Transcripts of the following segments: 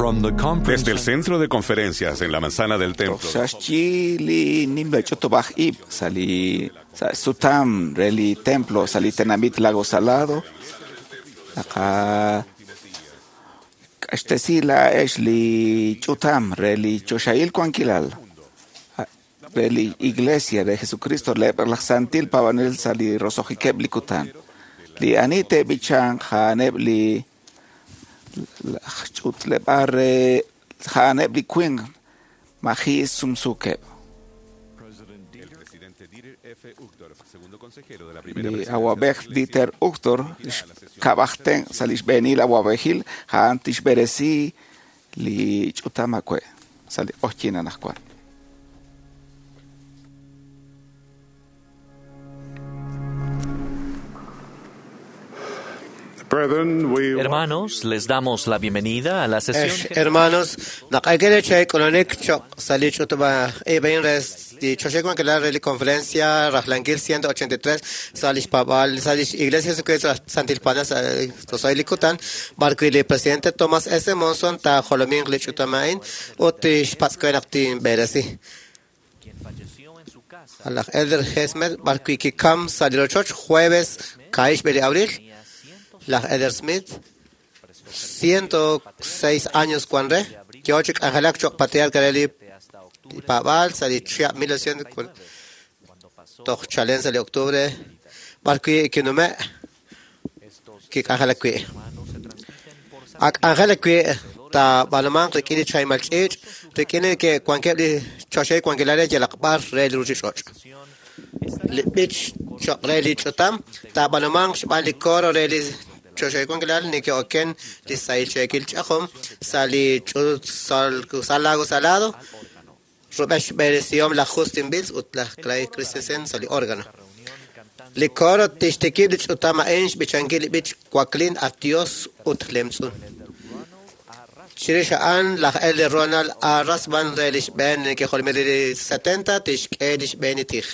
From the conference Desde el centro de conferencias en la manzana del templo, Xaxyi li nimla ch'utub'aj ib' sa' li sa' sutam re li templo sa' li tenamit Lago Salado naqa k'axtesi laa'ex li ch'utam re li choxahil wankilal re li Iglesia de Jesucristo leb' laj santil paab'anel sa' li roso'jikeb' li kutan li ani te'b'ichanq a'aneb' li laj ch'utleb'aal re a'aneb' li winq maji' sumsukeb'. el presidente Dieter F. Uchtdorf, segundo consejero de la primera Li presidencia awab'ej de la Iglesia, Dieter Uchtdorf xkab'ajten sa' li xb'eenil awab'ejil a'an tixb'eresi li ch'utam awe' sa' li q'oqyin anaqwan. Brethren, we Hermanos, les damos la bienvenida a la sesión. Ex hermanos, naq'akele che k'ulunik choq sa' li ch'utub'a ib'in res li choxej wankilal re li conferencia rajlankil 183 sa' lix paab'aal sa' lix Iglesia Jesucristo Santil Paab'anel sa' roso'jil li kutan b'arwi' li presidente Thomas S. Monson taajolominq li ch'utam a'in ut tixpatz' we naq tinb'eresi. Quien falleció en su casa Laj Elder Hesmer b'arwi' kikam sa' li rochoch jueves 15 de abril tenía 106 laj Elder Smith 106 años cuan re yo'o chi k'anjelak choq patriarca re li hasta octubre paab'aal sa' li chihab' 1900 cuando pasó toj chalen sa' li octubre b'arwi' kinume' estos kik'anjelak wi'. hermanos se transmiten por Ak k'anjelak wi' taab'anumanq rik'in li chaymal ch'iich' rik'in li ke wankeb' li choxahil wankilal re yalaq b'ar re li ruuchich'och'. sesión Li b'ich choq re li ch'utam taab'anumanq xb'aan li coro re li choxahil wankilal neke'oken li sahil cheekil ch'ajom sa' li ch'ut sa' Lago Salado rub'el xb'eresihom laj Justin Bills ut laj Clay Christensen sa' li órgano. reunión cantando Li coro tixtikib' li ch'utam a'in xb'ichankil li b'ich Waklin at Dios ut lemtz'un. Chirix a'an laj Elder Ronald A. Rasband re li xb'een neke'jolomil li 70 tixk'e li xb'een li tij.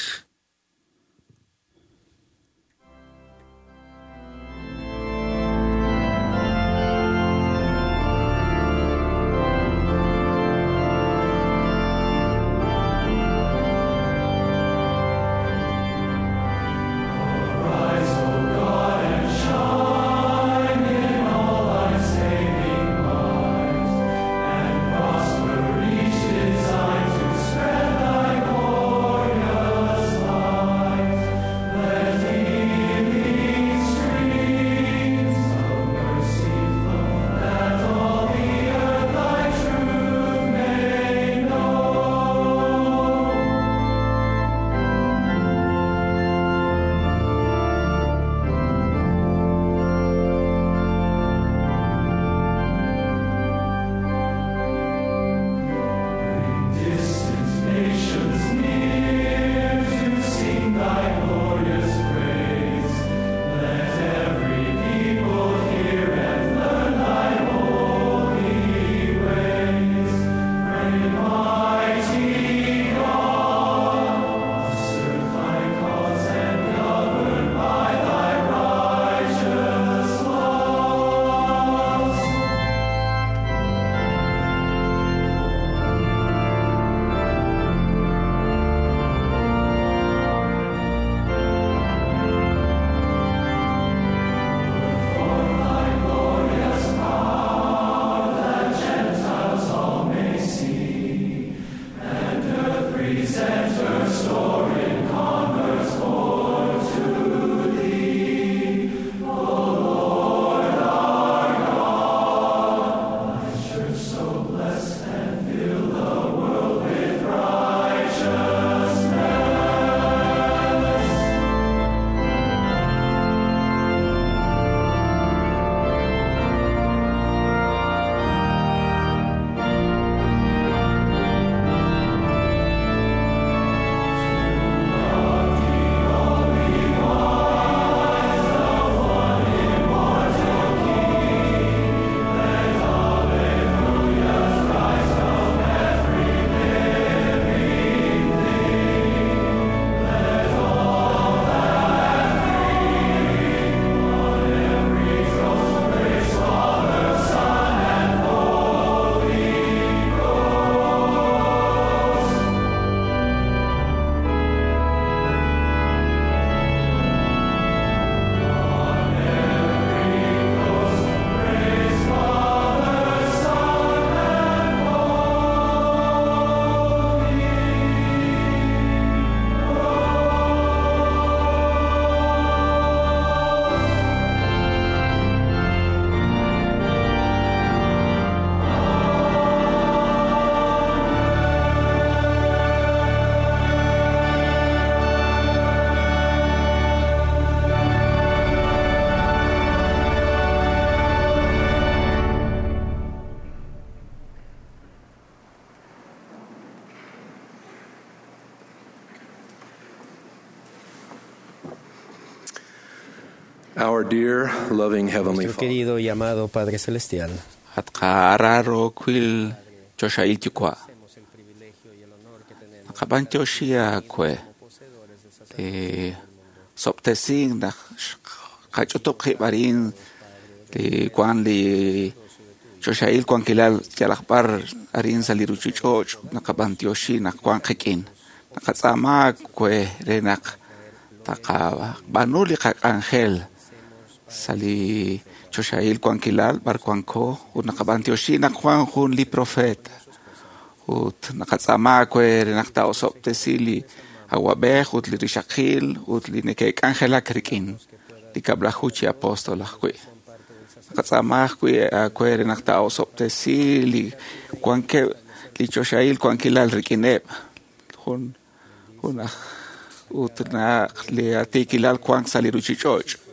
Prosper each design to spread thy glorious light. Our dear, loving Heavenly Nuestro Father, querido y amado Padre Celestial, At qaararookwil choxahil yuwa'. Naqab'antioxi aawe li sob'tesink naq qach'utub' qib' arin li wan li choxahil wankilal yalaq b'ar arin sa' li ruchich'och' naqab'antioxi naq wan qik'in. Naqatz'aama aawe re naq taqab'aanu li qak'anjel sa' li choxahil wankilal b'ar wanko ut naqab'antioxi naq wan jun li profeta ut naqatz'aama aawe re naq taa'osob'tesi li awab'ej ut li rixaqil ut li neke'k'anjelak rik'in li kab'laju chi apóstol ajwi'. Naqatz'aama ajwi' aawe re naq taa'osob'tesi li wankeb' li choxahil wankilal rik'ineb' jun jun aj ut naq li atiikilal wank sa' li ruchich'och'.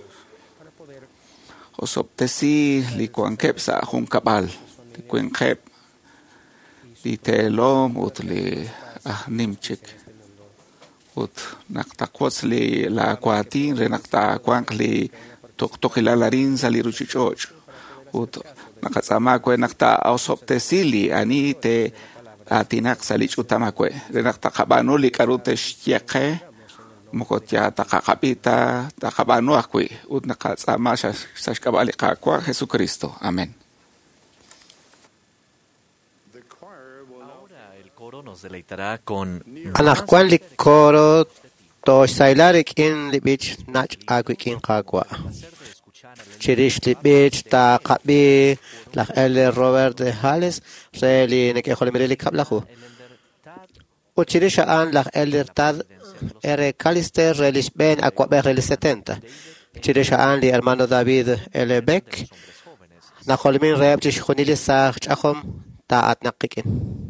Osob'tesi li wankeb' sa' junkab'al, li winqeb', li teelom ut li aj nim chik. Ut naq taqwotz li laawaatin re naq taawanq li tuqtuqilal arin sa' li ruchich'och'. Ut naqatz'aama aawe naq taa'osob'tesi li ani te'aatinaq sa' li ch'utam aawe re naq taqab'aanu li k'a'ru te'xye qe moko ya taqaqab'i ta taqab'aanu ajwi' ut naqatz'aama sa' xk'ab'a' li Qaawa' Jesucristo. Amén. the choir will now Ahora el coro nos deleitará con Anaqwan li coro toxsayla rik'in li b'ich nach' aawik'in Qaawa'. placer de escuchar al Chirix li b'ich taqab'i laj Elder Robert de Hales re li neke'jolomil li kab'laju. el Elder Tad Ut chirix a'an laj Elder Tad R. Callister re li xb'een awab'ej re li 70. Chirix a'an li hermano David L. Beck de los hombres jóvenes najolomin reheb' chixjunil li saaj ch'ajom taa'atnaq qik'in. Sin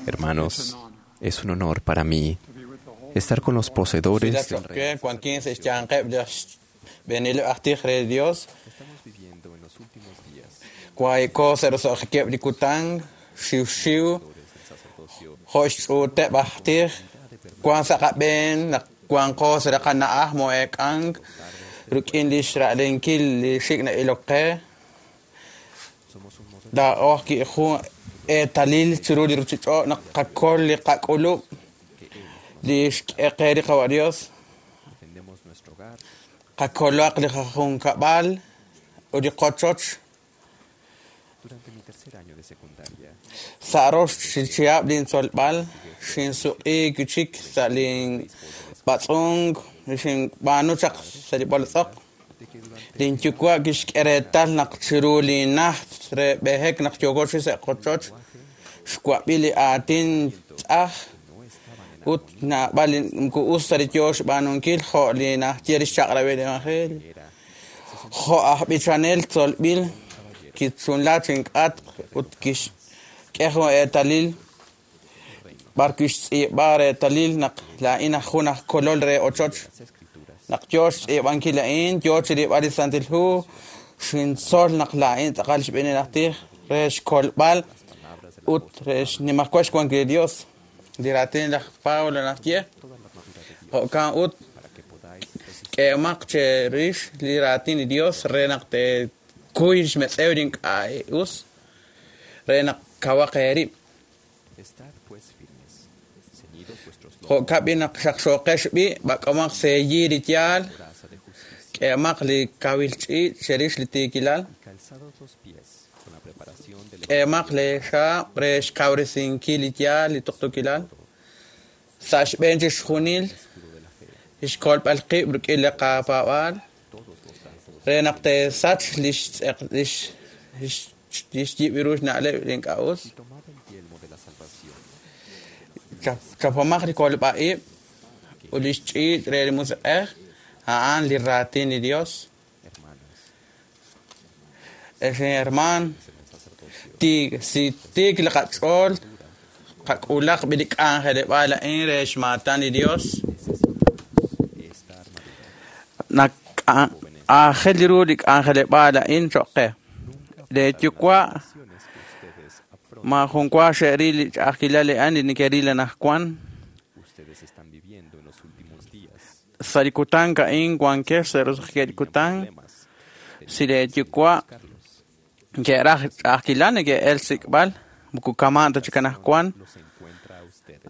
Hermanos, es un honor para mí estar con los poseedores del Real Dios. Estamos viviendo en los últimos días. Eetalil chiru li ruchich'och' naq qakol li qak'ulub' li xk'e li qawa' Dios qakolaq li qajunkab'al ut li qochoch sa' rox chihab' lintzolb'al xinsuq'iik chik sa' linb'atz'unk xinb'aanu chaq sa' li b'oltz'oq linyuwa' kixk'e reetal naq chiru linnajt re b'ehek naq yooko chi sa' qochoch xwab'i li aatin tz'aj ut naab'al moko us ta li yoo xb'aanunkil jo' li naxye li xchaq'rab'il li evangelio jo' aj b'ichanel tzolb'il kichunla chink'atq ut kixk'e jun eetalil b'ar kixtz'iib'a reetalil naq laa'in aj jun aj kolol re ochoch naq yoo xtz'iib'ankil a'in yoo chirilb'al li Santil Hu xintzol naq laa'in tz'aqal xb'eenil aj tij re xkolb'al ut re xnimajwal xwankil li Dios li raatin laj Pablo naxye jo'kan ut k'eemaq cherix li raatin li Dios re naq teekuy xmetz'ew li ink'a' us re naq kawaq eerib' jo'kan b'i naq xaqxooqex b'i b'ak'omaq seeyi li yaal k'eemaq li kawil ch'iich' cherix li tiikilal k'eemaq li xaab' re xkawresinkil li yaal li tuqtuukilal sa' xb'een chixjunil xkolb'al qib' rik'in li qapaab'aal re naq teesach li xyib' ru xna'leb' li ink'a' us chapomaq li kolb'a-ib' ut li xch'iich' re li musiq'ej a'an li raatin li Dios ex herman si tiik li qach'ool qak'ulaq b'i li k'anjeleb'aal a'in re xmaatan li Dios naq aajel ru li k'anjeleb'aal a'in cho'q qe le yuwa' maajun wa xe'ril li ch'a'ajkilal li a'an li neke'ril anaqwan sa' li kutan a'in wankex sa' roso'jikeb' li kutan si le yuwa' neke'raj ch'a'ajkilal neke'el xsik'b'al moko kama' ta chik anaqwan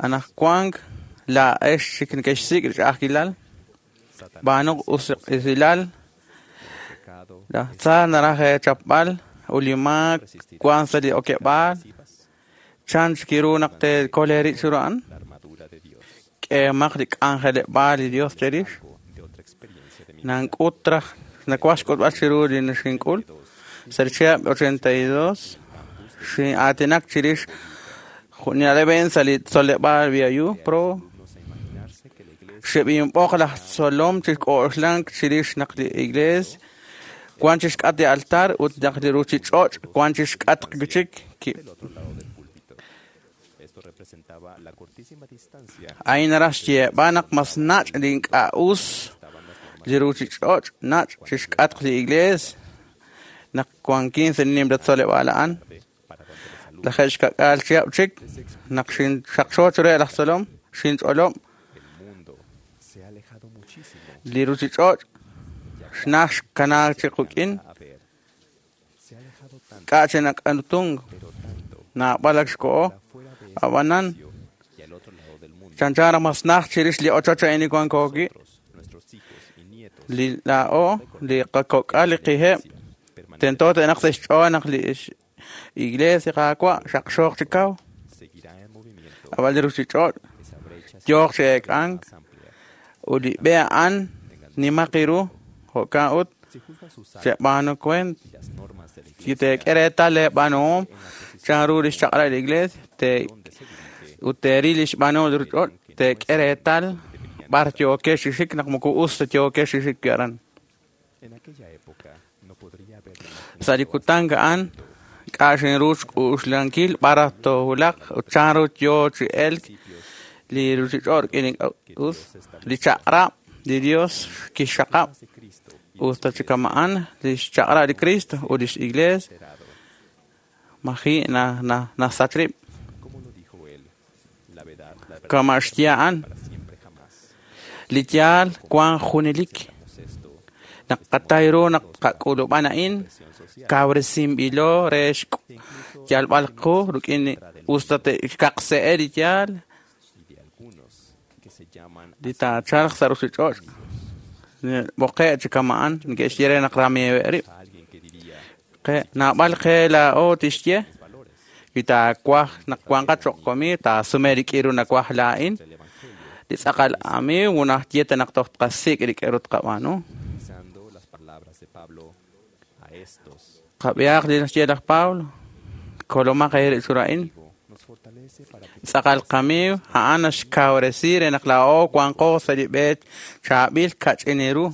anaqwan laa'ex chik neke'xsik' li ch'a'ajkilal b'aanuq usilal laj tza naraj eechapb'al ut li maak wank sa' li okeb'aal chan chik ru naq teekol eerib' chiru a'an k'eemaq li k'anjeleb'aal li Dios cherix nank'ut raj nawaj xk'utb'al chiru li xink'ul sa' li chihab' 82 xin'aatinak chirix na'leb' sa' li tzoleb'aal BYU Pro xeb'inb'oq laj tzolom chi k'oxlank chirix naq li iglees wan chixk'atq li altar ut naq li ruchich'och' wan chixk'atq chik a'in naraj xyeeb'al naq mas nach' li ink'a' us li ruchich'och' nach' chixk'atq li iglees naq wankin sa' li nimla tzoleb'aal a'an lajeeb' xka'k'aal chihab' chik naq xinxaqxo chiru laj tzolom xinch'olob' li ruchich'och' xnaj xkanaak chi quk'in k'a' chi nak'anutunk naab'al ak xko'o ab'anan chanchan raj mas naj chirix li ochoch a'in li wanko wi' li laa'o li qakok'al li qiheb' tento te'naq sa' xch'ool naq li iglees li Qaawa' xaqxooq chi kaw ab'an li ruchich'och' yooq chi eek'ank ut li b'e a'an nimaq ru jo'kan ut cheb'aanu kuent si teek'e reetal leeb'aanuhom chanru li xchaq'rab' li iglees ut teeril li xb'aanuhom li ruchich'och' teek'e reetal b'ar yookex chi xik naq moko us ta yookex chi xik aran sa' li kutan a'an Ink'a' xinru xk'uxlankil b'ar toowulaq ut chanru yo chi elk li ruuchich'och' rik'in ink'a' us. Li chaq'rab' li Dios kixxaqab' usta chi kama'an li xchaq'rab' li Cristo ut lix Iglees maji' nasach rib'. Kama' xye a'an li yaal wank junelik. Naq qatay ru naq qak'ulub'an a'in kawresinb'ilo re xyalb'al qu rik'in usta te'xkaqse'e li yaal li taachalq sa' ruuchich'och'. B'oqe' chi kama'an neke'xye re naq ramiiweb' rib'. Naab'al qe laa'o tixye wi taawaj naq wanqat cho'q wamiiw taasume rik'in ru nawaj laa'in. Li tz'aqal amiiw munaj ye ta naq toj tqasik' rik'in ru tqab'aanu. Qab'ihaq li naxye laj Pablo kolomaq eerib' chiru a'in. Tz'aqal qamiiw a'an naxkawresi re naq laa'o wanqo sa' li b'e chaab'il kach'in ru.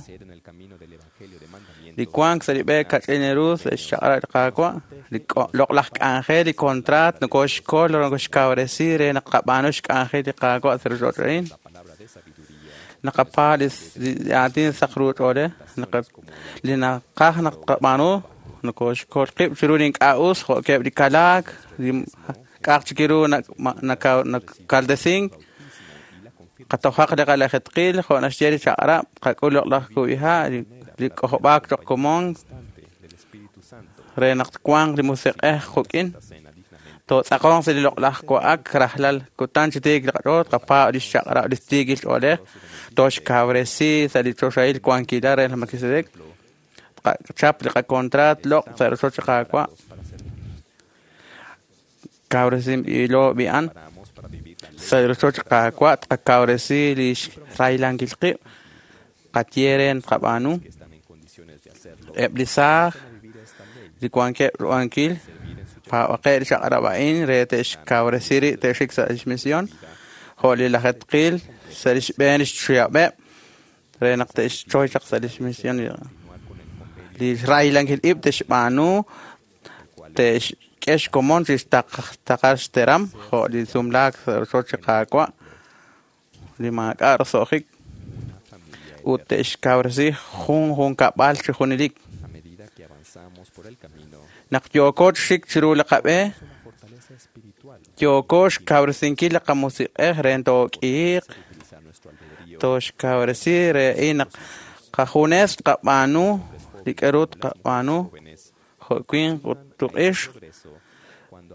Li wank sa' li b'e kach'in ru sa' xchaq'rab' li Qaawa', li loq'laj k'anjel, li kontraat nokoxkol nokoxkawresi re naq qab'aanu xk'anjel li Qaawa' sa' ruuchich'och' a'in. Naqapaab' li aatin saq ru ch'oolej, li naqaj naq tqab'aanu nokoxkol qib' chiru li ink'a' us jo'keb' li kalaak, li k'a'aq chik ru nakaldesink. Qatojaq li qalajetqil jo' naxye li chaq'rab', qak'ul loq'laj kub'iha', li k'ojob'aak cho'q komon re naq twanq li musiq'ej quk'in. Tootz'aqonq sa' li loq'laj wa'ak rajlal kutan chi tiik li qach'ool, tqapaab' li xchaq'rab' li tiikil ch'oolej, tooxkawresi sa' li choxahil wankilal re laj Melquisedec. Tqachap li qakontraat loq' sa' rochoch li Qaawa'. Kawresinb'ilo b'i'an sa' li rochoch li Qaawa' tqakawresi li xrahilankil qib' qaye re tqab'aanu. Eb' li saaj li wankeb' ruhankil paab'aqeb' li chaq'rab' a'in re te'xkawresi rib' te'xik sa' lix misión jo' li lajetqil sa' lix b'een lix chihab' re naq te'xchoy chaq sa' lix misión. Li xrahilankil ib' te'xb'aanu te'xk'e xkomon chi xtaqal xteram jo' li sumlaak sa' rochoch li Qaawa' li maak'a' roso'jik ut te'xkawresi jun junkab'al chi junelik. Naq yooko chi xik chiru li qab'e, yooko xkawresinkil li qamusiq'ej re took'iiq, tooxkawresi re in naq qajunes tqab'aanu li k'aru tqab'aanu jo' winq ut tuq'ixq,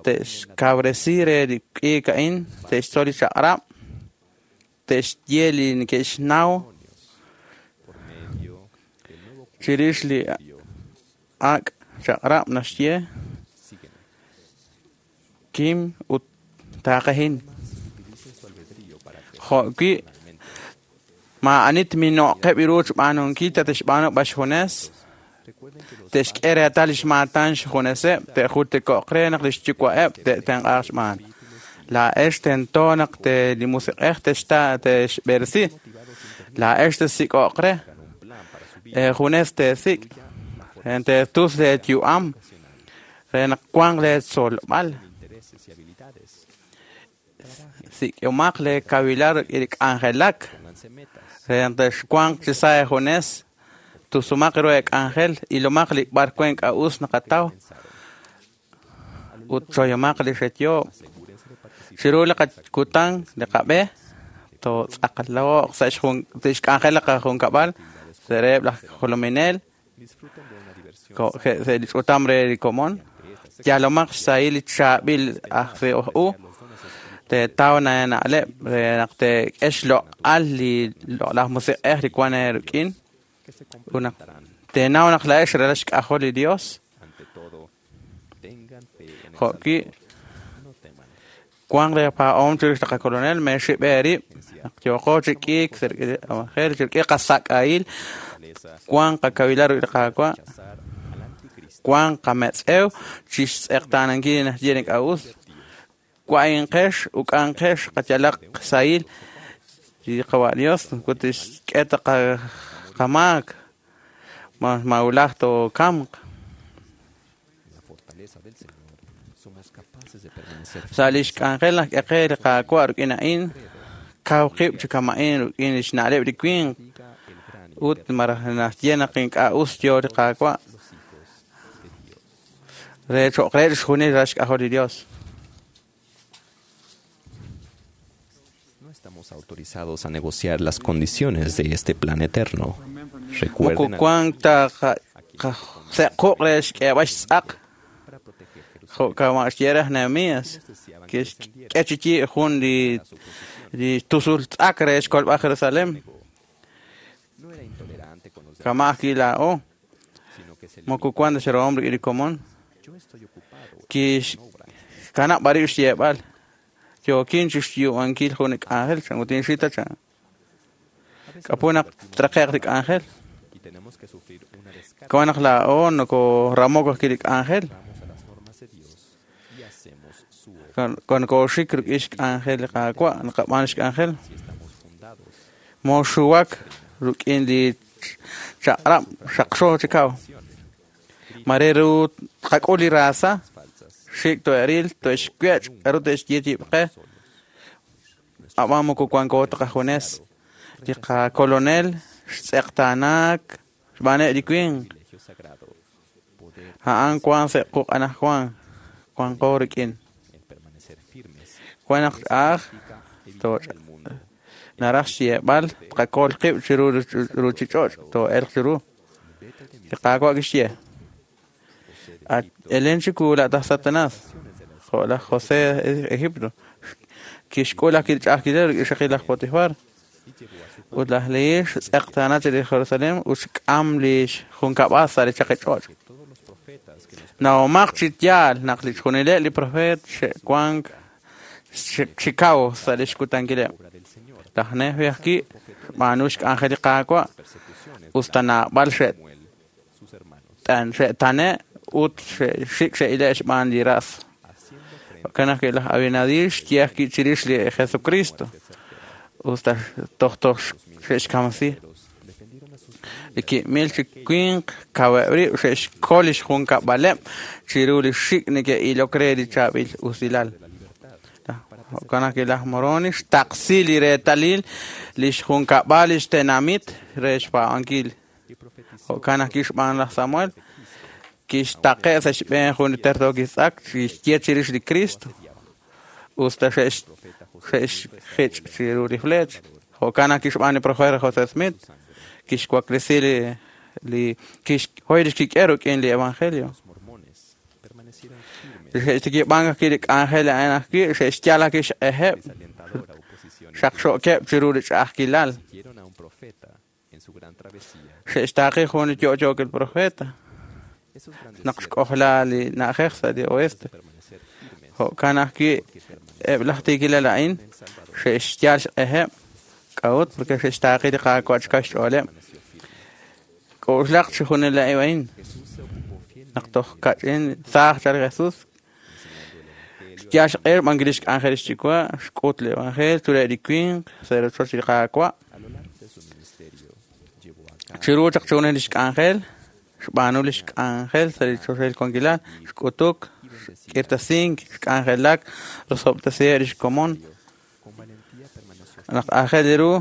te'xkawresi re li k'iik a'in, te'xtzol li chaq'rab', te'xye li neke'xnaw chirix li ak' chaq'rab' naxye kim ut taaqehin. Jo' wi' maa'ani tmino'qeb' ru xb'aanunkil ta te'xb'aanu b'ar xjunes, te'xk'e reetal lix maatan xjuneseb', te'jultiko'q re naq lix yuwa'eb' te'tenq'aaq xb'aan. Laa'ex tento naq li musiq'ej te'xb'eresi, laa'ex te'sik'o'q re, junes te'sik', te'tus leeyu'am re naq wanq leetzolb'al. Sik'omaq leekawilal rik'in li k'anjelak re naq texwanq chi sa' eejunes, tusumaq ru eek'anjel, ilomaq li b'ar wan ink'a' us naqataw ut choyomaq li xetyoob'. Chiru li qakutan li qab'e tootz'aqlo'q sa' xk'anjel li qajunkab'al, sa' reheb' laj jolominel, sa' li ch'utam re li komon. Yalomaq xsahil li chaab'il aj u teetaw na'leb' re naq teek'e xloq'al li loq'laj musiq'ej li wan eerik'in ut naq teenaw naq laa'ex ralal xk'ajol li Dios. Jo' wi' wanq leepaa'om chirix li qakolonel meexib' eerib' naq yooqo chi k'iik sa' li evangelio rik'in qasak'ahil wanq qakawilal rik'in li Qaawa' wanq qametz'ew chi xtz'eqtaanankil li naxye li ink'a' us. Wa'inqex uk'anqex qayalaq sahil li Qawa' Dios ut tixk'e ta qamaak mawulaj tookamq. Sa' lix k'anjel naq k'e li Qaawa' rik'in a'in, kaw qib' chi kama'in rik'in lix na'leb' li winq ut maraj naxye naq ink'a' us yo li Qaawa' re cho'q re chixjunil ral xk'ajol li Dios. No estamos autorizados a negociar las condiciones de este plan eterno. Moko Recuerden wank ta se'quq re xk'eeb'al xtz'aq para proteger Jerusalén. jo' kama' xye raj Nehemías kixk'e chi yiib' jun li tusul tz'ak re xkolb'al Jerusalén. No era intolerante con los demás, Kama' ajwi' laa'o sino que se moko limitó. wank ta xrahom rik'in li komon. Yo estoy ocupado en Kix- una obra. Kanab' b'arib' xyeeb'al yookin chi xyu'ankil jun li k'anjel chan ut inxita chan. A veces K'apu nos naq divertimos traje'q li k'anjel. y tenemos que sufrir una descarga. Kawan naq laa'o nokoramok ajwi' li k'anjel. Vamos a las normas de Dios y hacemos su obra. Konokoxik rik'in xk'anjel li Qaawa' naqab'aan xk'anjel. Si estamos fundados Moxuwak rik'in li chaq'rab' xaqxo chi kaw. Mare ru tqak'ul li raasa falsas, xik' to'eril to'xwech' k'aru te'xye yib' qe ab'an moko wanko ta qajunes. Li qakolonel xtz'eqtaanaak xb'aaneb' li winq. privilegio sagrado, poder A'an wank sa' quq' anaqwan wanqo rik'in. el permanecer firmes Wan naq ch'a'aj significa evitar to'ch- el mundo. naraj xyeeb'al tqakol qib' chiru ruuchich'och' too'elq chiru. Vete de mi Li Qaawa' kixye José de "At Egipto, elen chiwu la'taj Satanás naciones de la jo' laj José de Egipto kixk'ul ajwi' li ch'a'ajkilal rik'in xaqil laj Potifar y llevó a su ut laj Lehi xtz'eqtaana chi li Jerusalén ut xk'am li xjunkab'al sa' li chaqich'och'. que todos los profetas que nos Nahomaq chi yaal naq li chjunileb' li profeet xe'wank chi kaw sa' li xkutankileb'. obra del Señor, Laj Nefi ajwi' xb'aanu xk'anjel li Qaawa' persecuciones us ta naab'al xe' Samuel, sus hermanos, tan xe'tane' ut xik' xe'ile' xb'aan li ras. haciendo frente Jo'kan ajwi' laj Abinadi xye ajwi' chirix li Jesucristo us ta toj toj xe'xkamsi. defendieron a sus Li ki'mil chi winq kaweb' rib' xe'xkol li xjunkab'aleb' chiru li xik' neke'ilok re li chaab'il usilal. de la libertad Jo'kan ajwi' laj Moroni xtaqsi li reetalil li xjunkab'al li xtenamit re xpaab'ankil. y profetizó Jo'kan ajwi' xb'aan laj Samuel kixtaqe' sa' xb'een jun li tertookil tz'ak kixye chirix li Cristo us ta xe'xjich' chiru li flecha. Jo'kan ajwi' xb'aan li profeta José Smith kixwaklesi li kixhoy li xkik'e rik'in li Evangelio. los mormones permanecieron firmes Xe'xtikib'an ajwi' li k'anjel a'an ajwi' xe'xyal ajwi' xq'ejeb' desalentadora oposición xaqxo'keb' chiru li ch'a'ajkilal. siguieron a un profeta en su gran travesía. Xe'xtaaqi jun li yo'yookil profeta Esos grandes naq siervos xk'ojla li na'ajej sa' li oeste. permanecer firmes Jo'kan ajwi' que permanecieron eb' laj tiikilal a'in en El Salvador xe'xyal xq'ejeb' k'a'ut porque xe'xtaaqi li Qaawa' chi kaw xch'ooleb'. permaneció firme. K'oxlaq chi junil a'in a'in Jesús se ocupó fielmente naq toj kach'in saaj chal li Jesús enseñando el evangelio xyal xq'ej b'an li xk'anjel xyuwa' xk'ut li evangelio ture' li winq sa' rochoch li Qaawa'. a lo largo de su ministerio llevó a cabo Chiru chaq chunil li xk'anjel xb'aanu li xk'anjel sa' li choxahil wankilal xk'utuk xk'irtasink xk'anjelak rosob'tasiheb' li xkomon con valentía permaneció naq aajel ru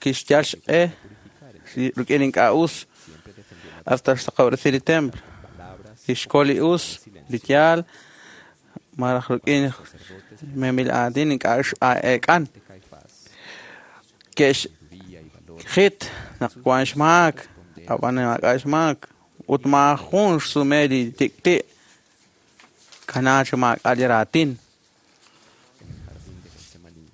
kixyal xq'e purificar el rik'in ink'a' us siempre defendió la hasta xsaqob'resi li templo palabras kixkol li us li yaal maraj rik'in sacerdotes memil aatin ink'a' eek'an de Caifás ke'xjit y valor naq wan xmaak ab'an maak'a' xmaak ut maajun xsume li tik'ti' kanaa chi maak'a' li raatin en el jardín de Getsemaní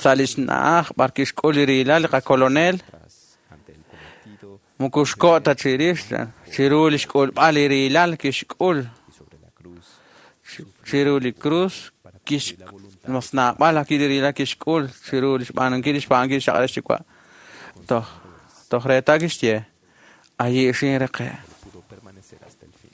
sa' li xna'aj b'ar kixk'ul li riilal li qakolonel tras ante el cometido moko xko' ta chirix chiru li xk'ulb'al li riilal kixk'ul y sobre la cruz chiru li cruz kix mas naab'al ajwi' li riilal kixk'ul chiru li xb'aanunkil li xb'aanunkil xaq'al xyuwa' toj toj reetal kixye ayi' xinreqe' pudo permanecer hasta el fin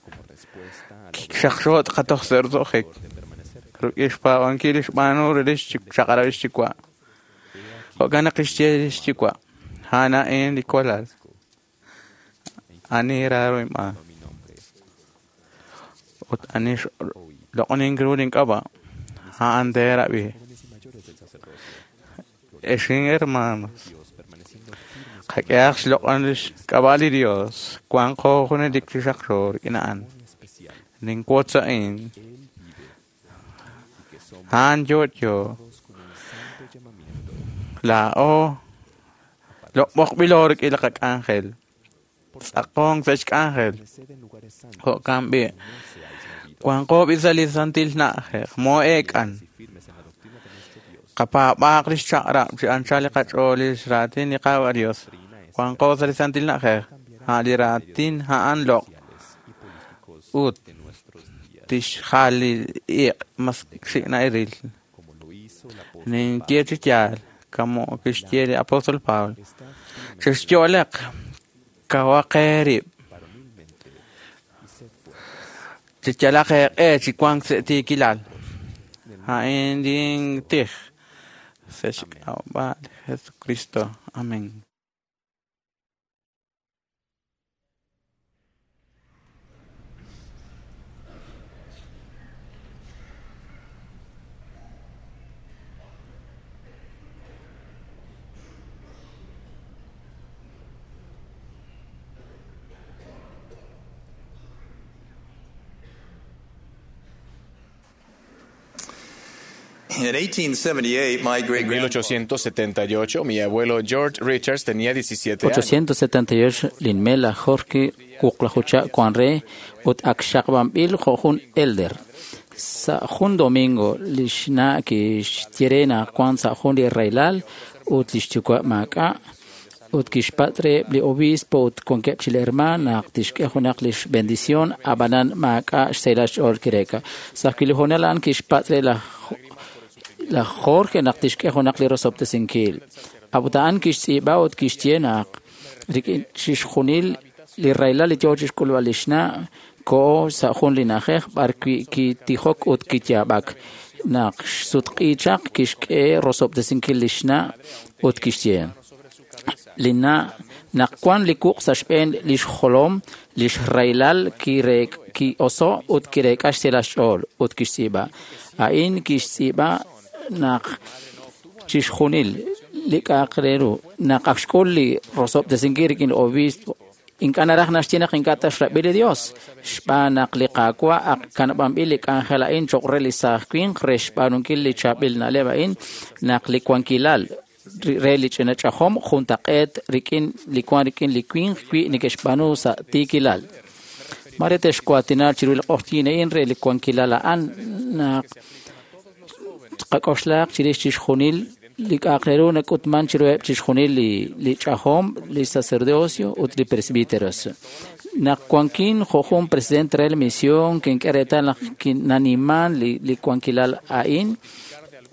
como respuesta a la xaqxo' tqatoj sa' roso'jik de permanecer rik'in xpaab'ankil li xb'aanu rili xchaq'rab' xyuwa' jo'kan naq kixye li xyuwa' a'an a'in li walal ani raaro inb'aan mi nombre Ut ani xloq'onink ru link'ab'a', a'an teerab'i. Ex hermanos, qak'ehaq xloq'on lix k'ab'a' li Dios, wanqo junelik chi xaqxo rik'in a'an. Ninwotz a'in, a'an yo'yo. Laa'o loq'b'oqb'ilo rik'in li qak'anjel. Tz'aqonk sa' xk'anjel. Jo'kan b'i'. Wanqo b'i sa' li santil na'ajej, moo'eek'an. Qapaab'aaq lix chaq'rab' chi anchal li qach'ool lix raatin li Qaawa' Dios. Wanqo sa' li santil na'ajej, a' li raatin a'an loq' ut tixjal li iq' mas xik' na'iril. Ninye chi yaal, kamo kixye li apóstol Pablo. Chexyo'leq, kawaq eerib'. Cheyalaq eeq'e chi wank sa' tiikilal. A'in lin tij sa' xk'ab'a' li Jesucristo. Amén. In 1878, my En great 1878, mi abuelo George Richards tenía 17 años. 878 linmela Jorge wuqlajucha wanre ut ak xaqb'anb'il jo' jun elder. Sa' jun domingo lix na' kixye naq wan sa' jun li rahilal ut lix yuwa' maak'a' ut kixpatz' reheb' li obispo ut wankeb' chi li hermaan naq tixk'e junaq lix bendición ab'anan maak'a' xsahilal xch'ool kireek'a. Sa' ajwi' li hoonal a'an kixpatz' re laj Jorge naq tixk'e junaq li rosob'tesinkil. A'ut a'an kixtz'iib'a ut kixye naq rik'in chixjunil li rahilal li yoo chixk'ulb'al lix na' ko'o sa' jun li na'ajej b'arwi' kitijok ut kiyaab'ak. Naq xsutq'i chaq kixk'e rosob'tesinkil lix na' ut kixye: Li na' naq wan li wuq' sa' xb'een lix jolom, lix rahilal ki'oso' ut kireek'a xsahilal xch'ool ut kixtz'iib'a. A'in kixtz'iib'a naq chixjunil li k'a'aq re ru naq ak xk'ul li rosob'tesinkil rik'in li obispo ink'a' naraj naxye naq ink'a' ta xrab'i li Dios, xb'aan naq li Qaawa' ak kanab'anb'il li k'anjel a'in cho'q re li saaj winq re xb'aanunkil li chaab'il na'leb' a'in naq li wankilal re li ch'ina ch'ajom juntaq'eet rik'in li wan rik'in li winq wi neke'xb'aanu sa' tiikilal. Mare texwaatina chiru li q'oqyink a'in re li wankilal a'an naq qak'oxlaq chirix chixjunil li k'a'aq re ru nak'utman chiruheb' chixjunil li ch'ajom, li sacerdocio ut li presbíteros. Naq wankin jo' jun presidente re li misión kink'e reetal naq kinaniman li wankilal a'in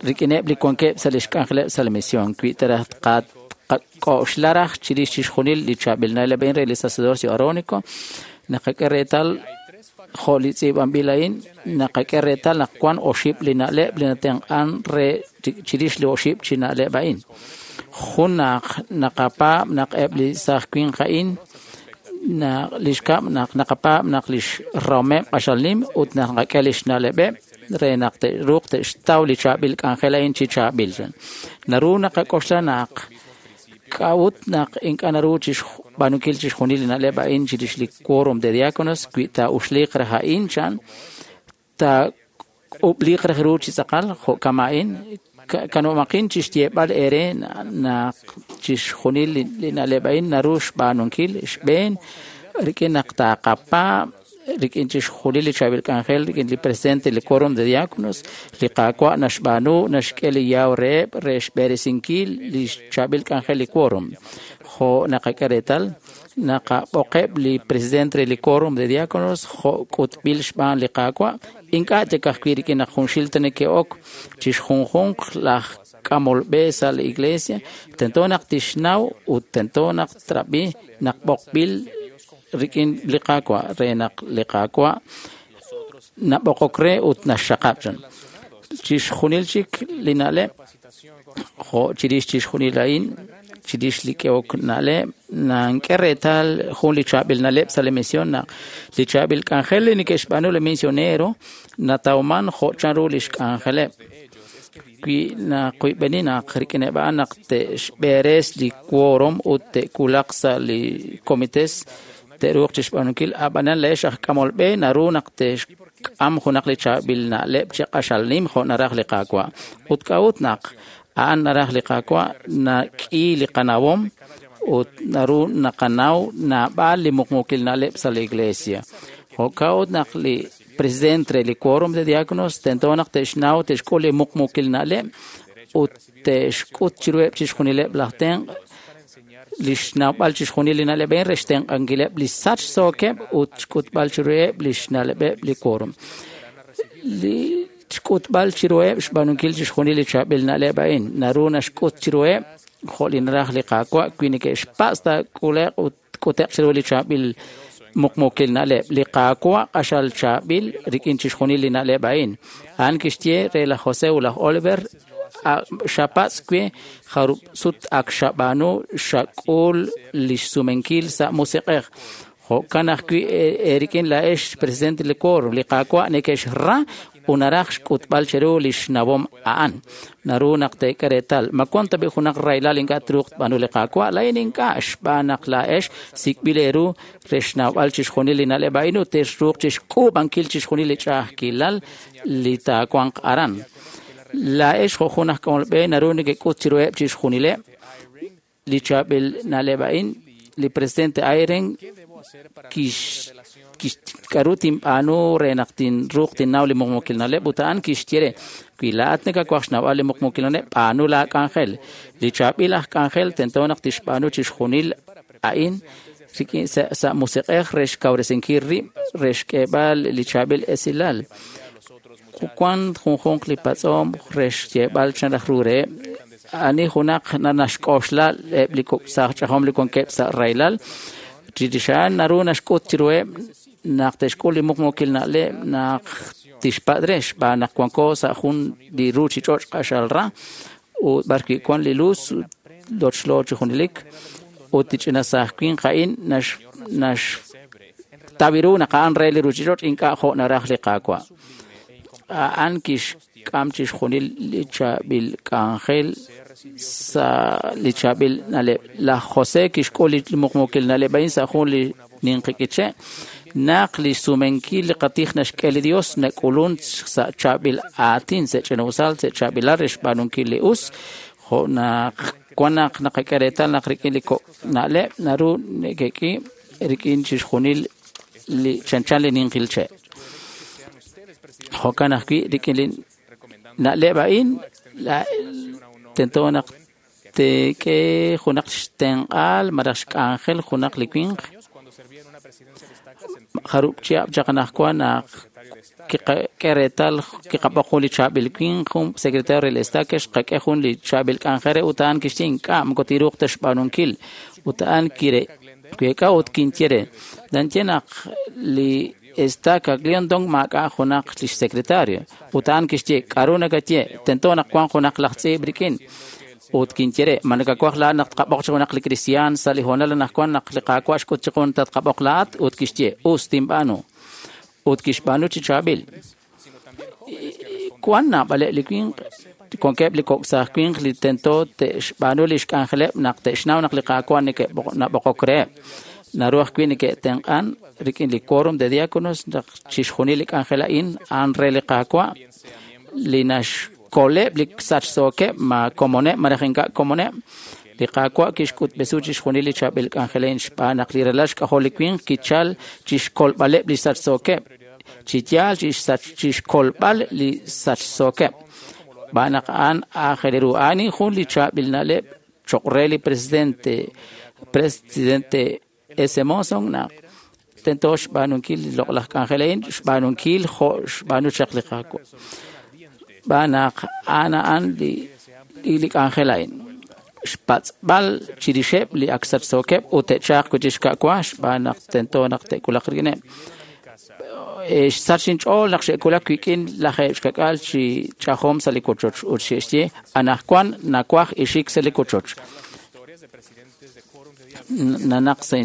rik'ineb' li wankeb' sa' lix k'anjeleb' sa' li misión. Wi ta raj qak'oxla raj chirix chixjunil li chaab'il na'leb' a'in re li sacerdocio aarónico, naqak'e reetal jo' li tz'iib'anb'il a'in, naqak'e reetal naq wan oxib' li na'leb' li natenq'an re chirix li oxib' chi na'leb' a'in. Jun naq naqapaab' naq eb' li saaj winq a'in, li xkab' naq naqapaab' naq lix rahomeb' q'axal nim ut naq naqak'e lix na'leb'eb' re naq te'ruuq te'xtaw li chaab'il k'anjel a'in chi chaab'il. Naru naqak'oxla naq k'a'ut naq ink'a' naru chixb'aanunkil chixjunil li na'leb' a'in chirix li quórum de diáconos wi taa'uxliiq raj a'in chan taak'ub'liiq raj ru chi tz'aqal jo' kama a'in kanumaqin chixyeeb'al eere naq chixjunil li na'leb' a'in naru xb'aanunkil xb'een rik'in naq taaqapaab' rik'in chixjunil li chaab'il k'anjel rik'in li presidente li quórum de diáconos li Qaawa' naxb'aanu naxk'e li yaw reheb' re xb'eresinkil li chaab'il k'anjel li quórum. Jo' naqak'e reetal naqab'oqeb' li presidente re li quórum de diáconos jo' k'utb'il xb'aan li Qaawa' ink'a' chik ajwi' rik'in naq junxil ta neke'ok chixjunjunq laj k'amol b'e sa' li iglesia tento naq tixnaw ut tento naq trab'i naq b'oqb'il rik'in li Qaawa' re naq li Qaawa' nab'oqok re ut naxxaqab' chan. Chixjunil chik li na'leb' jo' chirix chixjunil a'in chirix li k'ehok na'leb', nank'e reetal jun li chaab'il na'leb' sa' li mision naq li chaab'il k'anjel li neke'xb'aanu li misionero natawman jo' chanru lix k'anjeleb'. Wi naqoyb'eni naq rik'ineb' a'an naq te'xb'eres li quórum ut te'wulaq sa' li comités te'ruuq chixb'aanunkil, ab'anan laa'ex aj k'amol b'e naru naq te'xk'am junaq li chaab'il na'leb' chi q'axal nim jo' naraj li Qaawa'. Ut k'a'ut naq a'an naraj li Qaawa' nak'i li qanawom ut naru naqanaw naab'al li muqmuukil na'leb' sa' li iglesia. Jo'kan ut naq li president re li quórum de diáconos tento naq te'xnaw te'xk'ul li muqmuukil na'leb' ut te'xk'ut chiruheb' chixjunileb' laj tenq' li xnawb'al chixjunil li na'leb' a'in re xtenq'ankileb' li sachsookeb' ut xk'utb'al chiruheb' li xna'leb'eb' li quórum. Li xk'utb'al chiruheb' xb'aanunkil chixjunil li chaab'il na'leb' a'in naru naxk'ut chiruheb' jo' li naraj li Qaawa' wi neke'xpatz' taak'ule'q ut k'ute'q chiru li chaab'il muqmuukil na'leb'. Li Qaawa' q'axal chaab'il rik'in chixjunil li na'leb' a'in. A'an kixye re laj José ut laj Oliver, xapatz' we jarub' sut ak xab'aanu xak'ul li xsumenkil sa' musiq'ej. Jo'kan ajwi' eerik'in laa'ex presidente li quórum, li Qaawa' neke'xra ut naraj xk'utb'al cheru li xnawom a'an. Naru naq teek'e reetal. Ma wan tab'i' junaq rahilal ink'a' truuq tb'aanu li Qaawa'? Laa'in ink'a' xb'aan naq laa'ex sik'b'il eeru re xnawb'al chixjunil li na'leb' a'in ut texruuq chixk'uub'ankil chixjunil li ch'a'ajkilal li taawanq aran. Laa'ex jo' jun aj k'amol b'e naru nekek'ut chiruheb' chixjunileb' li chaab'il na'leb' a'in. Li presidente Eyring k'aru tinb'aanu re naq tinruuq tinnaw li muqmuukil na'leb' ut a'an kixye re, wi laa'at nakawaj xnawb'al li muqmuukil na'leb', b'aanu laa k'anjel. Li chaab'il aj k'anjel tento naq tixb'aanu chixjunil a'in rik'in sa' musiq'ej re xkawresinkil rib' re xk'eeb'al li chaab'il esilal. Wan junjunq li patz'om re xyeeb'al chan raj ru reheb'. Ani junaq naxk'oxla eb' li kok' saaj ch'ajom li wankeb' sa' rahilal, chirix a'an naru naxk'ut chiruheb' naq te'xk'ul li muqmuukil na'leb' naq tixpatz' re xb'aan naq wanko sa' jun li ruuchich'och' q'axal ra ut b'arwi' wan li luz lochlo chi junelik ut li ch'ina saaj winq a'in naxtaw ru naq a'an re li ruuchich'och' ink'a' jo' naraj li Qaawa'. A'an kixk'am chixjunil li chaab'il k'anjel sa' li chaab'il na'leb'. Laj José kixk'ul li muqmuukil na'leb' a'in sa' jun li ninqi k'iche' naq li xsumenkil li qatij naxk'e li Dios nak'ulun sa' chaab'il aatin, sa' ch'ina'usal, sa' chaab'ilal re xb'aanunkil li us, jo' naq wan naq naqak'e reetal naq rik'in li kok' na'leb' naru neke'k'i rik'in chixjunil li chanchan li ninqil che'. Jo'kan ajwi' rik'in li na'leb' a'in tento naq teek'e junaq xtenq'aal malaj xk'anjel junaq li winq. Jarub' chihab' chaq anaqwan naq kiqak'e reetal kiqab'oq jun li chaab'il winq, jun secretario re estaca, xqak'e jun li chaab'il k'anjel re ut a'an kixye ink'a' moko tiruuq ta xb'aanunkil. Ut a'an kireek'a ut kinye re. Nanye naq li estaca Glendon maak'a' junaq lix secretario. Ut a'an kixye k'aru nakaye tento naq wan junaq laj tz'iib' rik'in. Ut kinye re ma nakawaj laa'at naq tqab'oq chi junaq li kristiaan sa' li hoonal anaqwan naq li Qaawa' xk'ut chiqu naq tatqab'oq laa'at ut kixye us tinb'aanu. Ut kixb'aanu chi chaab'il. Wan naab'aleb' li winq wankeb' li kok' saaj winq li tento te'xb'aanu li xk'anjeleb' naq te'xnaw naq li Qaawa' neke'nab'oqok reheb'. Naru ajwi' neke'tenq'an rik'in li quórum de diáconos naq chixjunil li k'anjel a'in a'an re li Qaawa' li naxkoleb' li sachsookeb' ma komoneb' malaj ink'a' komoneb'. Li Qaawa' kixk'utb'esu chixjunil li chaab'il k'anjel a'in xb'aan naq li ralal xk'ajol li winq kichal chixkolb'aleb' li sachsookeb', chi yaal chixkolb'al li sachsookeb'. Xb'aan naq a'an aajel ru. A'an jun li chaab'il na'leb' choq' re li presidente S. Monson naq tento xb'aanunkil li loq'laj k'anjel a'in, xb'aanunkil jo' xb'aanu chaq li Qaawa'. Xb'aan naq a'an a'an li k'anjel a'in. Xpatz'b'al chirixeb' li ak sachsookeb' ut te'chaaq wi' chixka'wa xb'aan naq tento naq te'wulaq rik'ineb'. Xsach inch'ool naq xe'wulak wik'in lajeeb' xkak'al chi ch'ajom sa' li wochoch ut xe'xye anaqwan nawaj ixik sa' li wochoch. Nanaq sa'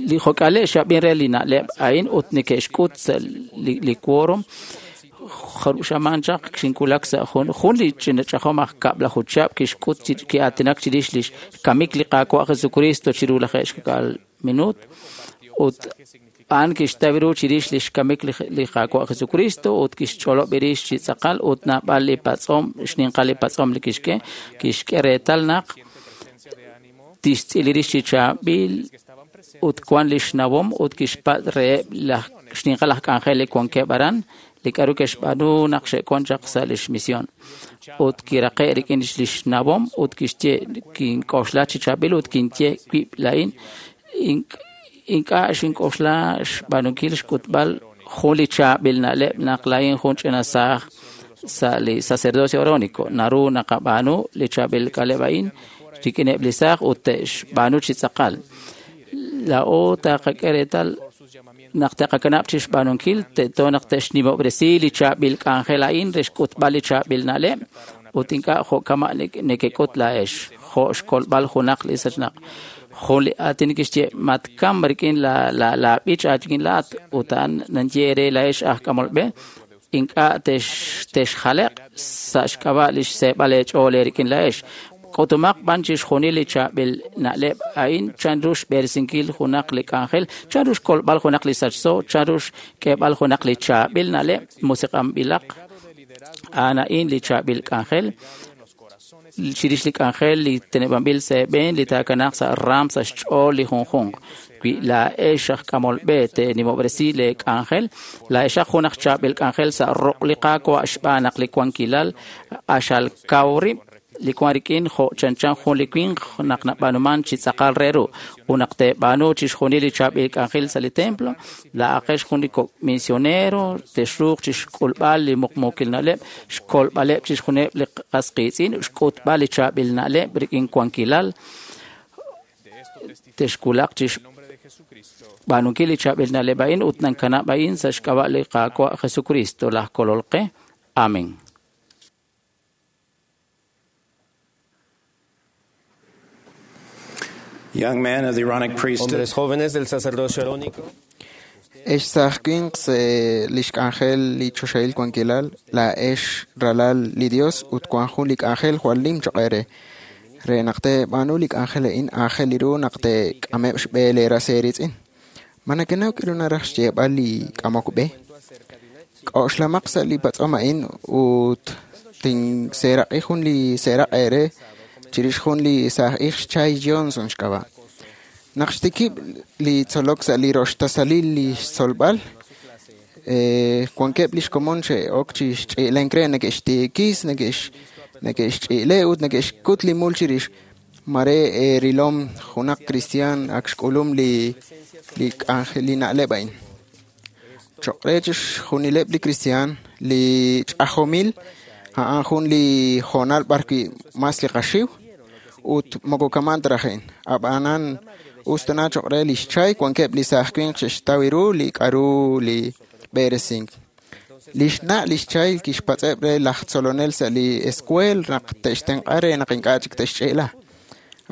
li jok'ale xab'in re li na'leb' a'in ut neke'xk'ut sa' li quórum jarub' xamaan chaq xinwulak sa' jun li ch'ina ch'ajom aj kab'laju chihab' kixk'ut ki'aatinak chirix li xkamik li Qaawa' Jesucristo chiru 90 minuut ut a'an kixtaw ru chirix li xkamik li Qaawa' Jesucristo ut kixch'olob' rix chi tz'aqal ut naab'al li patz'om xninqal li patz'om li kixk'e kixk'e reetal naq tixtz'il rix chi chaab'il ut wan li xnawom ut kixpatz' reheb' laj xninqal aj k'anjel li wankeb' aran li k'a'ru ke'xb'aanu naq xe'wan chaq sa' lix misión. Ut kiraqe' rik'in lix nawom ut kixye kink'oxla chi chaab'il ut kinye wib' laa'in ink'a' xink'oxla xb'aanunkil xk'utb'al jun li chaab'il na'leb' naq laa'in jun ch'ina saaj sa' li sacerdocio arónico. Naru naqab'aanu li chaab'il k'aleb' a'in rik'ineb' li saaj ut te'xb'aanu chi tz'aqal. Laa'o taqak'e reetal naq taqakanab' chi xb'aanunkil tento naq te'xnimob'resi li chaab'il k'anjel a'in re xk'utb'al li chaab'il na'leb' ut ink'a' jo' kama' nekek'ut laa'ex jo' xkolb'al junaq li sachnaq. Jun li aatin kixye matkam rik'in laab'ich aachik'in laat ut a'an naye re laa'ex aj k'amol b'e ink'a' texjaleq sa' xk'ab'a' li xseeb'al eech'ool eerik'in laa'ex. K'utumaq b'an chixjunil li chaab'il na'leb' a'in chanru xb'eresinkil junaq li k'anjel, chanru xkolb'al junaq li sachso, chanru xk'eeb'al junaq li chaab'il na'leb' musiq'anb'ilaq. A'an a'in li chaab'il k'anjel chirix li k'anjel li teneb'anb'il sa' eeb'een li taakanaaq sa' raam sa' xch'ool li junjunq. Wi laa'ex aj k'amol b'e teenimob'resi lee k'anjel, laa'exaq jun aj chaab'il k'anjel sa' ruq' li Qaawa' xb'aan naq li wankilal q'axal kaw rib' li wan rik'in jo' chanchan jun li winq naq nab'aanuman chi tz'aqal re ru. Ut naq teeb'aanu chixjunil li chaab'il k'anjel sa' li templo, laa'aqex jun li kok' misionero texruuq chixk'ulb'al li muqmuukil na'leb', xkolb'aleb' chixjunileb' li qas qiitz'in, xk'utb'al li chaab'il na'leb' rik'in wankilal, texwulaq chixb'aanunkil li chaab'il na'leb' a'in ut nankanab' a'in sa' xk'ab'a' li Qaawa' Jesucristo laj Kolol qe. Amén. Young men of the Aaronic priesthood. Hombres jóvenes del sacerdocio arónico. Ex saaj winq sa' lix k'anjel li choxahil wankilal, laa'ex ralal li Dios ut wan jun li k'anjel jwal nim choq' eere. Re naq teeb'aanu li k'anjel a'in aajel ru naq teek'ameb' xb'e leeras eeritz'in. Ma nakenaw k'aru naraj xyeeb'al li k'amok b'e? K'oxlamaq sa' li patz'om a'in ut tinseeraq'i jun li seeraq' eere chirix jun li saaj ix Chay Johnson xk'ab'a'. Naq xtikib' li tzolok sa' li roxtasalil li xtzolb'al, wankeb' lix komon xe'ok chi xch'i'lenk re neke'xtiikis, neke'xch'i'le ut neke'xkut li mul chirix. Mare rilom junaq kristiaan ak xk'ulum li k'anjel li na'leb' a'in. Choq' re chixjunileb' li kristiaan li ch'ajomil a'an jun li hoonal b'ar wi' mas li qaxiw ut moko kaman ta raj a'in. Ab'anan us tana choq' re lix chay wankeb' li saaj winq xe'xtaw ru li k'aru li b'eresink. Lix na' lix chay kixpatz'eb' re laj tzolonel sa' li escuel naq te'xtenq'a re naq ink'a' chik te'xch'i'la.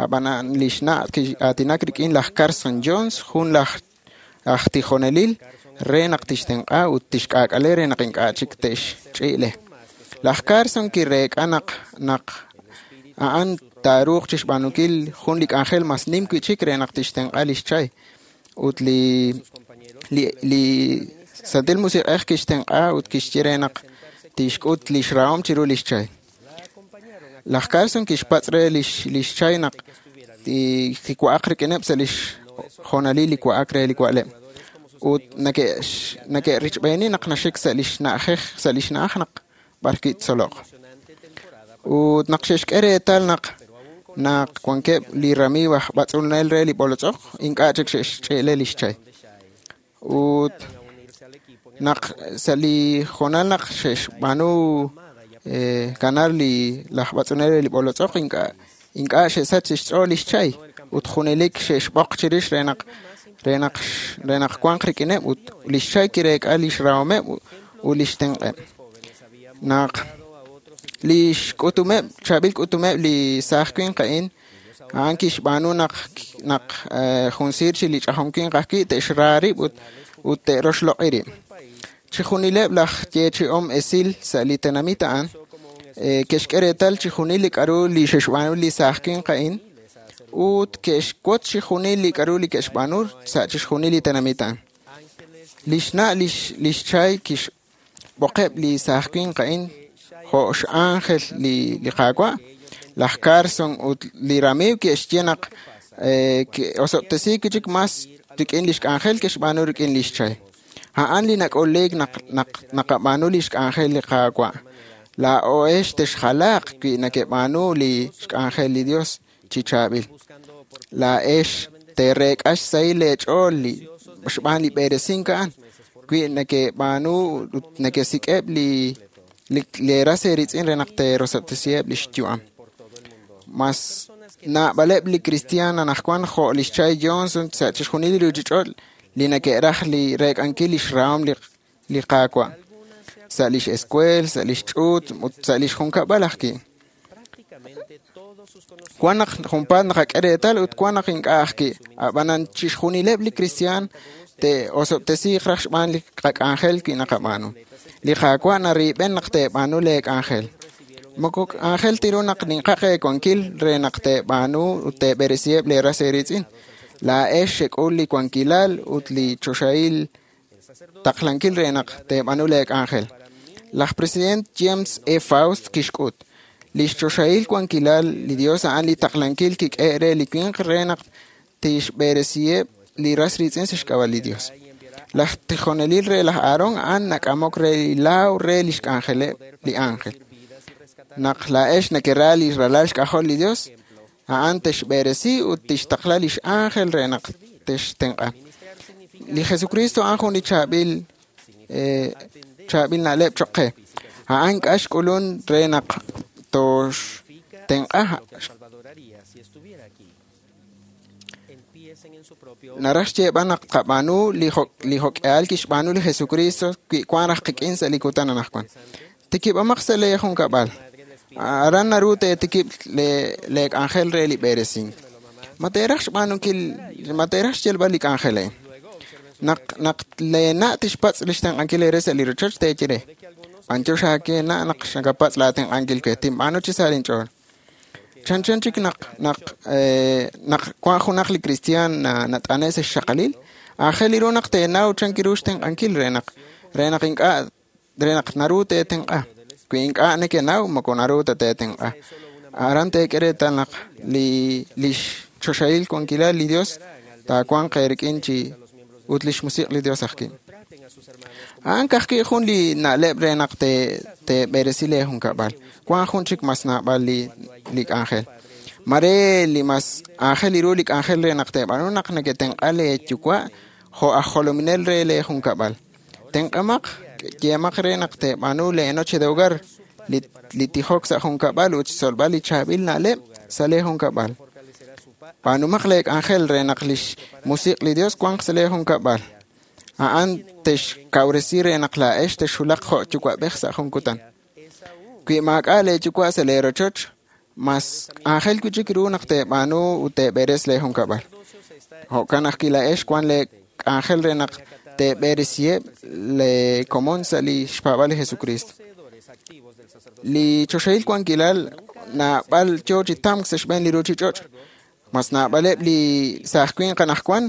Ab'anan lix na' ki'aatinak rik'in laj Carson Jones, jun laj aj tijonelil re naq tixtenq'a ut tixk'aak'ale re naq ink'a' chik te'xch'i'le. Laj Carson kireek'a naq naq a'an taaruuq chixb'aanunkil jun li k'anjel mas nim wi'chik re naq tixtenq'a lix chay. Ut li li li Santil Musiq'ej kixtenq'a ut kixye re naq tixk'ut lix rahom chiru lix chay. Laj Carson kixpatz' re lix chay naq kiwa'aq rik'ineb' sa' lix hoonalil li wa'ak re li wa'leb'. Ut neke'richb'eeni naq naxik sa' lix na'ajej sa' lix na'aj naq b'ar kitzoloq. Ut naq xe'xk'e reetal naq naq wankeb' li ramiiw aj b'atz'unel re li b'olotz'oq, ink'a' chik xe'xch'i'le lix chay. Ut naq sa' li hoonal naq xe'xb'aanu ganar li laj b'atz'unel re li b'olotz'oq, ink'a' xe'sach xch'ool lix chay ut junelik xe'xb'oq chirix re naq re naq re naq wanq rik'ineb' ut lix chay kireek'a lix rahomeb' ut lix tenq'eb'. Naq Li xk'utumeb' chaab'il k'utumeb' li saaj winq a'in a'an kixb'aanu naq naq jun siir chi li ch'ajom winq ajwi' te'xra rib' ut ut te'roxloq'i rib'. Chixjunileb' laj yeechi'om esil sa' li tenamit a'an ke'xk'e reetal chixjunil li k'a'ru li xe'xb'aanu li saaj winq a'in ut ke'xwotz chixjunil li k'a'ru li ke'xb'aanu sa' chixjunil li tenamit a'an. Li xna' lix Chay kixb'oqeb' li saaj winq a'in jo' x'ánjel li Qaawa'. Laj Carson ut li ramiiw ke'xye naq ke'osob'tesiik wi' chik mas rik'in lix k'anjel ke'xb'aanu rik'in lix Chay. A'an li nak'uliik naq naqab'aanu lix k'anjel li Qaawa'. Laa'o'ex texjalaaq wi nakeb'aanu li xk'anjel li Dios chi chaab'il. Laa'ex teereek'a xsahil leech'ool li xb'aan li b'eresink a'an wi nakeb'aanu ut nakesik'eb' li leeras eeritz'in re naq teerosob'tesiheb' lix yu'am. Mas naab'aleb' li kristiaan anaqwan jo' lix Chay Johnson sa' chixjunil li ruuchich'och' li nake'raj li reek'ankil lix rahom li Qaawa' sa' lix escuel, sa' lix ch'uut ut sa' lix junkab'al ajwi'. Wan naq junpaat naqak'e reetal ut wan naq ink'a' ajwi'. Ab'anan chixjunileb' li kristiaan te'osob'tesiiq raj xb'aan li qak'anjel wi naqab'aanu. Li Qaawa' nariib'en naq teeb'aanu leek'anjel. Moko k'anjel tiru naq ninqaq eewankil re naq teeb'aanu ut teeb'eresiheb' leeras eeritz'in. Laa'ex xek'ul li wankilal ut li choxahil taqlankil re naq teeb'aanu leek'anjel. Laj president James E. Faust kixk'ut lix choxahil wankilal li Dios a'an li taqlankil kik'e re li winq re naq tixb'eresiheb' li ras riitz'in sa' xk'ab'a' li Dios. Laj tijonelil re laj Aarón a'an nak'amok re li laaw re lix k'anjeleb' li ángel. Naq laa'ex nakera li ralal xk'ajol li Dios, a'an texb'eresi ut tixtaqla lix ángel re naq textenq'a. Li Jesucristo a'an jun li chaab'il chaab'il na'leb' choq' qe. A'an k'a xk'ulun re naq toxtenq'a. Naraj xyeeb'al naq qab'aanu li jok'ehal kixb'aanu li Jesucristo wi wan raj qik'in sa' li kutan anaqwan. Tikib'amaq sa' lee junkab'al. Aran naru teetikib' leek'anjel re li b'eresink. Ma teeraj xb'aanunkil, ma teeraj xyalb'al li k'anjel a'in. Naq naq leena' tixpatz' li xtenq'ankil eere sa' li rochoch teeye re. B'antiox aake na' naq xakapatz' laatenq'ankil we, tinb'aanu chi sa' linch'ool. Chanchan chik naq naq naq wan junaq li kristiaan nat'ane' sa' xxaqalil, aajel ru naq teenaw chan kiru xtenq'ankil re naq ink'a' re naq naru teetenq'a. Wi ink'a' nekenaw moko naru ta teetenq'a. Aran teek'e reetal naq li lix choxahil wankilal li Dios taawanq eerik'in chi ut lix musiq' li Dios ajwi'. A'an ka'ajwi' jun li na'leb' re naq teeb'eresi lee junkab'al. Wan jun chik mas naab'al li k'anjel. Mare li mas aajel ru li k'anjel re naq teeb'aanu naq neketenq'a lee yuwa' jo' aj jolominel re lee junkab'al. Tenq'amaq yeemaq re naq teeb'aanu lee noche de hogar, li tijok sa' junkab'al ut xtzolb'al li chaab'il na'leb' sa' lee junkab'al. B'aanumaq lee k'anjel re naq lix musiq' li Dios wanq sa' lee junkab'al. A'an texkawresi re naq laa'ex texxulaq jo' yuwa'b'ej sa' jun kutan. Wi maak'a' lee yuwa' sa' lee rochoch, mas aajel wi' chik ru naq teeb'aanu ut teeb'eres lee junkab'al. Jo'kan ajwi' laa'ex wan lee k'anjel re naq teeb'eresiheb' lee komon sa' li xpaab'al li Jesucristo. Li choxahil wankilal naab'al yoo chi tamk sa' xb'een li ruuchich'och'. Mas naab'aleb' li saaj winq anaqwan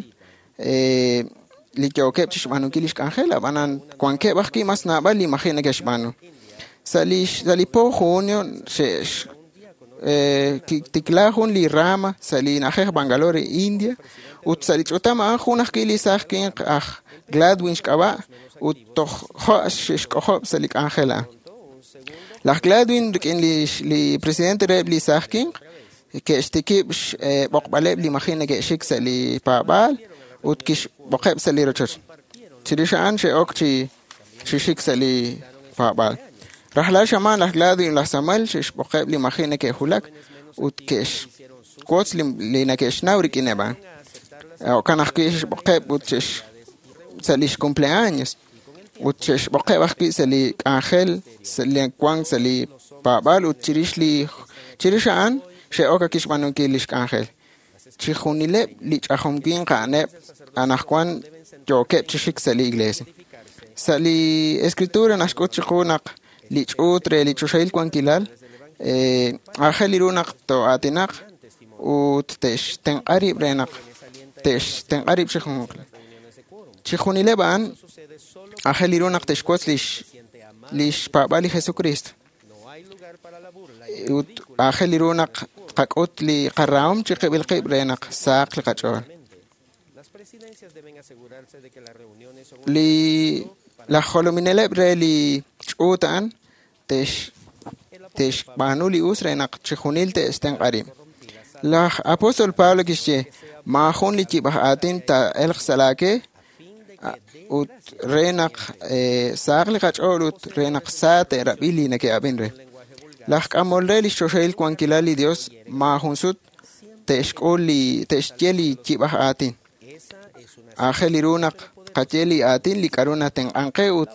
li yookeb' chi xb'aanunkil lix k'anjel, ab'anan wankeb' ajwi' mas naab'al li maji' neke'xb'aanu. Sa' li po junio xe'tikla jun li rama sa' li na'ajej Bangalore, India, ut sa' li ch'utam a'an jun ajwi' li saaj winq aj Gladwin xk'ab'a' ut toj jo' xe'xk'ojob' sa' li k'anjel a'an. Laj Gladwin rik'in li presidente reheb' li saaj winq ke'xtikib' xb'oqb'aleb' li maji' neke'xik sa' li paab'aal ut kixb'oqeb' sa' li rochoch. Chirix a'an xe'ok chi xik sa' li paab'aal. Rajlal xamaan laj Gladwin laj Samuel xe'xb'oqeb' li maji' neke'julak ut ke'xwotz li neke'xnaw rik'ineb' a'an. Jo'kan ajwi' xe'xb'oqeb' ut sa' lix cumpleaños ut xe'xb'oqeb' ajwi' sa' li k'anjel sa' li wank sa' li paab'aal ut chirix li chirix a'an xe'ok akixb'aanunkil lix k'anjel. Chijunileb' li ch'ajom winq a'aneb' anaqwan yookeb' chi xik sa' li iglesia. Sa' li escritura naxk'ut chiqu naq li ch'uut re li choxahil wankilal aajel ru naq to'aatinaq ut te'xtenq'a rib' re naq te'xtenq'a rib' chi junjunq. Chijunileb' a'an aajel ru naq te'xwotz lix paab'aal li Jesucristo. Ut aajel ru naq tqak'ut li qarahom chiqib'il qib' re naq sahaq li qach'ool. Li laj jolomineleb' re li ch'uut a'an te'xb'aanu li us re naq chijunil te'xtenq'a rib'. Laj apóstol Pablo kixye maajun li yib'aj aatin taa'elq sa' laake ut re naq sahaq li qach'ool ut re naq sa te'rab'i li neke'ab'in re. Laj k'amol re lix choxahil wankilal li Dios maajun sut te'xk'ul li te'xye li yib'aj aatin. Aajel ru naq tqaye li aatin li k'a'ru natenq'an qe ut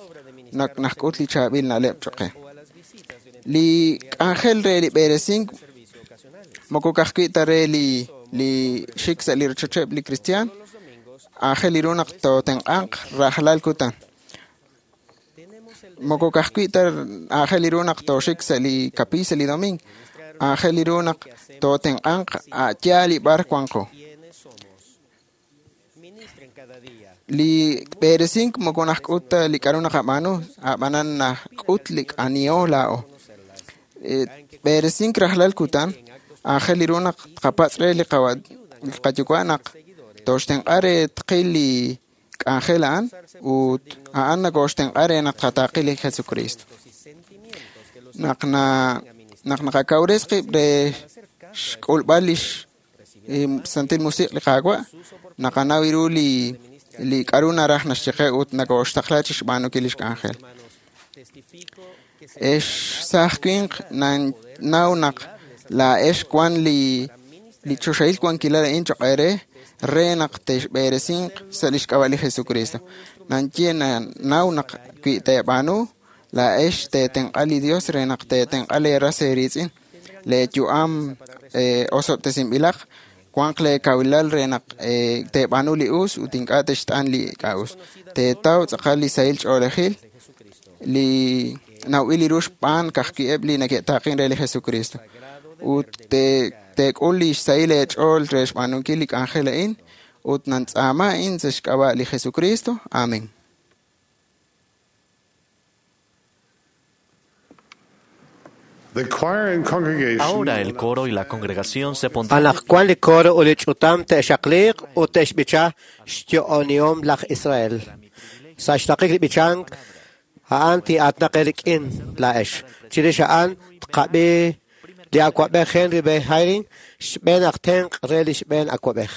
naxk'ut li chaab'il na'leb' choq' qe. Li k'anjel re li b'eresink moko ka'ajwi' ta re li xik sa' li rochocheb' li kristiaan, aajel ru naq tootenq'anq rajlal kutan. Moko ka'ajwi' ta aajel ru naq tooxik sa' li kapiiy sa' li domingo, aajel ru naq tootenq'anq a' yaal li b'ar wanqo. Li b'eresink moko naxk'ut ta li k'a'ru naqab'aanu, a'b'anan naxk'ut li aniho laa'o. B'eresink rajlal kutan, aajel ru naq tqapatz' re li qayuwa' naq tooxtenq'a re tqil li k'anjel a'an ut a'an nakooxtenq'a re naq tqataaqi li Jesucristo. Naq naqakawres qib' re xk'ulb'al lix Santil Musiq' li Qaawa', naqanaw ru li k'a'ru naraj naxye qe ut nakooxtaqla chixb'aanunkil lix k'anjel. Ex saaj winq nannaw naq laa'ex wan li choxahil wankilal a'in choq' eere re naq te'xb'eresinq sa' lix k'ab'a' li Jesucristo. Nanye naw naq wi teeb'aanu laa'ex teetenq'a li Dios re naq teetenq'a lee ras eeriitz'in. Lee yu'am osob'tesinb'ilaq wanq lee kawilal re naq teeb'aanu li us ut ink'a' te'xt'an li ink'a' us. Teetaw tz'aqal li sahil ch'oolejil li nawb'il ru xb'aan ka'ajwi'eb' li neke'taaqin re li Jesucristo. Ut teek'ul li xsahil eech'ool re xb'aanunkil li k'anjel a'in ut nantz'aama a'in sa' xk'ab'a' li Jesucristo. Amén. Ahora el coro y la congregación se pondrán. Anaqwan li coro ut li ch'utam te'xaqliiq ut te'xb'icha xyo'onihom laj Israel. Sa' xtaqik li b'ichank a'an ti'aatnaq eerik'in laa'ex. Chirix a'an tqab'i li awa'b'ej Henry B. Eyring xb'een aj tenq' re li xb'een awa'b'ej.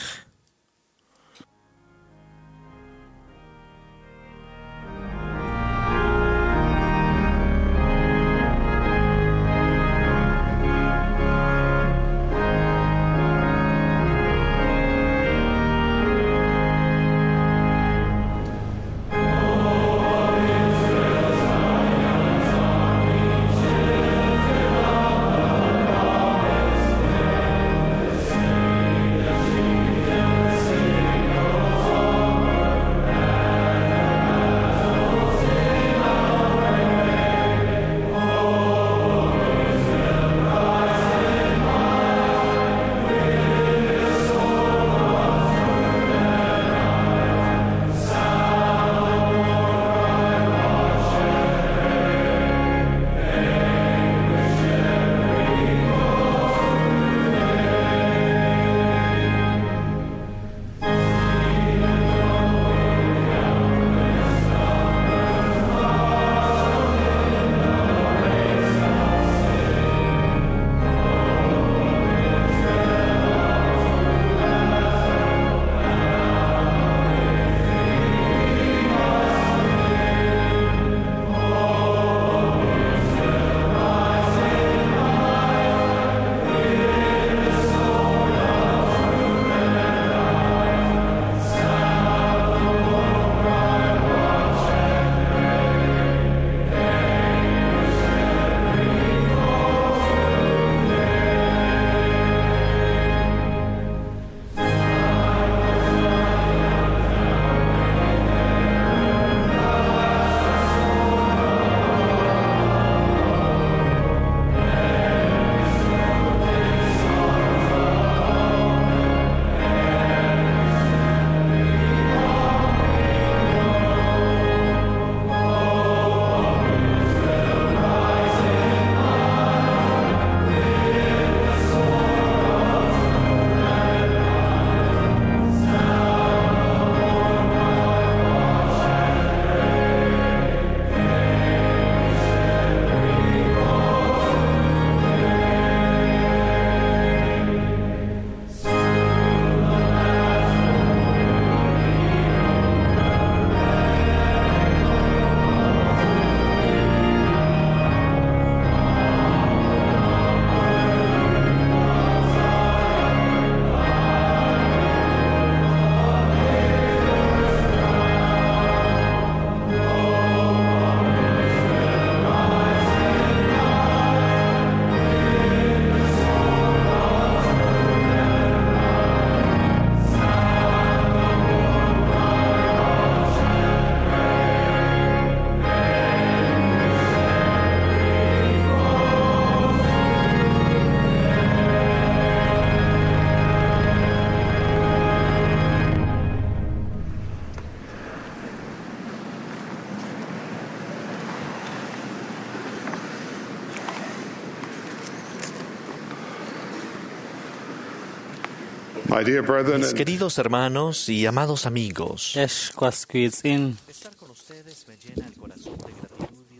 Mis queridos hermanos y amados amigos, Ex was wiitz'in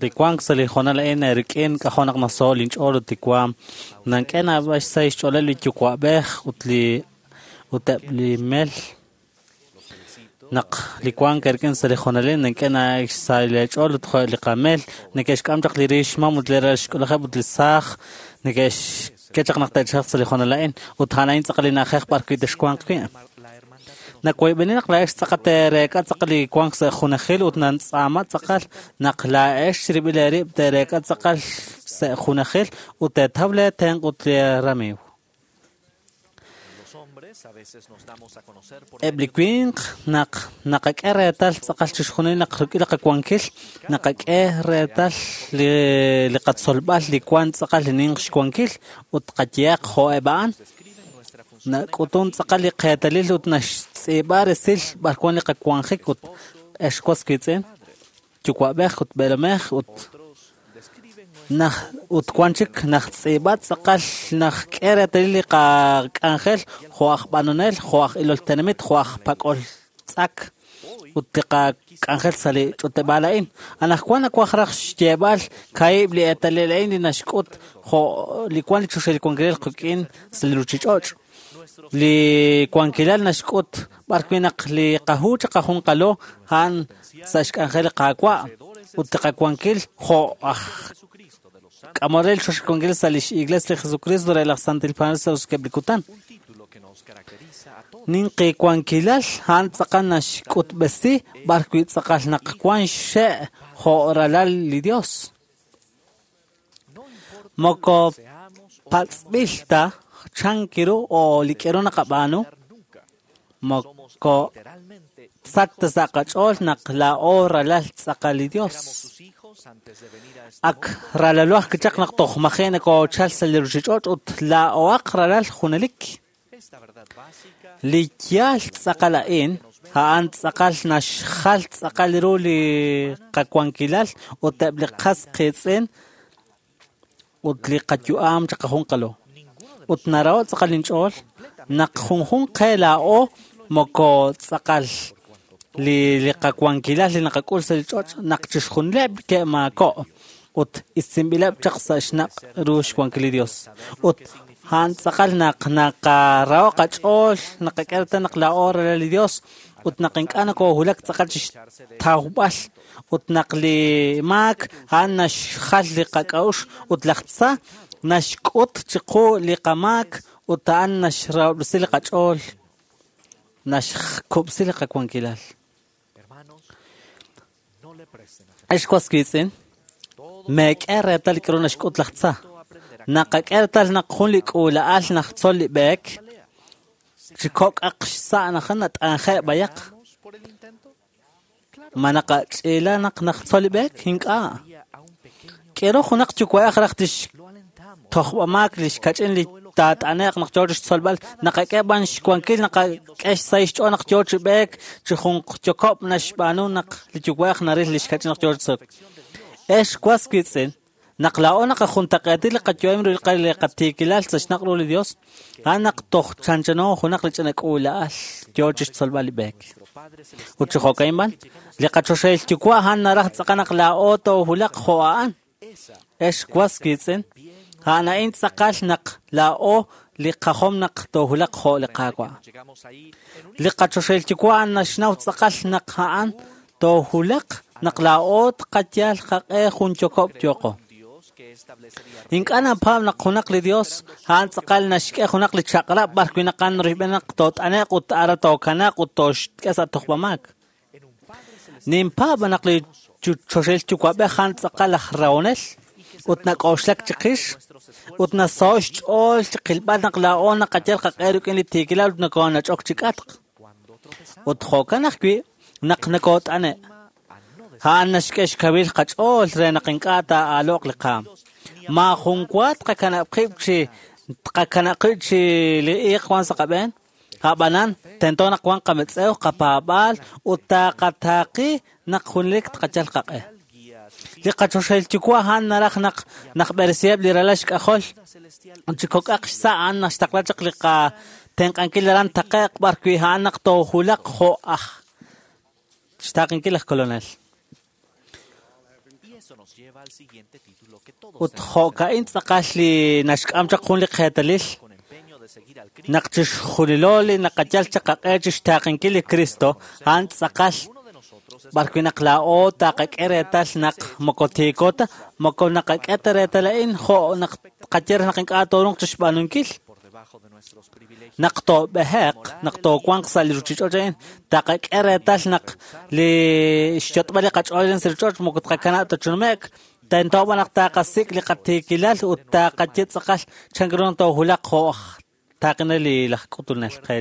li wank sa' li hoonal a'in rik'in k'ajo' naq naso'l linch'ool ut li waam nank'e naab'al xsahil xch'ooleb' li yuwa'b'ej ut li ut eb' li mel naq li wank rik'in sa' li hoonalil nank'e xsahil eech'ool ut jo' li qamel neke'xk'am chaq li riix xmam ut li ral xk'ulajeb' ut li saaj neke'xk'e chaq naq te'chalq sa' li hoonal a'in ut a'an a'in tz'aqal li na'ajej b'ar wi' texwanq wi'. Nawoyb'eni naq laa'ex tz'aqal teereek'a tz'aqal li wank sa' junajil ut nantz'aama tz'aqal naq laa'ex chirib'il eerib' teereek'a tz'aqal sa' junajil ut teetaw lee tenq' ut lee ramiiw. Eb' li winq naq naqak'e reetal tz'aqal chixjunil naq rik'in li qawankil naqak'e reetal li qatzolb'al li wank tz'aqal li ninq xwankil ut qayehaq jo' eb' a'an nak'utun tz'aqal li qeetalil ut naxtz'iib'a resil b'ar wan li qawanjik ut ex was wiitz'in yuwa'b'ej ut b'eelomej ut naj ut wan chik najtz'iib'a tz'aqal najk'e reetalil li qak'anjel jo' aj b'anonel jo' aj ilol tenamit jo' aj pak'ol tz'ak ut li qak'anjel sa' li ch'uteb'aal a'in. Anaqwan nawaj raj xyeeb'al kaahib' li eetalil a'in li naxk'ut jo' li wan li choxahil wankilal qik'in sa' li ruchich'och'. Li wankilal naxk'ut b'ar wi' naq li qahu chiqajunqalo a'an sa' xk'anjel li Qaawa' ut li qawankil jo' aj k'amol re li choxahil wankilal sa' lix Iglesia li Jesucristo re laj Santil Paab'anel sa' roso'jikeb' li kutan. Ninqi wankilal a'an tz'aqal naxk'utb'esi b'ar wi' tz'aqal naq wan xxe' jo' ralal li Dios. Moko patz'b'il ta chan kiru o li k'eru naqab'aanu moko sach ta sa' qach'ool naq laa'o ralal tz'aqal li Dios. Ak ralalo ajwi' chaq naq toj maji' nakoochal sa' li ruchich'och' ut laa'oaq ralal junelik. Li yaal tz'aqal a'in a'an tz'aqal naxjal tz'aqal ru li qawankilal ut eb' li qas qiitz'in ut li qayu'am chiqajunqalo. Ut naraho' tz'aqal inch'ool naq junjunq qe laa'o moko tz'aqal li qawankilal li naqak'ul sa' li ch'och' naq chixjunileb' ke'maako' ut isinb'ileb' chaq sa' xnaq' ru xwankil li Dios. Ut a'an tz'aqal naq naqaraho' qach'ool naqak'e reetal naq laa'o ralal li Dios ut naq ink'a' nakoohulak tz'aqal chixtawb'al ut naq li maak a'an naxjal li qak'a'uxl ut laj tza naxk'ut chiqu li qamaak ut a'an naxrahob'resi li qach'ool naxkub'si li qawankilal. Ex was wiitz'in, meek'e reetal li k'aru naxk'ut laj tza. Naqak'e reetal naq jun li k'uula'al najtzol li b'eek chi kok'aq xsa' naq nat'anje' b'ayaq. Ma naqach'iila naq najtzol li b'eek? Ink'a'. K'eru junaq yuwa'ej raj tixtojb'amaak li xkach'in li taat'ane'q naq yoo chixtzolb'al naqak'e b'an xwankil naqak'e xsahil xch'ool naq yoo chi b'eek chi junqyokob' naxb'aanu naq li yuwa'ej naril li xkach'in naq yoo chi tzolok. Ex was wiitz'in, naq laa'o naqajuntaq'eeti li qayu'am ru li qatiikilal sa' xnaq' ru li Dios, a'an naq toj chanchano junaq li ch'ina k'uula'al yoo chixtzolb'al li b'eek. Ut chi jo'ka'in b'an, li qachoxahil yuwa' a'an naraj tz'aqal naq laa'o toohulaq jo' a'an. Ex was wiitz'in, a'an a'in tz'aqal naq laa'o li qajom naq toohulaq jo' li Qaawa'. Li qachoxahil yuwa' a'an naxnaw tz'aqal naq a'an toohulaq naq laa'o tqayal qaq'e jun yokob' yooqo. Ink'a' napaab' naq junaq li Dios a'an tz'aqal naxk'e junaq li chaq'rab' b'ar wi' naq a'an rib'en naq toot'ane'q ut ara tookanaq ut tooxk'e sa' tojb'amaak. Ninpaab' naq li choxahil yuwa'b'ej a'an tz'aqal aj rahonel ut nak'oxlak chiqix ut nasaho' xch'ool chiqilb'al naq laa'o naqayal qaq'e rik'in li tiikilal ut nokoonach'ok chi k'atq. Ut jo'kan ajwi' naq nakoot'ane'. A'an naxk'e xkawil qach'ool re naq ink'a' taa'aalo'q li qaam. Maajun wa tqakanab' qib' chi tqakanab' qib' chi li iiq wan sa' qab'een. A'b'anan, tento naq wan qametz'ew, qapaab'aal ut taqataaqi naq junelik tqayal qaq'e. Li qachoxahil yuwa' a'an naraj naq naqb'eresiheb' li ralal xk'ajol ut chi kok'aq xsa' a'an naxtaqla chaq li qatenq'ankil aran taqe'q b'ar wi' a'an naq toojulaq jo' aj xtaqenkil laj Kolonel. Ut jo'ka'in tz'aqal li naxk'am chaq jun li qeetalil naq chixjunilo li naqayal chaq qaq'e chixtaqenkil li Cristo, a'an tz'aqal b'ar wi' naq laa'o taqak'e reetal naq moko tiiko ta, moko naqak'e ta reetal a'in jo' naq qaye raj naq ink'a' toorunq chixb'aanunkil. Naq toob'eheq, naq toowanq sa' li ruchich'och' a'in, taqak'e reetal naq li xyot'b'al li qach'ool sa' ruchich'och' moko tqakanab' ta chi nume'k, tento b'an naq taqasik' li qatiikilal ut taqaye tz'aqal chan ru naq toojulaq jo' aj taqinel li laj k'utunel qe.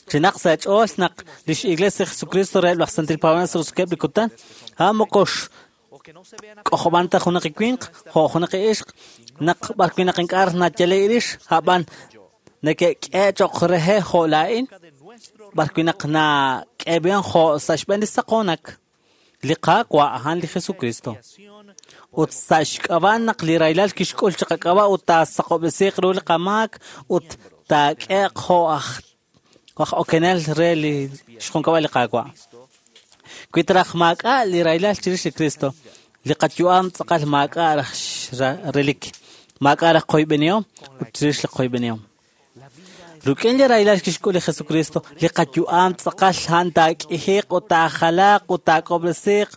Chinaq sa' ch'ool naq lix Iglesia Jesucristo reheb' laj Santil Paab'anel sa' roso'jikeb' li kutan, a'an moko k'ojob'an ta junaq winq jo' junaq ixq, naq b'ar wi' naq ink'a' nayale' rix, a'b'an neke'k'e cho'q rehe jo' laa'in, b'ar wi' naq nak'eeb'en jo' sa' xb'een li saqoonak, li Qaawa' a'an li Jesucristo. Ut sa' xk'ab'a' naq li rahilal kixk'ul chi qak'ab'a' ut taasaqob'resiiq ru li qamaak ut taak'eeq jo' aj okenel re li xjunkab'al li Qaawa'. Wi traj maak'a' li rahilal chirix li Cristo, li qayu'am tz'aqal maak'a' raj relik, maak'a' raj qoyb'enihom ut chirix li qoyb'enihom. Ruk'in li rahilal kixk'ul li Jesucristo, li qayu'am tz'aqal a'an taak'ijiq ut taajalaq ut taak'ob'resiiq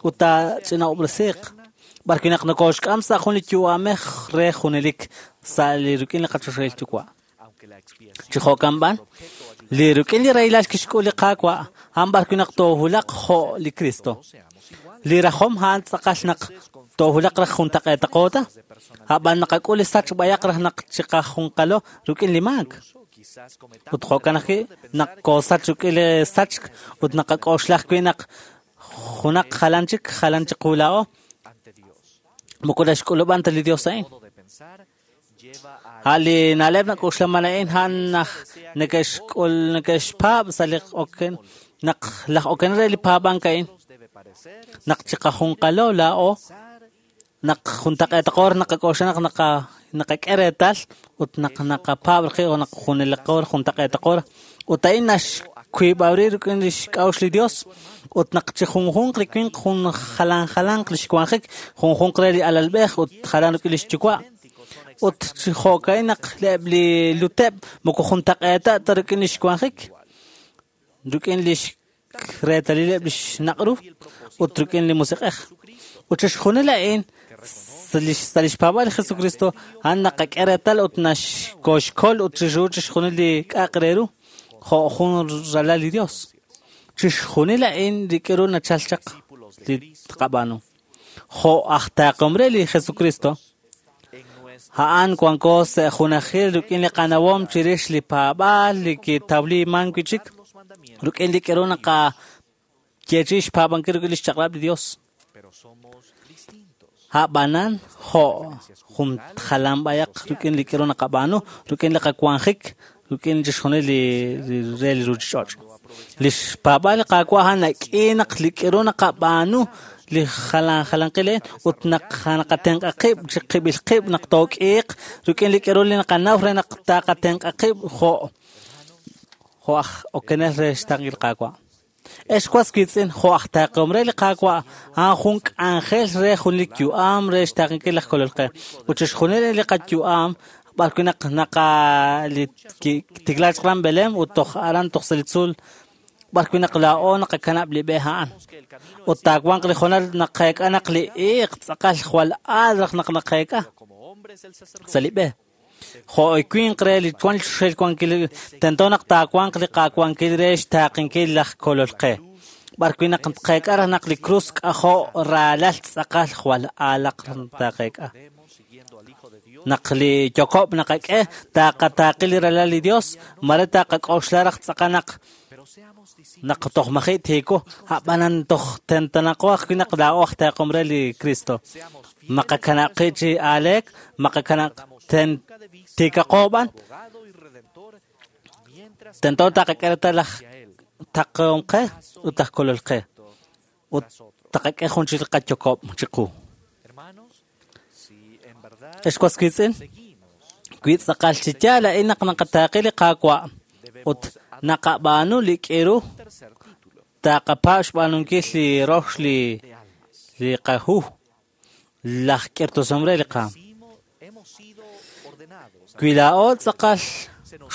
ut taach'ina'ob'resiiq. B'ar wi' naq nokoxk'am sa' jun li yu'amej re junelik sa' li ruk'in li qachoxahil yuwa'. Chi jo'kan b'an, li ruk'in li rahilal kixk'ul li Qaawa', a'an b'ar wi' naq toojulaq jo' li Cristo. Li rajom a'an tz'aqal naq toojulaq raj juntaq'eetaqo ta, a'b'an naqak'ul li sach b'ayaq raj naq chiqajunqalo ruk'in li maak. Ut jo'kan ajwi' naq koosach ruk'in li sachk ut naqak'oxla ajwi' naq junaq jalan chik, jalan chiqu laa'o, moko naxk'ulub'an ta li Dios a'in. A' li na'leb' nak'oxlaman a'in a'an naj neke'xk'ul neke'xpaab' sa' li oken naq laj oken re li paab'ank a'in naq chiqajunqalo laa'o naq juntaq'eetaqo naqak'oxla naq naqak'e reetal ut naq naqapaab' rqi' o naq juneliqo juntaq'eetaqo ut a'in naxkuib'awri rik'in li xk'a'uxl li Dios ut naq chi junjunq li winq jun jalan jalanq li xwanjik junjunq re li alalb'ej ut jalan rik'in li xyuwa' ut chi jo'ka'in naq eb' li luteb' moko juntaq'eeta ta rik'in li xwanjik rik'in li xreetalileb' li xnaq'ru ut rik'in li musiq'ej. Ut chixjunil a'in sa' li xpaab'al li Jesucristo a'an naqak'e reetal ut naxkoxkol ut chixru chixjunil li k'a'aq re ru jo' jun ralal li Dios. Chixjunil a'in rik'in ru nachal chaq li tqab'aanu. Jo' aj taaqom re li Jesucristo, a'an wanko sa' junajil rik'in li qanawom chirix li paab'aal li kitawliman wi' chik rik'in li k'eru naqayeechi xpaab'ankil rik'in li xchaq'rab' li Dios. A'b'anan jo' jun jalan b'ayaq rik'in li k'eru naqab'aanu, rik'in li qawanjik, rik'in chixjunil li re li ruchich'och'. Li xpaab'aal li Qaawa' a'an nak'i naq li k'eru naqab'aanu li jalan jalanqil ut naq naqatenq'a qib' chi qib'il qib' naq took'iiq rik'in li k'eru li naqanaw re naq taqatenq'a qib' jo' aj okenel re xtaqil Qaawa'. Ex was wiitz'in jo' aj taaqom re li Qaawa' a'an jun k'anjel re jun li yu'am re xtaqenkil laj Kolol qe. Ut chixjunil li qayu'am b'ar wi' naq naqa li tiklaak chaq aran Belén ut toj aran toj sa' li tzuul b'ar wi' naq laa'o naqakanab' li b'e a'an. Ut taawanq li jonal naqeek'a naq li iiq tz'aqal jwal aal raj naq naqeek'a sa' li b'e. Jo' winq re li wan xel wankil tento naq taawanq li qawankil re xtaqenkil laj Kolol qe. B'ar wi' naq tqeek'a raj naq li krus k'ajo' raalal tz'aqal jwal aalaq taqeek'a. Naq li yokob' naqak'e taqataaqi li ralal li Dios, mare taqak'oxla raj tz'aqal naq naq toj maji' tiiko, a'b'anan toj tentanaqo ajwi' naq laa'o aj taaqom re li Cristo. Maqakanab' qi' chi aaleek, maqakanab' tiikaqo b'an, tento taqak'e reetal laj taqom qe ut laj Kolol qe. Ut taqak'e jun chik li qayokob' chiqu. Ex was wiitz'in, Wi tz'aqal chi yaal a'in naq naqataaqe li Qaawa' ut naqab'aanu li k'iru taqapaab' xb'aanunkil li rox li qahu laj k'irtosom re li qaam. Wi laa'o tz'aqal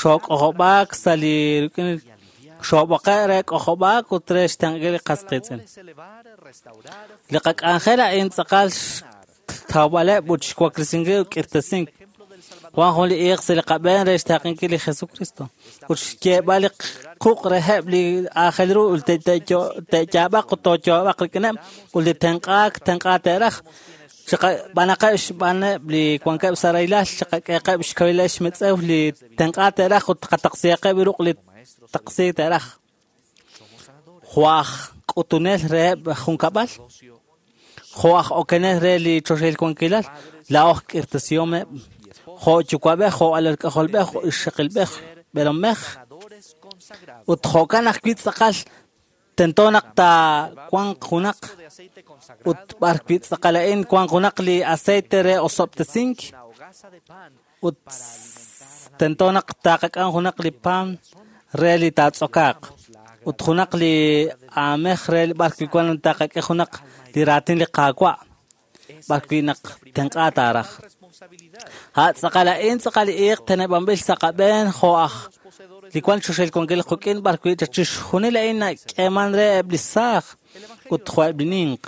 xook'ojob'aak sa' li rik'in xoob'oqe' re k'ojob'aak ut re xtenq'ankil li qas qiitz'in. Li qak'anjel a'in tz'aqal xtawb'aleb' ut xwaklesinkil ut k'irtasink. Wan jun li iiq sa' li qab'een re xtaaqenkil li Jesucristo ut xyeeb'al li quq' reheb' li aajel ru ut te'yaab'aq ut tooyaab'aq rik'ineb' ut li tenq'aak tenq'a te'raj. B'anaqeb' xb'aaneb' li wankeb' sa' rahilal, chiqak'eeqeb' xkawileb' xmetz'ew li tenq'a te'raj ut qataqsiyaqeb' ruq' li taqsi te'raj. Jo' aj k'utunel reheb' junkab'al, jo' aj okenel re li choxahil wankilal, laa'o aj k'irtasihomeb', jo' yuwa'b'ej, jo' alal k'ajolb'ej, jo' ixaqilb'ej, b'eelomej. Ut jo'kan ajwi' tz'aqal tento naq taawanq junaq ut b'ar wi' tz'aqal a'in wanq junaq li aceite re osob'tesink ut tento naq taqak'am junaq li pan re li taatz'okaaq ut junaq li aamej re b'ar wi' wan taqak'e junaq li raatin li Qaawa' b'ar wi' naq tenq'a taaraj. Ha' tz'aqal a'in tz'aqal li iiq teneb'anb'il sa' qab'een jo' aj li wan choxahil wankil quk'in b'ar wi' chixjunil a'in nak'eeman re eb' li saaj ut jo' eb' li ninq.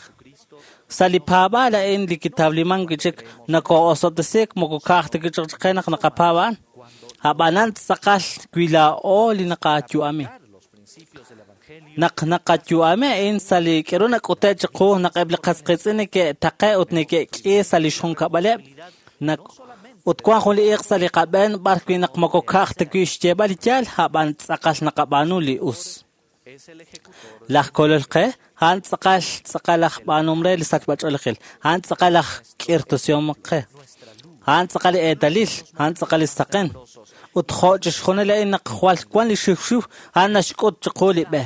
Sa' li paab'aal a'in li kitawliman wi' chik nakoo'osob'tesiik moko ka'aj ta kich'och'qe naq naqapaab' a'an. Ab'anan tz'aqal wi laa'o li naqayu'ami. Naq naqayu'ami a'in sa' li k'eru nak'ute' chiqu naq eb' li qas qiitz'in neke'taqe' ut neke'k'i sa' li xjunkab'aleb' ut wan jun li iiq sa' li qab'een b'ar wi' naq moko ka'aj ta wi' xyeeb'al li yaal ab'an tz'aqal naqab'aanu li us. Laj kolol qe a'an tz'aqal tz'aqal aj b'aanum re li sachb'ach'oolejil, a'an tz'aqal aj k'irtasihom qe, a'an tz'aqal li eetalil, a'an tz'aqal li saqen. Ut jo' chixjunil a'in naq jwal wan li xiwxiw, a'an naxk'ut chiqu li b'e.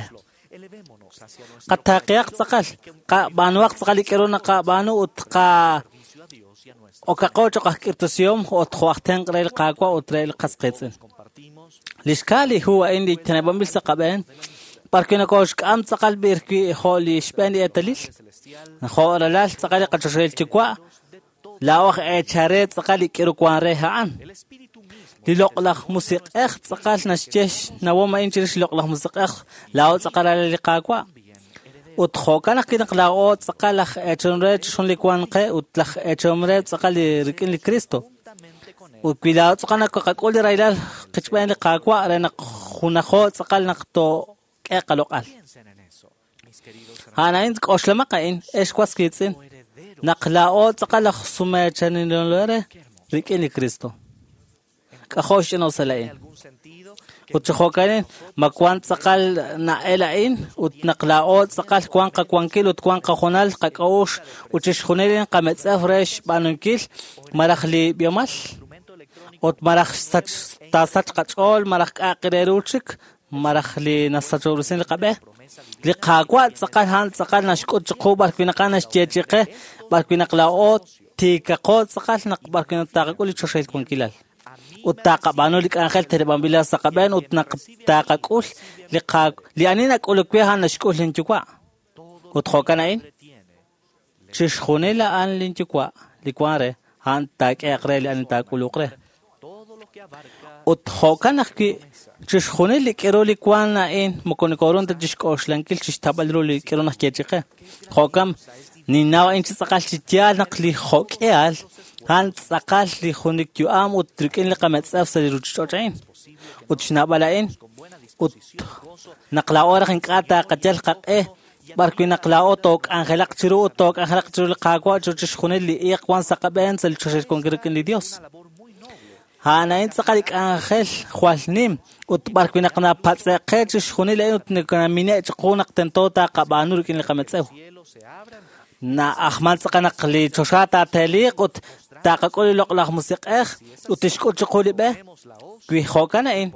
Qataaqihaq tz'aqal, qab'aanuhaq tz'aqal li k'eru naqab'aanu ut qa okaqo choq' aj k'irtasihom ut jo' aj tenq' re li Qaawa' ut re li qas qiitz'in. Li xkaa li hu a'in li teneb'anb'il sa' qab'een, b'ar wi' nokooxk'am tz'aqal b'ir wi' jo' li xb'een li eetalil, jo' ralal tz'aqal li qachoxahil yuwa', laa'o aj eechare tz'aqal li k'iru wan re a'an. Li loq'laj musiq'ej tz'aqal naxye xnawom a'in chirix li loq'laj musiq'ej, laa'o tz'aqal ralal li Qaawa'. Ut jo'kan ajwi' naq laa'o tz'aqal aj eechom re chixjunil li wan qe ut laj eechom re tz'aqal li rik'in li Cristo. Ut wi laa'o tz'aqal naqak'ul li rahilal qichb'een li Qaawa' re naq junajo tz'aqal naq took'e qaloq'al. A'an a'in k'oxlamaq a'in, ex was qiitz'in, naq laa'o tz'aqal aj sumeechanilore rik'in li Cristo. K'ajo' xch'ina'usal a'in. Ut chi jo'kan ma wan tz'aqal na'el a'in ut naq laa'o tz'aqal wan qawankil ut wan qajunal qak'a'uxl ut chixjunil qametz'ew re xb'aanunkil maraj li b'ihomal ut maraj taasach qach'ool maraj k'a'aq re ru chik maraj li nasachob'resin li qab'e. Li Qaawa' tz'aqal a'an tz'aqal naxk'ut chiqu b'ar wi' naq a'an naxyeechi'i qe b'ar wi' naq laa'o tiikaqo tz'aqal naq b'ar wi' naq taqak'ul li choxahil wankilal. Ut taqab'aanu li k'anjel teneb'anb'il sa' qab'een ut naq taqak'ul li ani nak'uluk we a'an naxk'ul linyuwa'. Ut jo'kan a'in, chixjunil a'an linyuwa' li wan re, a'an taak'ehaq re li ani taak'uluq re. Ut jo'kan ajwi' chixjunil li k'iru li wan a'in moko nokoorun ta chixk'oxlankil chixtab'al ru li k'iru naxyeechi'i qe. Jo'kan ninnaw a'in chi tz'aqal chi yaal naq li jo'k'ehal a'an tz'aqal li junik yu'am ut rik'in li qametz'ew sa' li ruuchich'och' a'in. Ut xnab'al a'in ut naq laa'o raj ink'a' taqayal qaq'e b'ar wi' naq laa'o took'anjelaq chiru ut took'anjelaq chiru li Qaawa' chiru chixjunil li iiq wan sa' qab'een sa' li choxahil wankil rik'in li Dios. A'an a'in tz'aqal li k'anjel jwal nim ut b'ar wi' naq napatz'e'q qe chixjunil a'in ut nakamine' chiqu naq tento taqab'aanu rik'in li qametz'ew. Na'ajman tz'aqal naq li choxa taateeliq ut taqak'ul li loq'laj musiq'ej ut tixk'ut chiqu li b'e. Wi jo'kan a'in,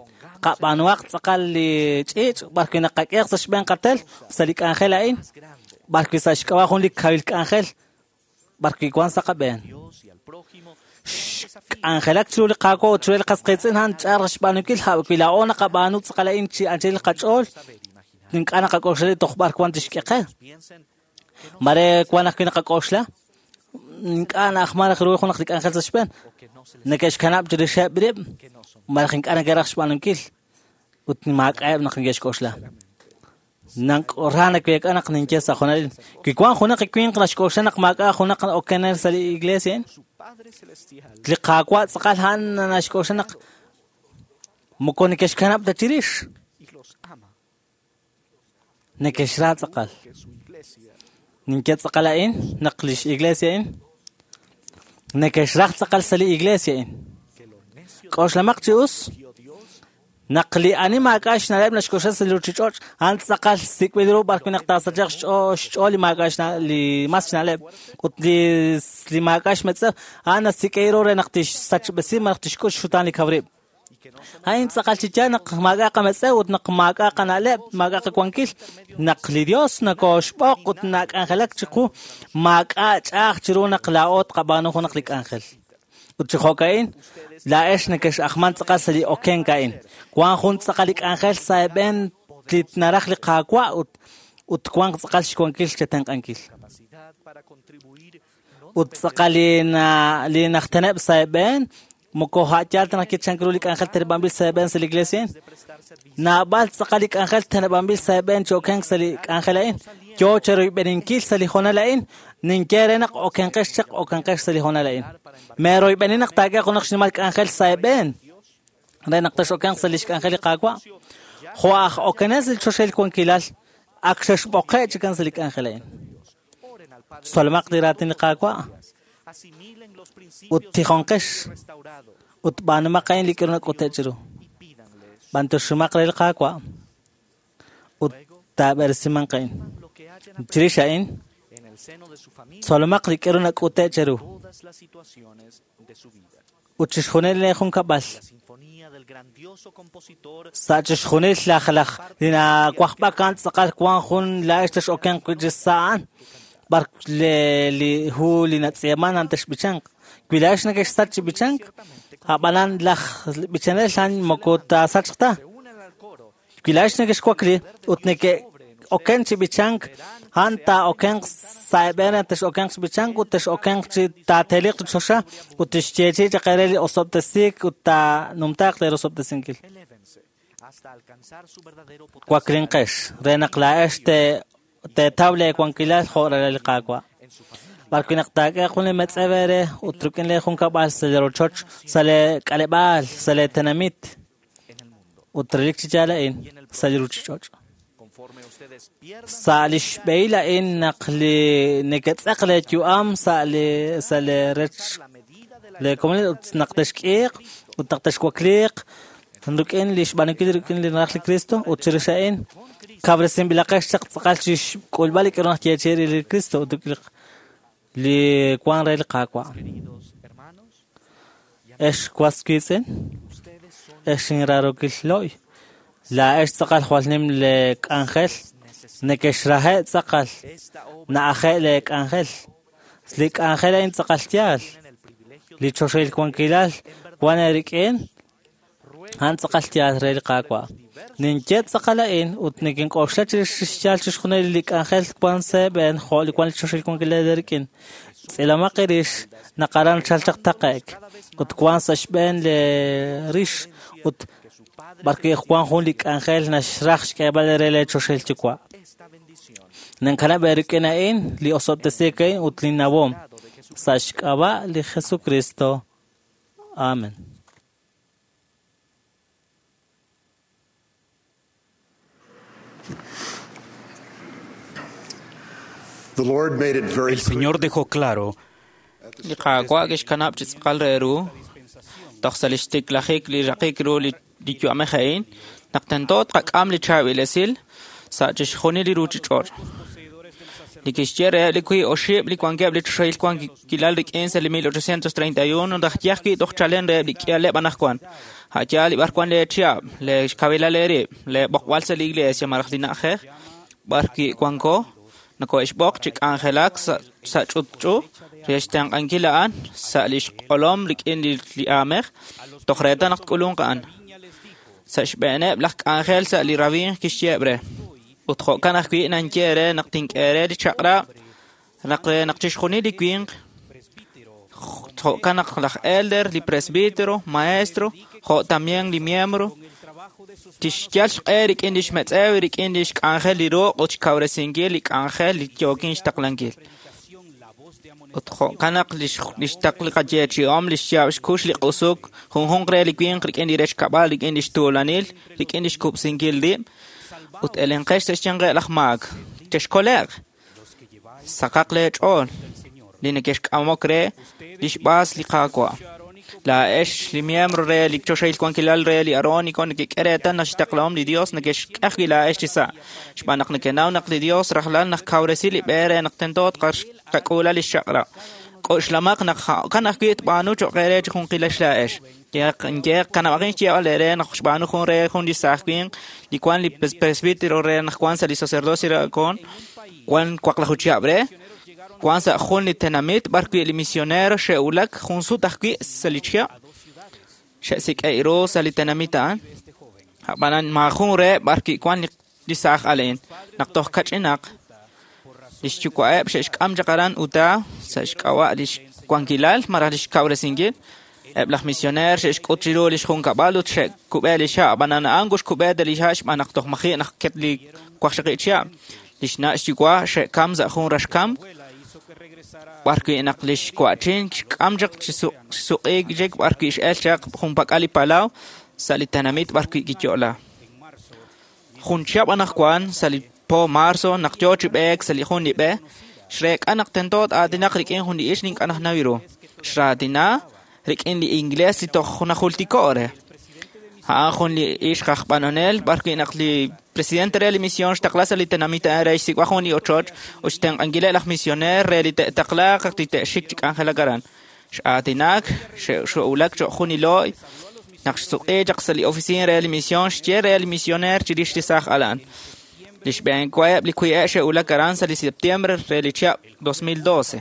qab'aanuhaq tz'aqal li ch'iich' b'ar wi' naqak'ehaq sa' xb'een qatel sa' li k'anjel a'in, b'ar wi' sa' xk'ab'a' jun li kawil k'anjel b'ar wi' wan sa' qab'een. Xk'anjelak chiru li Qaawa' ut chiru li qas qiitz'in a'an ch'a'aj xb'aanunkil wi laa'o naqab'aanu tz'aqal a'in chi anchal qach'ool ink'a' naqak'oxla li toj b'ar wan tixk'e qe. Mare wan ajwi' naqak'oxla ink'a' na'ajman raj ru junaq li k'anjel sa' xb'een neke'xkanab' chirixeb' rib' malaj ink'a' neke'raj xb'aanunkil ut maak'a'eb' naq neke'xk'oxla. Ra naweek'a naq ninye sa' junalil wi wan junaq winq naxk'oxla naq maak'a' junaq okenel sa' li iglesia li Qaawa' tz'aqal a'an naxk'oxla naq moko neke'xkanab' ta chirix neke'xra tz'aqal. Ninye tz'aqal a'in naq lix iglesia a'in neke'xraj tz'aqal sa' li iglesia a'in. K'oxlamaq chi us naq li ani maak'a' xna'leb' naxk'oxla sa' li ruuchich'och' a'an tz'aqal sik'b'il ru b'ar wi' naq taasachaq xch'ool li maak'a' li mas xna'leb' ut li maak'a' xmetz'ew a'an nasik'e ru re naq tixsachb'esi malaj tixk'ut xxutaan li kaw rib'. A'in tz'aqal chi yaal naq maak'a' qametz'ew ut naq maak'a' qana'leb' maak'a' qawankil naq li Dios nakoxb'oq ut nak'anjelak chiqu maak'a' ch'a'aj chiru naq laa'o tqab'aanu junaq li k'anjel. Ut chi jo'ka'in laa'ex neke'xajman tz'aqal sa' li okenk a'in. Wan jun tz'aqal li k'anjel sa' eeb'en li naraj li Qaawa' ut wanq tz'aqal xwankil chetenq'ankil. Ut tz'aqal li najteneb' sa' eeb'en moko ha'yal ta naq kichank ru li k'anjel teneb'anb'il sa' eeb'en sa' li iglesia a'in. Naab'al tz'aqal li k'anjel teneb'anb'il sa' eeb'en chi okenk sa' li k'anjel a'in. Yo cheroyb'eninkil sa' li hoonal a'in ninye re naq okenqex chaq okenqex sa' li hoonal a'in. Meroyb'eni naq taak'e junaq xnimal k'anjel sa' eeb'en re naq texokenq sa' lix k'anjel li Qaawa'. Jo' aj okenel sa' li choxahil wankilal ak xexb'oqe' chikan sa' li k'anjel a'in. Tzolomaq li raatin li Qaawa' ut tijonqex ut b'aanumaq a'in li k'aru nak'ute' chiru. B'antoximaq re li Qaawa' ut taab'eresimanq a'in. Chirix a'in tzolomaq li k'aru nak'ute' cheru ut chixjunil li junkab'al sa' chixjunil laj li nawajb'ak a'an tz'aqal wan jun laa'ex texokenq wi' chi sa' a'an b'ar li hu li natz'iiman a'an texb'ichanq. Wi laa'ex neke'xsach chi b'ichank a'b'anan laj b'ichanel a'an moko taasachq ta. Wi laa'ex neke'xwakli ut neke'oken chi b'ichank a'an taa'okenq sa' eeb'en re texokenq chi b'ichank ut texokenq chi taateliq li choxa ut tixyeechi'i chaq eere li osob'tesiik ut taanumtaaq leerosob'tesinkil. Waklinqex re naq laa'ex teetaw leewankilal jo' ralal li Qaawa'. B'ar wi' naq taak'e jun li metz'ew eere ut rik'in lee junkab'al sa' li rochoch, sa' lee k'aleb'aal, sa' lee tenamit ut relik chi yaal a'in sa' li ruuchich'och'. Sa' li xb'ehil a'in naq li neketz'eq lee yu'am sa' li rech lee komonil ut naq texk'iiq ut naq texwakliiq rik'in li xb'aanunkil rik'in li naraj li Cristo ut chirix a'in kawresinb'ilaqex chaq tz'aqal chi xk'ulb'al li k'aru naq yeechi'i li Cristo ut li wan re li Qaawa'. Ex was wiitz'in, ex inraarokil lo'y, laa'ex tz'aqal jwal nim le k'anjel, neke'xrahe' tz'aqal, na'aje' le k'anjel. Li k'anjel a'in tz'aqal yaal, li choxahil wankilal wan eerik'in, a'an tz'aqal yaal re li Qaawa'. Ninye tz'aqal a'in ut nikink'oxla chirix xyaal chixjunil li k'anjel wan sa' eeb'en jo' li wan li choxahil wankilal eerik'in. Tz'ilomaq eerix naq aran chal chaq taqe'k ut wan sa' xb'een le rix ut b'ar wi' wan jun li k'anjel naxraj xk'eeb'al re le choxahil yuwa'. Ninkanab' eerik'in a'in li osob'tesiik a'in ut li nawom sa' xk'ab'a' li Jesucristo. Amen. El Señor dejó claro Li Qaawa' kixkanab' chi tz'aqal re ru toj sa' li xtiklajik li raqik ru li yu'amej a'in naq tento tqak'am li chaab'il esil sa' chixjunil li ruuchich'och'. Li kixye reheb' li wiib' oxib' li wankeb' li choxahil wankilal rik'in sa' li 1831 raj yaj wi' toj chalen reheb' li k'ihaleb' anaqwan. A'yaal li b'arwan leechihab', leexkawilal eerib', leeb'oqb'al sa' li iglesia malaj li na'ajej b'ar wi' wanko. Nokohe'xb'oq chi k'anjelak sa' ch'utch'u re xtenq'ankil a'an sa' lix q'olom rik'in li aamej toj reetal naq tk'ulunq a'an. Sa' xb'eeneb' laj k'anjel sa' li rawimq kixyeeb' re. Ut jo'kan ajwi' nanye re naq tink'e re li chaq'rab' naq re naq chixjunil li winq jo'kan naq laj elder, li presbítero, maestro, jo' también li miembro, tixyal xq'e rik'in lix metz'ew rik'in lix k'anjel li ruq' ut xkawresinkil li k'anjel li yookin xtaqlankil. Ut jo'kan naq lix taql li qayeechi'om, lix yaab' xkux li q'usuk, junjunq re li winq rik'in li rech kab'al, rik'in lix tuulanil, rik'in lix kub'sinkil rib', ut elenqex sa' xyanqeb' laj maak. Chexkole'q, saqaq lee ch'ool, li neke'xk'amok re lix b'aas li Qaawa'. Laa'ex li miembro re li choxahil wankilal re li Aarónico nekek'e reetal naq xtaqlahom li Dios neke'xk'e ajwi' laa'ex chi sa'. Xb'aan naq nekenaw naq li Dios rajlal naq kawresi li b'e re naq tento tqak'uula lix chaq'rab'. K'oxlamaq naq jo'kan ajwi' tb'aanu cho'q eere chi junqilex laa'ex. Kanab'aqin xyeeb'al eere naq xb'aanu jun re jun li saaj winq li wan li presbítero re naq wan sa' li sacerdocio re Aarón, wan 16 chihab' re, wan sa' jun li tenamit b'ar wi' li misionero xe'wulak jun sut ajwi' sa' li chihab' xe'sik'e' ru sa' li tenamit a'an. Ab'anan maajun reheb' b'ar wi' wan li saaj alen naq toj kach'inaq lix yuwa'eb' xe'xk'am chaq aran Utah sa' xk'ab'a' lix wankilal malaj lix kawresinkil. Eb' laj misioneer xe'xk'ut chiru lix junkab'al ut xe'kub'e li ha', ab'anan a'an kuxkub'e ta li ha' xb'aan naq toj maji' naq ket li 16 chihab'. Lix na' xyuwa' xe'kam sa' jun raxkamk b'ar wi' naq lix wa'chin xk'am chaq chi suq'iik chik b'ar wi' x'el chaq junpak'al li palaw sa' li tenamit b'ar wi' kiyo'la. Jun chihab' anaqwan sa' li po marzo naq yoo chi b'eek sa' li jun li b'e, xreek'a naq tento aatinaq rik'in jun li ixq li ink'a' najnaw ru. Xraatina rik'in li inglés li toj najultiko' re. A'an jun li ixq aj b'anonel b'ar wi' naq li presidente re li misión xtaqla sa' li tenamit a'an re xsik'wa jun li ochoch ut xtenq'ankileb' laj misioneer re li te'taqlaaq li te'xik chi k'anjelak aran. X'aatinak, xe'wulak cho'q jun li looy naq xsuq'i chaq sa' li oficina re li misión xye re li misioneer chirix li saaj alan. Li xb'een wa'eb' li kwi'e' xe'wulak aran sa' li septiembre re li chihab' 2012.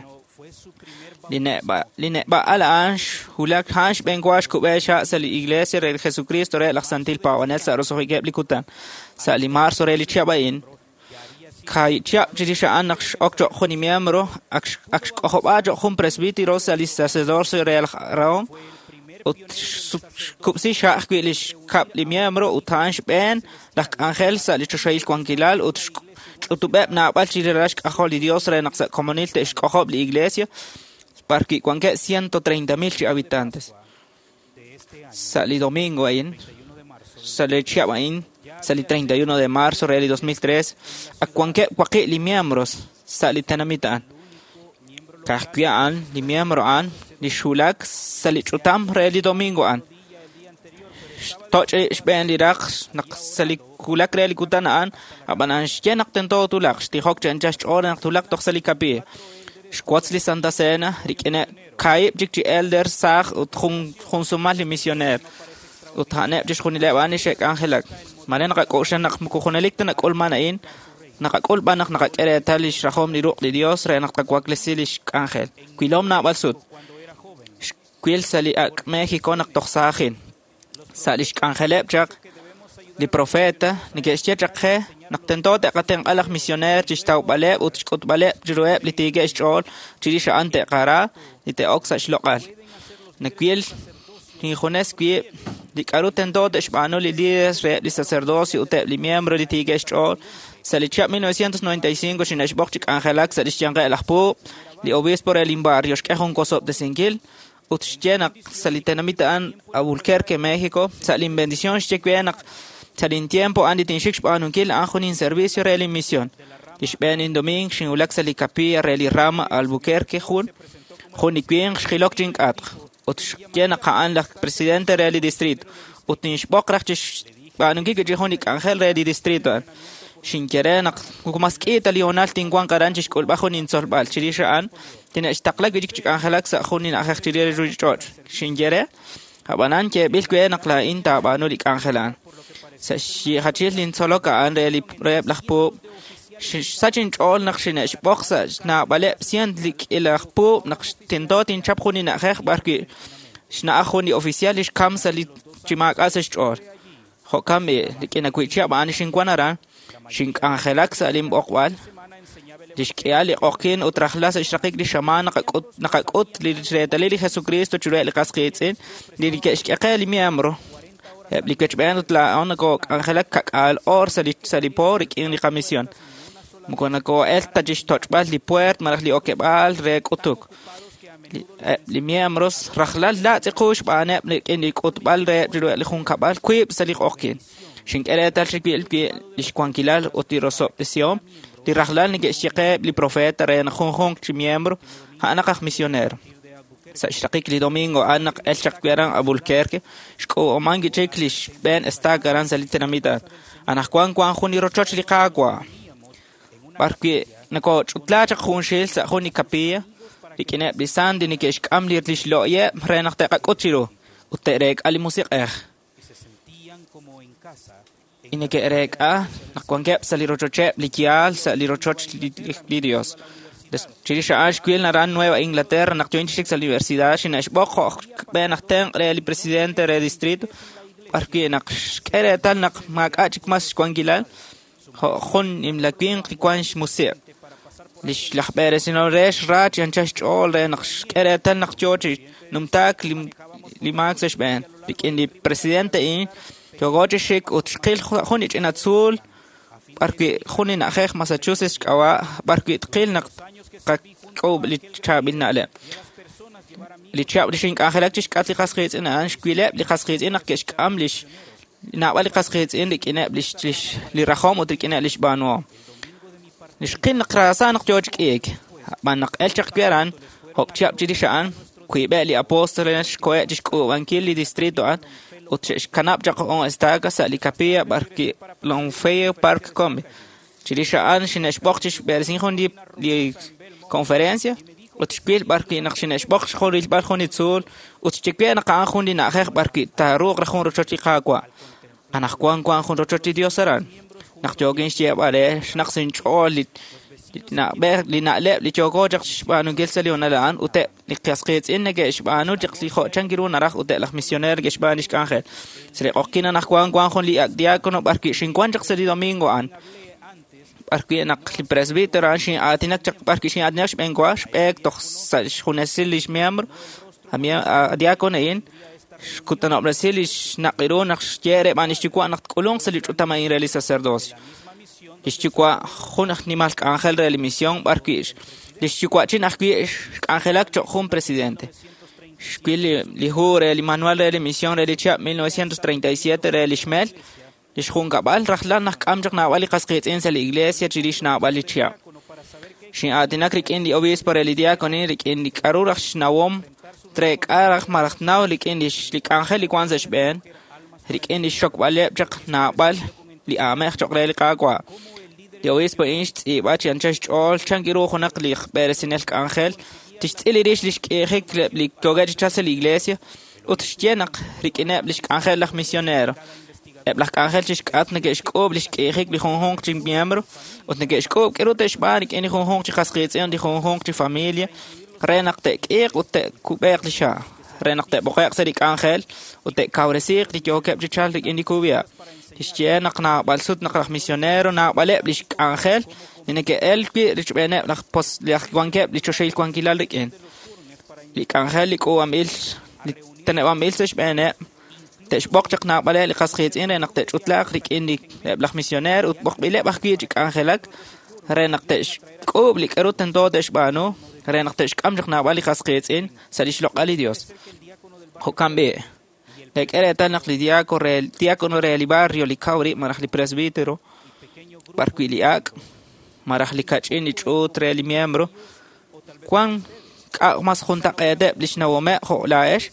Li neb'a'al a'an xwulak a'an xb'een wa xkub'e xa' sa' li iglesia re Jesucristo re laj Santil Paab'anel sa' roso'jikeb' li kutan. Sa' li marzo re li chihab' a'in, kaahib' chihab' chirix a'an naq x'ok cho'q jun li miembro, ak xk'ojob'a cho'q jun presbítero sa' li sacerdocio re laj Aarón ut xkub'si xa' ajwi' li xkab' li miembro ut a'an xb'een laj k'anjel sa' li choxahil wankilal ut ch'utub'eb' naab'al chi ralal xk'ajol li Dios re naq sa' komonil te'xk'ojob' li iglesia b'ar wi' wankeb' 130,000 chi habitantes. Sa' li domingo a'in, sa' li chihab' a'in, sa' li 31 de marzo re li 2003, ak wankeb' waqi' li miembros sa' li tenamit a'an. Ka'ajwi' a'an, li miembro a'an, li xwulak sa' li ch'utam re li domingo a'an. Xtoch' xb'een li raq naq sa' li wulak re li kutan a'an, ab'anan xye naq tento tulaq, xtijok chi anchal xch'ool naq tulaq toj sa' li capilla. Xwotz li Santa Cena rik'ineb' kaahib' chik chi elder saaj ut jun sumal li misioneer. Ut a'aneb' chixjunileb' a'an li xe'k'anjelak. Mare naqak'oxla naq moko junelik ta nak'ulman a'in, naqak'ul b'an naq naqak'e reetal lix rajom li ruq' li Dios re naq tqawaklesi lix k'anjel. Wilom naab'al sut. Xwil sa' li ak' México naq toj saajin. Sa' lix k'anjeleb' chaq li profeta neke'xye chaq qe naq tento te'qatenq'a laj misioneer chi xtawb'aleb' ut xk'utb'aleb' chiruheb' li tiikeb' xch'ool chirix a'an te'qara li te'ok sa' xloq'al. Nawil injunes wib' li k'a'ru tento te'xb'aanu li líderes reheb' li sacerdocio ut eb' li miembro li tiikeb' xch'ool. Sa' li chihab' 1995 xine'xb'oq chi k'anjelak sa' lix yanqeb' laj puub', li obispo re lin barrio xk'e jun wosob'tesinkil ut xye naq sa' li tenamit a'an Albuquerque, México, sa' lin bendición xye we naq sa' lin tiempo a'an li tinxik xb'aanunkil a'an jun inservicio re lin misión. Li xb'een indoming xinwulak sa' li capilla re li rama Albuquerque jun li winq xjilok chink'atq ut xye naq a'an laj presidente re li distrito ut ninxb'oq raj chi xb'aanunkil chi jun li k'anjel re li distrito a'an. Xinye re naq mas k'i ta li hoonal tinwanq aran chi xk'ulb'al jun intzolb'al chirix a'an tine'xtaqla wi' chik chi k'anjelak sa' jun li na'ajej chirix li ruuchich'och'. Xinye re, ab'anan yeeb'il we naq laa'in taab'aanu li k'anjel a'an. Sa' xyiijachil lintzolok a'an re reheb' laj puub', Xsach inch'ool naq xine'xb'oq sa' xnaab'aleb' cien li k'ila aj puub' naq tento tinchap jun li na'ajej b'ar wi' xna'aj jun li oficial li xkam sa' li chi maak'a' sa' xch'ool. Jo'kan b'i' rik'in awi' chihab' a'an xinwan aran, xink'anjelak sa' linb'oqb'al, li xk'ihal li q'oqyin ut rajlal sa' xraqik li xamaan naqak'ut li reetalil li Jesucristo chiruheb' li qas qiitz'in li neke'xk'e qe li miembro. Eb' li wechb'een ut laa'o nokok'anjelak kak'aal oor sa' li po rik'in li qamisión. Moko noko'el ta chi xtoch'b'al li puert malaj li okeb'aal re k'utuk. Eb' li miembros rajlal laatz' qu xb'aaneb' rik'in li k'utb'al reheb' chiruheb' li junkab'al wiib' sa' li q'oqyin. Xink'e reetal chiwil wi' li xwankilal ut li rosob'tesihom li rajlal neke'xye qe li profeta re naq junjunq chi miembro a'anaq aj misionero. Sa' xraqik li domingo a'an naq el chaq wi' aran Albuquerque, xk'uub'aman chik li xb'een estaca aran sa' li tenamit a'an. Anaqwan wan jun li rochoch li Qaawa'. B'ar wi' nokoch'utla chaq junxil sa' jun li capilla, rik'ineb' li sant li neke'xk'am li xlo'yeb' re naq te'qak'ut chiru ut te'reek'a li musiq'ej. Y neke'reek'a naq wankeb' sa' li rochocheb' li yaal sa' li rochoch li Dios. Chirix a'an xwil aran Nueva Inglaterra naq yo'in chi xik sa' la universidad xine'xb'oq jo' b'een aj tenq' re li presidente re distrito b'ar wi' naq xk'e reetal naq maak'a' chik mas xwankilal jo' jun nimla winq li wan xmusiq'. Li laj b'eresinel re xra chi anchal xch'ool re naq xk'e reetal naq yoo chi numtaak li maak sa' xb'een. Rik'in li presidente a'in yooko chi xik ut xqil jun li ch'ina tzuul b'ar wi' jun li na'ajej Massachusetts xk'ab'a' b'ar wi' tqil naq qak'uub' li chaab'il na'leb'. Li chihab' li xink'anjelak chi xk'atq li qas qiitz'in a'an xwileb' li qas qiitz'in naq ke'xk'am lix naab'al li qas qiitz'in rik'ineb' li rajom ut rik'ineb' li xb'aanuhom. Li xqil naq raasa naq yoo chi k'iik. Ab'an naq el chaq wi' aran, job' chihab' chirix a'an, wiib'eb' li apóstoles xkoheb' chi xk'uub'ankil li distrito a'an ut xe'xkanab' chaq jun estaca sa' li capilla b'ar wi' Longfellow Park Combe. Chirix a'an xine'xb'oq chi xb'eresinkil jun li conferencia ut xwil b'ar wi' naq xine'xb'oq jun rilb'al jun li tzuul ut xye we naq a'an jun li na'ajej b'ar wi' taaruuq raj jun rochoch li Qaawa'. Anaqwan wan jun rochoch li Dios aran. Naq yookin xyeeb'al re xnaq sa' inch'ool li na'leb' li yooko chaq xb'aanunkil sa' li honal a'an ut eb' li qas qiitz'in neke'xb'aanu chaq li jo' chan ru naraj ut eb' laj misioneer neke'xb'aanu li xk'anjel. Sa' li q'oqyin anaqwan wan jun li ak' diácono b'ar wi' xinwan chaq sa' li domingo a'an. B'ar wi' naq li presbítero a'an xin'aatinak chaq b'ar wi' xin'aatinak xb'een wa xb'eek toj sa' xjunesil li xmiembro a diácono a'in xkutanob'resi li xnaq'iru naq xye re b'an li xyuwa' naq tk'ulunq sa' li ch'utam a'in re li sacerdocio. Li xyuwa' jun aj nimal k'anjel re li misión b'ar wi' li xyuwa'chin ajwi' xk'anjelak cho'q jun presidente. Xwil li hu re li manual re li misión re li chihab' 1937 re li xmel, li xjunkab'al rajlal naq k'am chaq naab'al li qas qiitz'in sa' li iglesia chirix naab'al li chihab'. Xin'aatinak rik'in li obispo re li diácono rik'in li k'aru raj xnawom treek'a raj malaj tnaw rik'in li k'anjel li wan sa' xb'een, rik'in li xxokb'aleb' chaq naab'al li aamej cho'q re li Qaawa'. Li obispo a'in xtz'iib'a chi anchal xch'ool chan ru junaq li b'eresinel k'anjel tixtz'il rix li xk'iijik li yookeb' chi chalk sa' li iglesia ut xye naq rik'ineb' li xk'anjel laj misionero. Eb' laj k'anjel chi xk'atq neke'xk'uub' li xk'iijik li junjunq chi miembro ut neke'xk'uub' k'aru te'xb'aan rik'in li junjunq chi qas qiitz'in li junjunq chi familia re naq te'k'iiq ut te'kub'eeq li xa' re naq te'b'oqe'q sa' li k'anjel ut te'kawresiiq li yookeb' chi chalk rik'in li kub'iha'. Xye naq naab'al sut naq laj misionero naab'aleb' li xk'anjel li neke'el wi' richb'eeneb' laj wankeb' li choxahil wankilal rik'in. Li k'anjel li k'uub'anb'il li teneb'anb'il sa' xb'eeneb' te'xb'oq chaq naab'aleb' li qas qiitz'in re naq te'ch'utlaaq rik'in eb' laj misioneer ut b'oqb'ileb' ajwi' chi k'anjelak re naq te'xk'uub' li k'aru tento te'xb'aanu re naq te'xk'am chaq naab'al li qas qiitz'in sa' li xloq'al li Dios. Jo'kan b'i', teek'e reetal naq li diácono re li barrio li kaw rib' malaj li presbítero b'ar wi' li ak' malaj li kach'in li ch'uut re li miembro wan k'a' mas juntaq'eeteb' li xnawomeb' jo' laa'ex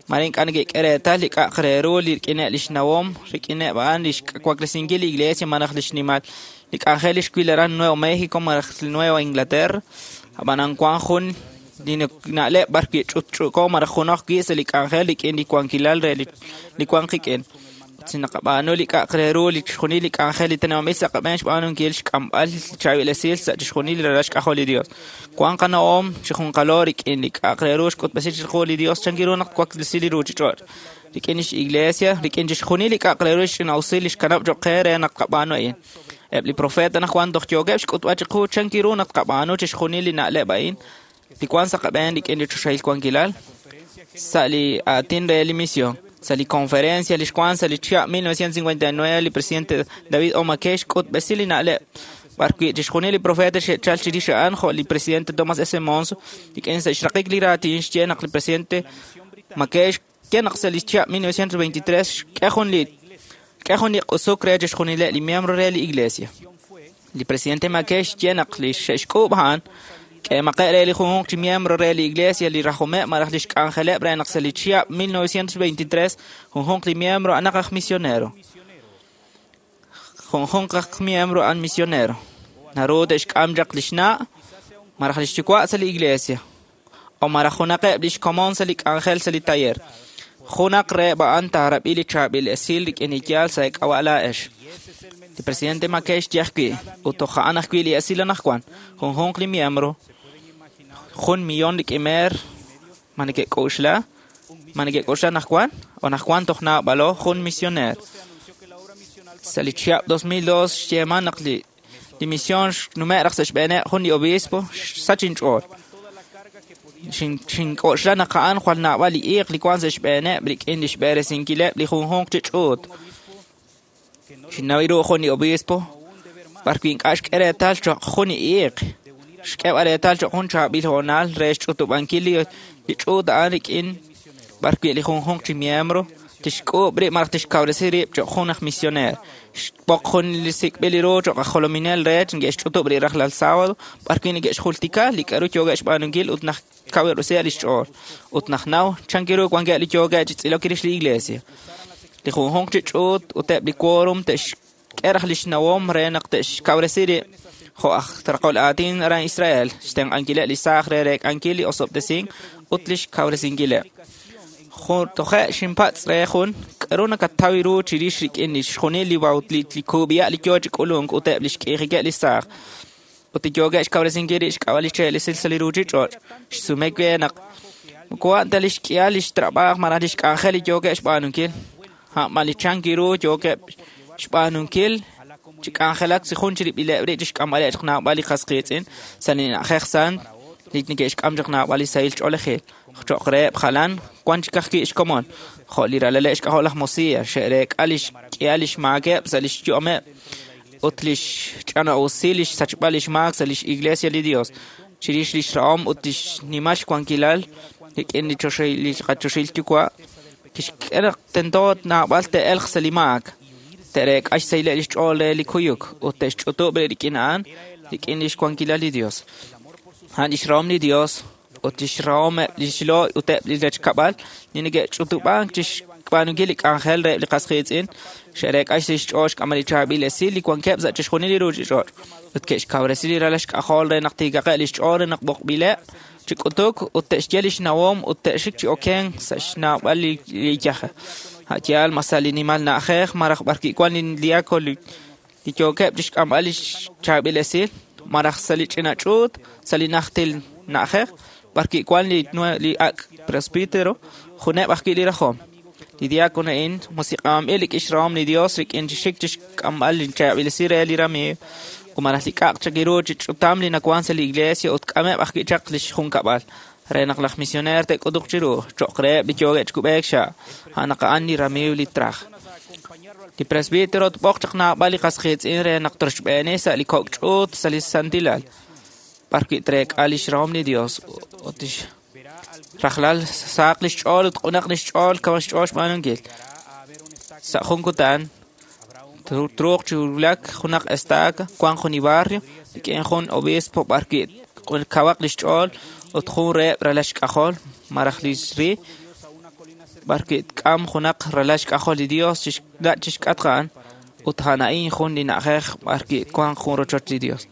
mare ink'a' neke'k'e reetal li k'a'aq re ru li rik'ineb' li xnawom rik'ineb' a'an li xwaklesinkil li iglesia malaj li xnimal li k'anjel li xwil aran Nuevo México malaj Nueva Inglaterra ab'anan wan jun li na'leb' b'ar wi' ch'utch'uko malaj junaq wi' sa' li k'anjel rik'in li wankilal re li wan qik'in. Ut si naqab'aanu li k'a'aq re ru li chixjunil li k'anjel li teneb'anb'il sa' qab'een xb'aanunkil xk'amb'al li chaab'il esil sa' chixjunil li ralal xk'ajol li Dios. Wan qana'om chi junqalo rik'in li k'a'aq re ru xk'utb'esi chiqu li Dios chan ru naq twaklesi li ruuchich'och'. Rik'in lix iglesia, rik'in chixjunil li k'a'aq re ru xch'ina'usil li xkanab' cho'q qe re naq tqab'aanu a'in. Eb' li profeta anaqwan toj yookeb' xk'utb'al chiqu chan ru naq tqab'aanu chixjunil li na'leb' a'in li wan sa' qab'een rik'in li choxahil wankilal sa' li aatin re li misión. Sa' li conferencia li xwan sa' li chihab' 1959 li presidente David O. McKay xk'utb'esi li na'leb' b'ar wi' chixjunil li profeta xe'chal chirix a'an jo' li presidente Thomas S. Monson rik'in sa' xraqik li raatin xye naq li presidente McKay xye naq sa' li chihab' 1923 xk'e jun li q'usuk re chixjunileb' li miembro re li iglesia. Li presidente McKay xye naq li xe'xk'uub' a'an k'eemaqe' re li junjunq chi miembro re li iglesia li rajomeb' malaj li xk'anjeleb' re naq sa' li chihab' 1923 junjunq li miembro anaq aj misionero. Junjunq aj miembro an misionero. Naru te'xk'am chaq li xna' malaj li xyuwa' sa' li iglesia o malaj junaqeb' li xkomon sa' li k'anjel sa' li taller. Junaq reheb' a'an taarab'i li chaab'il esil rik'in li yaal sa' k'ab'a' laa'ex. Li presidente McKay xye ajwi' ut toj a'an ajwi' li esil anaqwan junjunq li miembro 1 millón rik'in meer ma neke'k'oxla anaqwan o anaqwan toj naab'alo jun misioner. Sa' li chihab' 2002 xyeeman naq li misión xnume' raj sa' xb'eeneb' jun li obispo xsach inch'ool. Xink'oxla naq a'an jwal naab'al li iiq li wan sa' xb'eeneb' rik'in li xb'eresinkileb' li junjunq chi ch'uut. Xinnaw ru jun li obispo b'ar wi' ink'a' xk'e reetal cho'q jun li iiq. Xk'eb'al reetal cho'q jun chaab'il hoonal re xch'utub'ankil li ch'uut a'an rik'in b'ar wi' li junjunq chi miembro tixk'uub' rib' malaj tixkawresi rib' cho'q jun aj misioner. Xb'oq jun li sik'b'il ru cho'q aj jolominel re neke'xch'utub' rib' rajlal sábado b'ar wi' neke'xjultika li k'a'ru yookeb' xb'aanunkil ut naq kawresi li xch'ool ut naq naw chan ru wankeb' li yookeb' chi tz'ilok rix li iglesia. Li junjunq chi ch'uut ut eb' li quórum te'xk'e raj li xnawom re naq te'xkawresi rib' jo' aj raqol aatin aran Israel xtenq'ankileb' li saaj re reek'ankil li osob'tesink ut li xkawresinkileb'. Toje' xinpatz' re jun k'a'ru nakataw ru chirix rik'in li xjunil li kub'iya' li yoo chi k'ulunk ut eb' li xk'iijikeb' li saaj ut li yookeb' xkawresinkil rib' xk'ab'a' li che'lisil sa' li ruuchich'och'. Xsume we naq moko a'an ta li xk'ihal li xtrab'aaj malaj li xk'anjel li yookeb' xb'aanunkil a'an li chan ru yookeb' xb'aanunkil chi k'anjelak si jun chirib'ileb' rib' chi xk'amb'aleb' chaq naab'al li qas qiitz'in sa' li na'ajej sant li neke'xk'am chaq naab'al li sahil ch'oolejil. Cho'q reheb' jalan wan chik ajwi' xkomon jo' li ralaleb' xk'ajol laj Mosiah xe'reek'a li xk'ihal li xmaakeb' sa' li xyu'ameb' ut li xch'ana'usil li xsachb'al li xmaak sa' li xiglesia li Dios chirix li xrahom ut li xnimal xwankilal rik'in li qachoxahil yuwa' kixk'e naq tento naab'al te'elq sa' li maak te'reek'a xsahileb' li xch'ool re li kuyuk ut te'xch'utub' rik'in a'an rik'in li xwankilal li Dios. A'an li xrahom li Dios ut li xrahom li xlo' ut eb' li rechkab'al li neke'ch'utub'ank chi xb'aanunkil li k'anjel reheb' li qas qiitz'in xe'reek'a xch'ool xk'amb'al li chaab'il esil li wankeb' sa' chixjunil li ruuchich'och' ut ke'xkawresi li ralal xk'ajol re naq tiikaqeb' li xch'ool re naq b'oqb'ileb' chi k'utuk ut te'xye li xnawom ut te'xik chi okenk sa' xnaab'al li yaje. A'yaal ma sa' li nimal na'ajej malaj b'ar wi' wan li diácono li yookeb' chi xk'amb'al li chaab'il esil malaj sa' li ch'ina ch'uut sa' li najtil na'ajej b'ar wi' wan li ak' presbítero juneb' ajwi' li rajom. Li diácono a'in musiq'anb'il rik'in xrahom li Dios rik'in chi xik chi xk'amb'al li chaab'il esil re li ramiiw ut malaj li k'a'aq chaq ru chi ch'utam li nawan sa' li iglesia ut k'ameb' ajwi' chaq li xjunkab'al re naq laj misioner te'k'utuq chiru cho'q reheb' li yookeb' chi kub'eek xa' a'an naq a'an li ramiiw li traj. Li presbítero tb'oq chaq naab'al li qas qiitz'in re naq troxb'eeni sa' li kok' ch'uut sa' li santilal b'ar wi' treek'a li xrahom li Dios ut rajlal saaq li xch'ool ut q'unaq li xch'ool kaw xch'ool xb'aanunkil. Sa' jun kutan truuq chi wulak junaq estaca wan jun li barrio rik'in jun obispo b'ar wi' kawaq li xch'ool ut jun reheb' ralal xk'ajol malaj li xri b'ar wi' tk'am junaq ralal xk'ajol li Dios chi xk'atq a'an ut a'an a'in jun li na'ajej b'ar wi' wanq jun rochoch li Dios.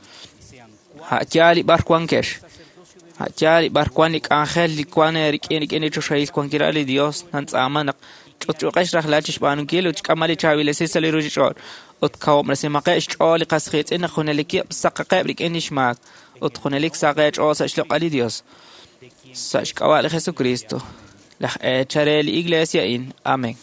A'yaal li b'ar wankex. A'yaal li b'ar wan li k'anjel li wan rik'in li choxahil wankilal li Dios nantz'aama naq Ch'utch'uqex rajlal chixb'aanunkil ut xk'amb'al li chaab'il esil sa' li ruuchich'och' ut kawob'resimaqeb' xch'ool li qas qiitz'in naq junelikeb' saqaqeb' rik'in li xmaak ut junelik saq eech'ool sa' xloq'al li Dios. Sa' xk'ab'a' li Jesucristo, laj eechal re li Iglesia a'in. Amén.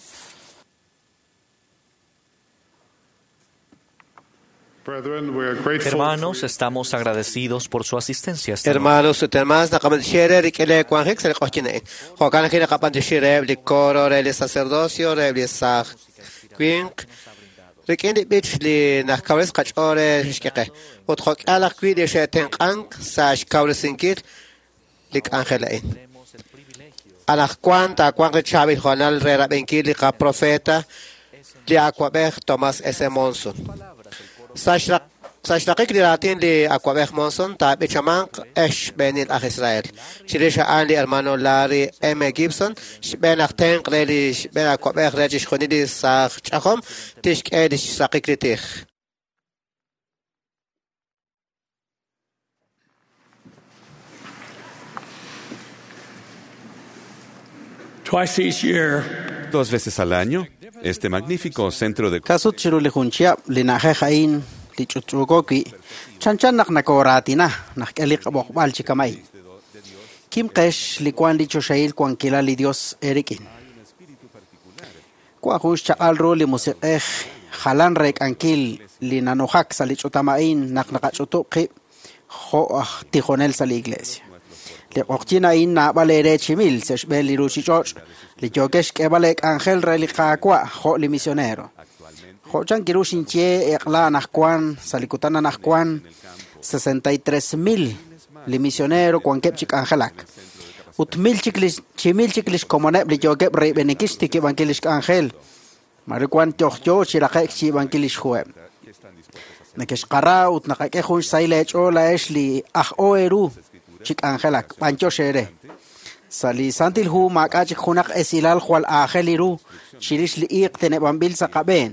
Hermanos, estamos agradecidos por su asistencia esta noche. Hermanos ut hermanas, naqab'antioxi rik'in li wanjik sa' li q'oqyink a'in. Jo'kan ajwi' naqab'antioxi reheb' li coro re li sacerdocio, reheb' li saaj winq, rik'in li b'ich li najkawres qach'ool re xk'e qe. Ut jo'k'al ajwi' li xe'tenq'ank sa' xkawresinkil li k'anjel a'in. Anaqwan taawanq li chaab'il hoonal re rab'inkil li qaprofeta li awa'b'ej Thomas S. Monson. Sa' xraqik li raatin li awa'b'ej Monson taab'ichamanq ex xb'eenil aj Israel. Chirix a'an li hermano Larry M. Gibson, xb'een aj tenq' re li xb'een awa'b'ej re chixjunil li saaj ch'ajom, tixk'e li xraqik li tij. Twice each year, Dos veces al año, este magnífico centro de Kasut chiru li jun chihab' li na'ajej a'in li ch'utch'uuko wi' chanchan naq nakooraatina naq k'e li qab'oqb'al chi kama'in. Kimqex li wan li choxahil wankilal li Dios eerik'in. Wan jun xchaq'al ru li musiq'ej jalan reek'ankil li nanujak sa' li ch'utam a'in naq naqach'utub' qib' jo' aj tijonel sa' li iglesia. Li q'oqyink a'in naab'al eere chi mil sa' xb'een li ruuchich'och' li yookex xk'eeb'al eek'anjel re li Qaawa' jo' li misionero. Jo' chan kiru xinye eq'la anaqwan sa' li kutan anaqwan 63,000 li misionero wankeb' chi k'anjelak. Ut mil chik li chi mil chik li xkomoneb' li yookeb' reib'eninkil xtikib'ankil li xk'anjel. Mare wan yojyo chi raqe'k xyiib'ankil li xjuheb'. Nakexqara ut naqak'e jun xsahil eech'ool laa'ex li aj o eeru chi k'anjelak b'antiox eere. Sa' li Santil Hu maak'a' chik junaq esilal jwal aajel ru chirix li iiq teneb'anb'il sa' qab'een.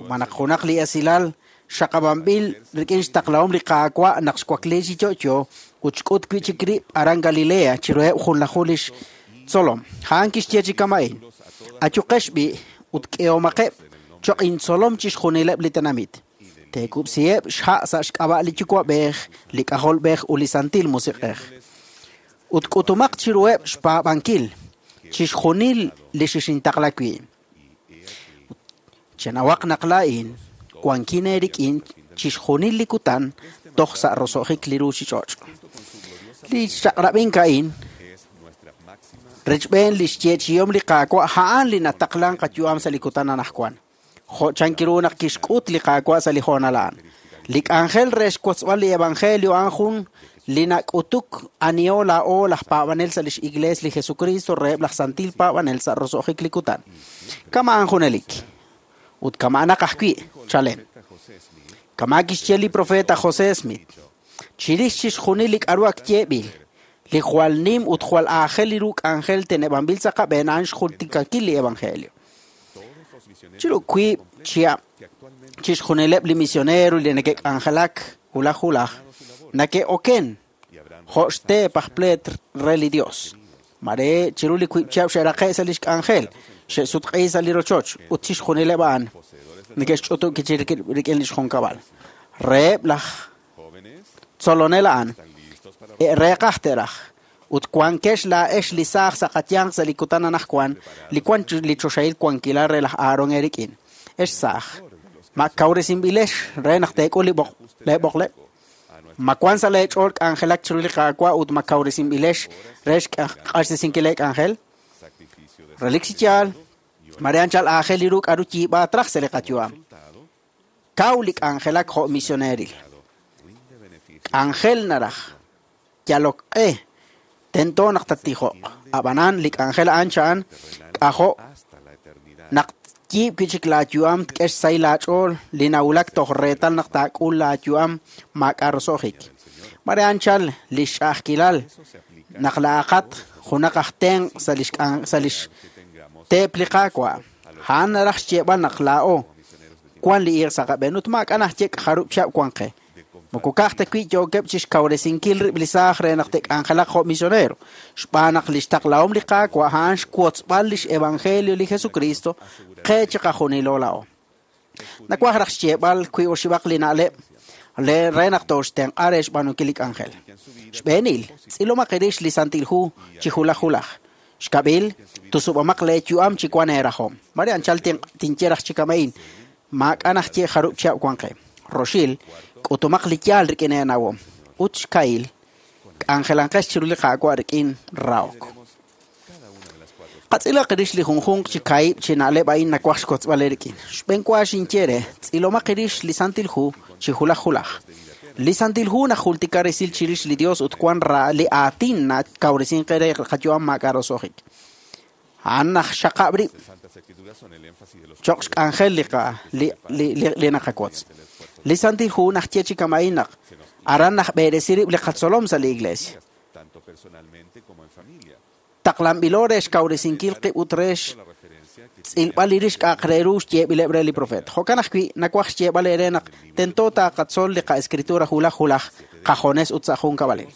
Malaj junaq li esilal xaqab'anb'il rik'in xtaqlahom li Qaawa' naq xwakli chi yo'yo ut xk'ut wi' chik rib' aran Galilea chiruheb' junlaju lix tzolom. A'an kixye chi kama'in: Ayuqex b'i' ut k'ehomaqeb' cho'q intzolom chixjunileb' li tenamit. Teekub'siheb' xha' sa' xk'ab'a' li Yuwa'b'ej, li K'ajolb'ej ut li Santil Musiq'ej. Ut k'utumaq chiruheb' xpaab'ankil chixjunil li xixintaqla wi'. Chenawaq naq laa'in wankin eerik'in chixjunil li kutan toj sa' roso'jik li ruuchich'och'. Li xchaq'rab'ink a'in rechb'een li xyeechi'om li Qaawa' a'an li nataqlan qayu'am sa' li kutan anaqwan. Jo' chan kiru naq kixk'ut li Qaawa' sa' li hoonal a'an. Li k'anjel re xwotzb'al li evangelio a'an jun li nak'utuk aniho laa'o laj paab'anel sa' lix iglees li Jesucristo reheb' laj santil paab'anel sa' roso'jik li kutan. Kama'an junelik. Ut kama'anaq ajwi' chalen. Kama' kixye li profeta José Smith. Chirix chixjunil li k'a'ru ak yeeb'il, li jwal nim ut jwal aajel li ru k'anjel teneb'anb'il sa' qab'een a'an xjultikankil li evangelio. Chiru wiib' chihab' chixjunileb' li misionero li neke'k'anjelak hulaj hulaj neke'oken jo' xteep aj pleet re li Dios. Mare chiru li wiib' chihab' xe'raqe' sa' lix k'anjel, xe'sutq'i sa' li rochoch ut chixjunileb' a'an neke'xch'utub' rik'in lix junkab'al. Reheb' laj tzolonel a'an reeqaj te'raj ut wankex laa'ex li saaj sa' qayanq sa' li kutan anaqwan li wan li choxahil wankilal re laj Aaron eerik'in. Ex saaj, ma kawresinb'ilex re naq teek'ul li leeb'oqleb'? Ma wan sa' leech'ool k'anjelak chiru li Qaawa' ut ma kawresinb'ilex re xq'axtesinkil leek'anjel? Relik chi yaal, mare anchal aajel li ru k'a'ru yiib'aat raj sa' li qayu'am. Kaw li k'anjelak jo' misioneril. K'anjel naraj, yalok q'e, tento naq tattijoq. Ab'anan li k'anjel a'an cha'an k'ajo' naq yiib' wi' chik laayu'am tk'e xsahil laach'ool li nawulak toj reetal naq taak'ul laayu'am maak'a' roso'jik. Mare anchal li xch'a'ajkilal naq laa'aqat junaq aj tenq' sa' lix teep li Qaawa'. A'an naraj xyeeb'al naq laa'o wan li iiq sa' qab'een ut maak'a' najye jarub' chihab' wan qe. Moko ka'aj ta wi' yookeb' chixkawresinkil rib' li saaj re naq te'k'anjelaq jo' misionero, xb'aan naq lix taqlahom li Qaawa' a'an xwotzb'al lix evangelio li Jesucristo qe chiqajunilo laa'o. Nawaj raj xyeeb'al wi oxib'aq li na'leb' re naq tooxtenq'a re xb'aanunkil li k'anjel. Xb'eenil, tz'ilomaq rix li Santil Hu chi hulaj hulaj. Xkab'il, tusub'amaq leeyu'am chi wan eerajom. Mare anchal tinye raj chi kama'in, maak'a' najye jarub' chihab' wan qe. Roxil, k'utumaq li yaal rik'in eenawom. Ut xkahil, k'anjelanqex chiru li Qaawa' rik'in rahok. Qatz'ilaq rix li junjunq chi kaahib' chi na'leb' a'in nawaj xkotzb'al eerik'in. Xb'enwa xinye re, tz'ilomaq rix li Santil Hu chi hulaj hulaj. Li Santil Hu najultika resil chirix li Dios ut wan li aatin nakawresin qe re qayu'am maak'a' roso'jik. A'an najxaqab' rib' cho'q xk'anjel li naqawotz. Li Santil Hu najye chi kama'in naq aran najb'eresi rib' li qatzolom sa' li iglesia. Taqlanb'ilo re xkawresinkil qib' ut re xtz'ilb'al li rix k'a'aq re ru xyeeb'ileb' re li profeet. Jo'kan ajwi' nawaj xyeeb'al eere naq tento taqatzol li qa'escritura hulaj hulaj qajones ut sa' junkab'alil.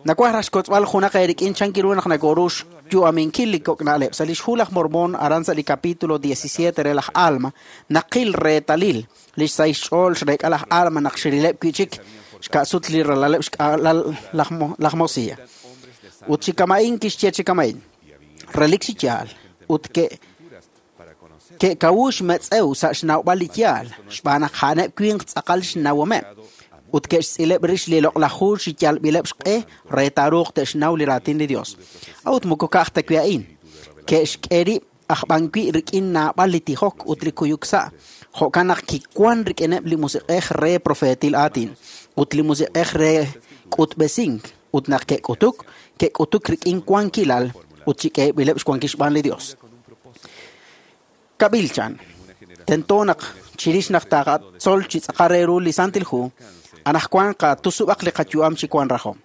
Nawaj raj xkotzb'al junaq eerik'in chan kiru naq nakoru xyu'aminkil li kok' na'leb'. Sa' lix hu laj Mormón aran sa' li capítulo 17 re laj Alma naqil reetalil lix sahil xch'ool xreek'a laj Alma naq xirileb' wi'chik xka'sut li ralaleb' xk'alal laj Mosiah. Ut chi kama'in kixye chi kama'in. Relik chi yaal ut ke'kawu xmetz'ew sa' xnawb'al li yaal xb'aan naq a'aneb' winq tz'aqal xnawomeb' ut ke'xtz'ileb' rix li loq'laj hu chi yalb'ileb' xq'e re taaruuq te'xnaw li raatin li Dios. A'ut moko ka'aj ta wi' a'in, ke'xk'e rib' aj b'an wi' rik'in naab'al li tijok ut li kuyuk sa', jo'kan naq kiwan rik'ineb' li musiq'ej re profeetil aatin ut li musiq'ej re k'utb'esink ut naq ke'k'utuk, ke'k'utuk rik'in wankilal ut chi k'eeb'ileb' xwankil xb'aan li Dios. Kab'il chan, tento naq chirix naq taqatzol chi tz'aqal re ru li Santil Hu, anaqwan qatusub'aq li qayu'am chi wan rajom.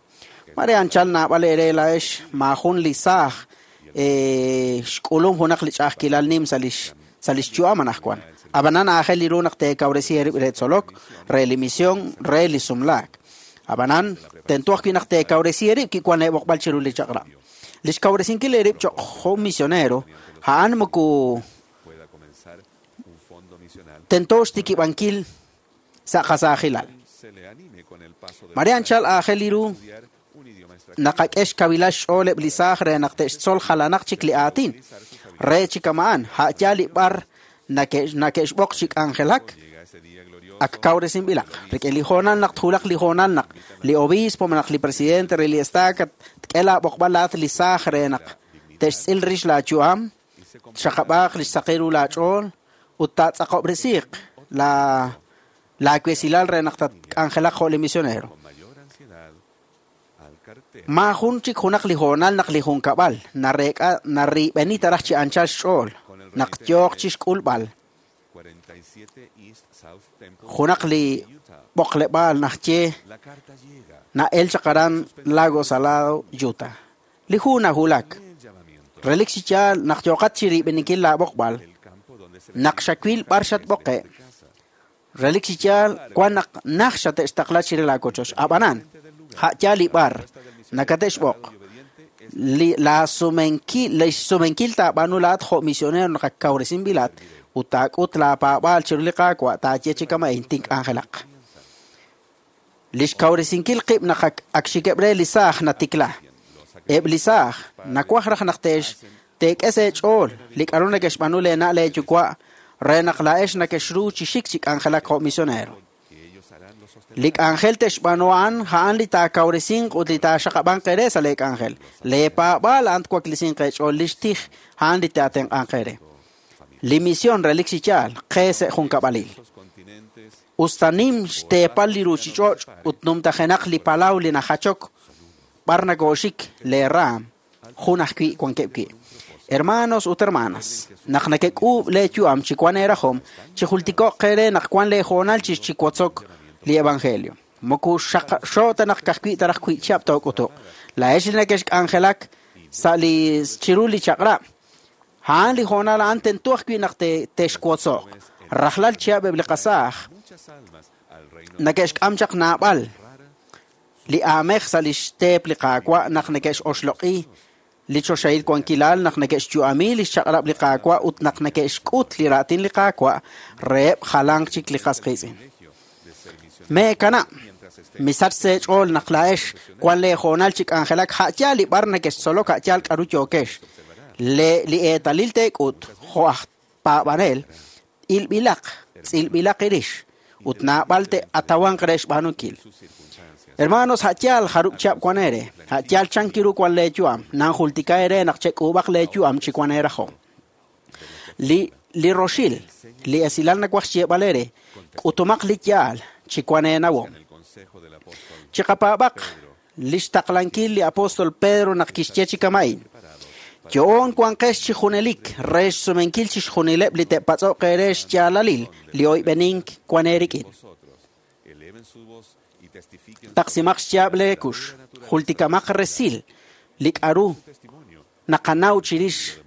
Mare anchal naab'al eere laa'ex maajun li saaj xk'ulum junaq li ch'a'ajkilal nim sa' lix yu'am anaqwan. Ab'anan aajel li ru naq teekawresi eerib' re tzolok, re li misión, re li sumlaak. Ab'anan tento ajwi' naq teekawresi eerib' kiwan eeb'oqb'al chiru li chaq'rab'. Li xkawresinkil eerib' cho'q jun misionero, a'an moko tento xtikib'ankil sa' qasaajilal. Mare anchal aajel li ru naqak'e xkawilal xch'ooleb' li saaj re naq te'xtzol jalanaq chik li aatin. Re chi kama'an, a'yaal li b'ar nake'xb'oq chi k'anjelak, ak kawresinb'ilaq. Rik'in li hoonal naq tjulaq li hoonal naq li obispo naq li presidente re li estaca tk'e laab'oqb'al laat li saaj re naq te'xtz'il rix laayu'am, txaqab'aaq li xsaqil ru laach'ool ut taatz'aqob'resiiq laawesilal re naq tatk'anjelaq jo' li misionero. Maajun chik junaq li hoonal naq li junkab'al nareek'a narib'eni taraj chi anchal xch'ool naq yooq chi xk'ulb'al junaq li b'oqleb'aal najye na'el chaq aran Lago Salado, Utah. Li hu nahulak. Relik chi yaal naq yooqat chi rib'eninkil laab'oqb'al, naq xawil b'ar xatb'oqe'. Relik chi yaal wan naq naj xate'xtaqla chire laakochoch. Ab'anan, a'yaal li b'ar nakate'xb'oq. Li xsumenkil taab'aanu laat jo' misionero naq ak kawresinb'ilat ut taak'ut laapaab'aal chiru li Qaawa' taaye chi kama'in tink'anjelaq. Li xkawresinkil qib' naq ak xikeb' re li saaj natikla. Eb' li saaj nawaj raj naq teek'e sa' eech'ool li k'a'ru neke'xb'aanu leena' leeyuwa' re naq laa'ex nakexru chi xik chi k'anjelak jo' misionero. Li k'anjel te'xb'aanu a'an a'an li taakawresinq ut li taaxaqab'anq eere sa' leek'anjel. Leepaab'aal a'an twaklisinq eech'ool li xtij a'an li taatenq'anq eere. Li misión relik chi yaal qe sa' junkab'alil. Usta nim xteepal li ruuchich'och' ut numtajenaq li palaw li najachok b'ar nakooxik leeraam jun ajwi' wankeb' wi'. Hermanos ut hermanas, naq nakek'uub' leeyu'am chi wan eerajom, chijultiko'q qeere naq wan leehoonal chi chiwotzok li evangelio. Moko xaqxo ta naq ka'ajwi' taraj wi' chihab' took'utuq. Laa'ex li nakexk'anjelak sa' li chiru li chaq'rab', a'an li hoonal a'an tento ajwi' naq te'xwotzo'q. Rajlal chihab' eb' li qasaaj Neke'xk'am chaq naab'al li aamej sa' lix teep li Qaawa' naq neke'x'oxloq'i li choxahil wankilal, naq neke'xyu'ami lix chaq'rab' li Qaawa' ut naq neke'xk'ut li raatin li Qaawa' reheb' jalanq chik li qas qiitz'in. Meekanab', misach sa' eech'ool naq laa'ex wan lee hoonal chi k'anjelak a' yaal li b'ar nekextzolok a' yaal k'a'ru yookex. Li eetalil teek'ut jo' aj paab'anel ilb'ilaq, tz'ilb'ilaq irix, ut naab'al te'atawanq re xb'aanunkil. Hermanos, a' yaal jarub' chihab' wan eere, a' yaal chankiru wan lee yu'am, nanjultika eere naq chek'uub'aq lee yu'am chi wan eerajom. Li roxil, li esilal nawaj xyeeb'al eere, k'utumaq li yaal chi wan eenawom. Chiqapaab'aq lix taqlankil li apóstol Pedro naq kixye chi kama'in. Yo'on wanqex chi junelik re xsumenkil chixjunileb' li te'patz'oq eere xyaalalil li oyb'enink wan eerik'in. Taqsimaq xyaab' leekux, jultikamaq resil li k'a'ru naqanaw chirix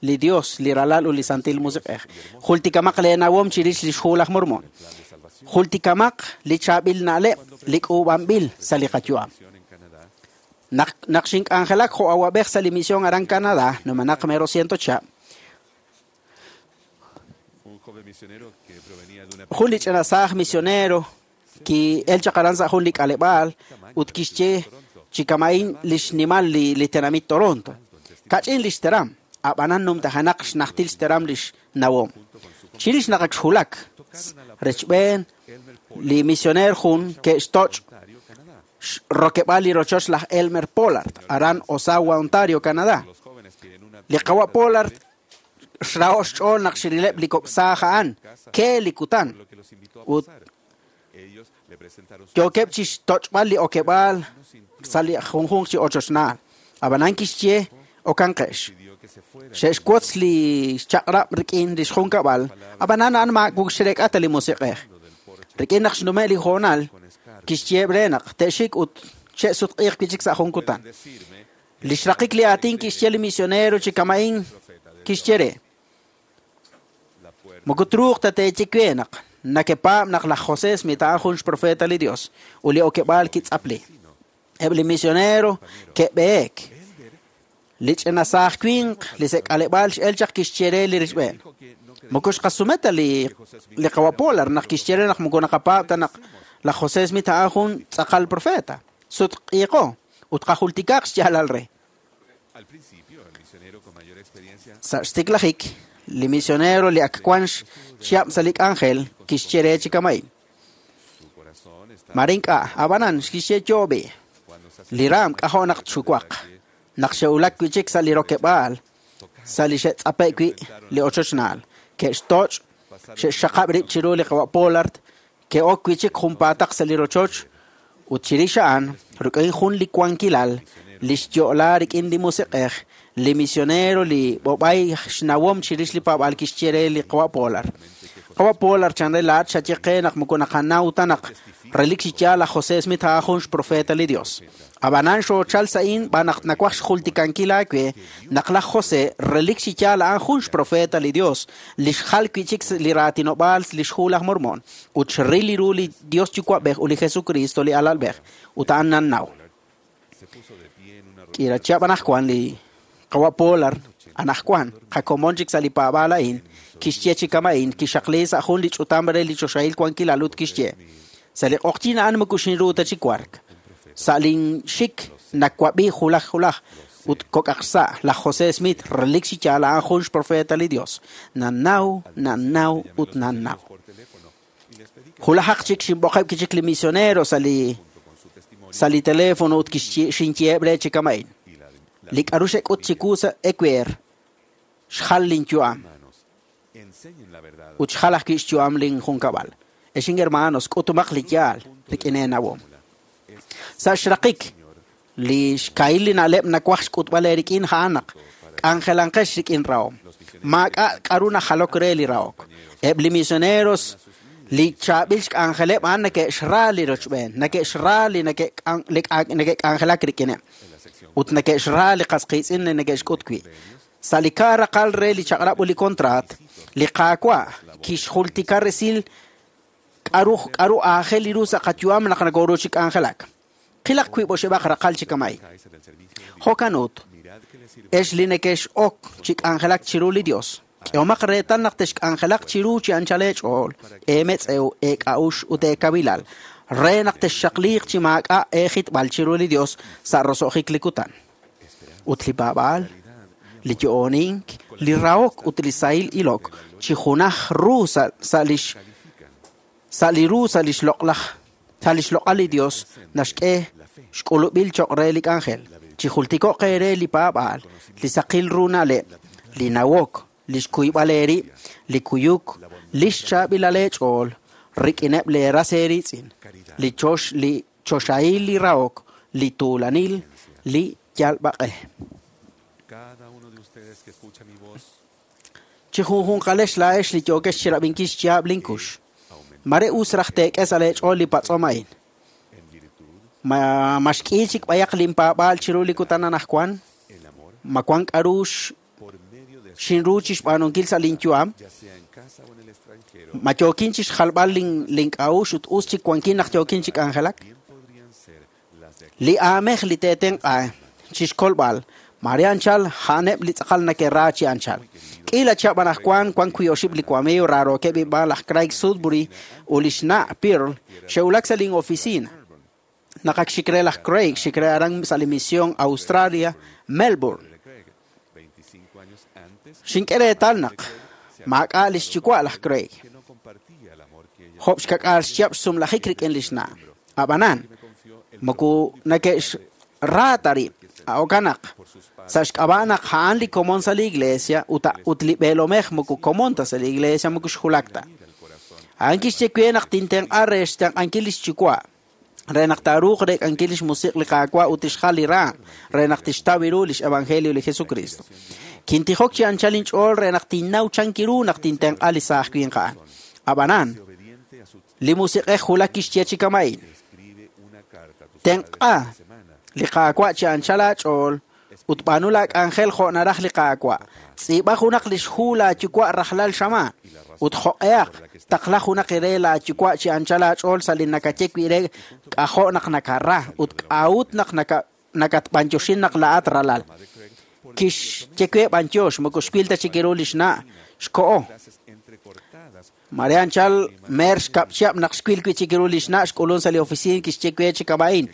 li Dios, li Ralal ut li Santil Musiq'ej. Jultikamaq leenawom chirix lix Hu laj Mormon. Jultikamaq li chaab'il na'leb' li k'uub'anb'il sa' li qayu'am. Naq xink'anjelak jo' awab'ej sa' li misión aran Canadá, numenaq mero 100 chihab', jun li ch'ina saaj misionero ki'el chaq aran sa' jun li k'aleb'aal ut kixye chi kama'in lix nimal li tenamit Toronto. Kach'in lix teram, ab'anan numtajanaq xnajtil xteram lix nawom. Chirix naq ak xwulak rechb'een li misioneer jun ke'xtoch' rokeb'aal li rochoch laj Elmer Pollard, aran Osawa, Ontario, Canadá. Li qawa' Pollard xraho' xch'ool naq xirileb' li kok' saaj a'an, ke li kutan, ut yookeb' chi xtoch'b'al li okeb'aal sa' li junjunq chi ochochnaal. Ab'anan kixye okanqex. Xe'xwotz li xchaq'rab' rik'in lix junkab'al, ab'anan a'an maak'u xrek'a ta li musiq'ej. Rik'in naq xnume' li hoonal, kixyeeb' re naq te'xik ut che'sutq'iiq wi' chik sa' jun kutan. Lix raqik li aatin kixye li misionero chi kama'in kixye re. Moko truuq ta teeye we naq nakepaab' naq laj José Smith a'an jun xprofeta li Dios ut li okeb'aal kitz'apli. Eb' li misionero ke'b'eek. Li ch'ina saaj winq li sek'aleb'aal x'el chaq kixye re li richb'een. Moko xqasume ta li qawa' Pollard naq kixye re naq moko naqapaab' ta naq laj José Smith a'an jun tz'aqal profeta. Sutq'iiqo ut qajultikaq xyaalal re. Sa' xtiklajik, li misionero li ak wan xchihab' sa' li k'anjel kixye re chi kama'in. Mare ink'a', ab'anan kixye yoob'i. Li raam k'ajo' naq txuwaq. Naq xe'wulak wi' chik sa' li rokeb'aal, sa' li xe'tz'ape' wi' li ochochnaal, ke'xtoch', xe'xxaqab' rib' chiru li qawa' Pollard, ke'ok wi' chik junpaataq sa' li rochoch, ut chirix a'an, rik'in jun li wankilal, li xyo'la rik'in li musiq'ej, li misionero li b'ob'ay xnawom chirix li paab'aal kixye re li qawa' Pollard. Qawa' Pollard chan re laa'at xaye qe naq moko naqanaw ta naq relik chi yaal laj José Smith a'an jun xprofeta li Dios. Ab'anan xoochal sa'in b'an naq nawaj xjultikankil aawe naq laj José relik chi yaal a'an jun xprofeta li Dios, li xjal wi' chik li raatinob'aal lix Hu laj Mormon, ut xril li ru li Dios Yuwa'b'ej ut li Jesucristo li alalb'ej, ut a'an nannaw. K'iila chihab' anajwan li qawa' Pollard anajwan qakomon chik sa' li paab'aal a'in, kixye chi kama'in, kixaqli sa' jun li ch'utam re li choxahil wankilal ut kixye. Sa' li q'oqyin a'an moko xinru ta chi wark. Sa' lin xik nawab'i julaj julaj ut kok'aq sa' laj José Smith relik chi yaal a'an jun xprofeta li Dios. Nannaw, nannaw ut nannaw. Julajaq chik xinb'oqeb' kichik li misionero sa' li teléfono ut xinyeeb' re chi kama'in. Li k'a'ru xek'ut chiwu sa' ewer xjal lin yu'am ut xjal ajwi' xyu'am lin junkab'al. Exin hermanos, k'utumaq li yaal rik'in eenawom. Sa' xraqik, li xkahil li na'leb' nawaj xk'utb'al eerik'in a'an naq k'anjelanqex rik'in rahom. Maak'a' k'a'ru najalok re li rahok. Eb' li misioneros li chaab'il xk'anjeleb' a'an neke'xra li rochb'een, neke'xra li neke'k'anjelak rik'ineb', ut neke'xra li qas qiitz'in li neke'xk'ut wi'. Sa' li kaaraqal re li chaq'rab' ut li kontraat, li Qaawa' kixjultika resil K'aru aajel ru sa' qayu'am naq nokoru chi k'anjelak? Qilaq wiib' oxib'aq raqal chi kama'in. Jo'kan ut, ex li nekex-ok chi k'anjelak chiru li Dios, k'ehomaq reetal naq texk'anjelaq chiru chi anchal eech'ool, eemetz'ew, eek'a'ux ut eekawilal, re naq texxaqliiq chi maak'a' eejitb'al chiru li Dios sa' roso'jik li kutan. Ut li paab'aal, li yo'onink, li rahok ut li sahil ilok chi junaj ru sa' lix sa' li ru sa' lix loq'laj sa' lix loq'al li Dios naxk'e xk'ulub'il choq' re li k'anjel. Chi jultiko'q eere li paab'aal, li saqil ru na'leb', li nawok, li xkuyb'al eerib', li kuyuk, li xchaab'ilal eech'ool, rik'ineb' leeras eeriitz'in, li chox li choxahil li rahok, li tuulanil, li yalb'aq'e. Cada uno de ustedes que escucha mi voz Chi junjunqalex laa'ex li yookex chirab'inkil xyaab' linkux. Mare us raj teek'e sa' leech'ool li patz'om a'in. Ma xk'i chik b'ayaq linpaab'aal chiru li kutan anaqwan? Ma wan k'aru xinru chi xb'aanunkil sa' linyu'am? ya sea en casa o en el extranjero, Ma yookin chi xjalb'al link'a'ux ut us chik wankin naq yookin chi k'anjelak? podrían ser las de Li aamej li teetenq'a chi xkolb'al, mare anchal a'aneb' li tz'aqal neke'ra chi anchal. K'iila chihab' anaqwan wan wi' oxib' li wamiiw raarookeb' inb'aan laj Craig Sudbury ut lix na' Pearl xe'wulak sa' lin'oficina. Naq ak xik re laj Craig xik re aran sa' li misión Australia, Melbourne. Craig, 25 años antes, Xink'e reetal naq maak'a' lix yuwa' laj Craig. que no compartía el amor que ella Job xkak'al xchihab' xsumlajik rik'in lix na'. Ab'anan, moko neke'xra ta rib'. Jo'kan naq sa' xk'ab'a' naq a'an li komon sa' li iglesia ut li b'eelomej moko komon ta sa' li iglesia moko xjulak ta. A'an kixye we naq tintenq'a re xtenq'ankil lix yuwa', re naq taaruuq reek'ankil lix musiq' li Qaawa' ut tixjal li raam, re naq tixtaw ru lix evangelio li Jesucristo. Kintijok chi anchal inch'ool re naq tinnaw chankiru naq tintenq'a li saaj winq a'an. Ab'anan, obediente a su li musiq'ej julak kixye chi kama'in. escribe una carta a tus Tenq'a padres de semana. li Qaawa' chi anchal aach'ool ut b'aanu laak'anjel jo' naraj li Qaawa'. Tz'iib'a junaq lix hu laayuwa' rajlal xamaan ut jo'q'ehaq taqla junaq re laayuwa' chi anchal aach'ool sa' li nakaye wi' re k'ajo' naq nakara ut k'a'ut naq nakatb'anyoxin naq laa'at ralal. Kixye we b'anyox moko xwil ta chik ru lix na' xko'o. Frases entrecortadas Mare anchal mer xkab' chihab' naq xwil wi' chik ru lix na' xk'ulun sa' li oficina kixye we chi kama'in.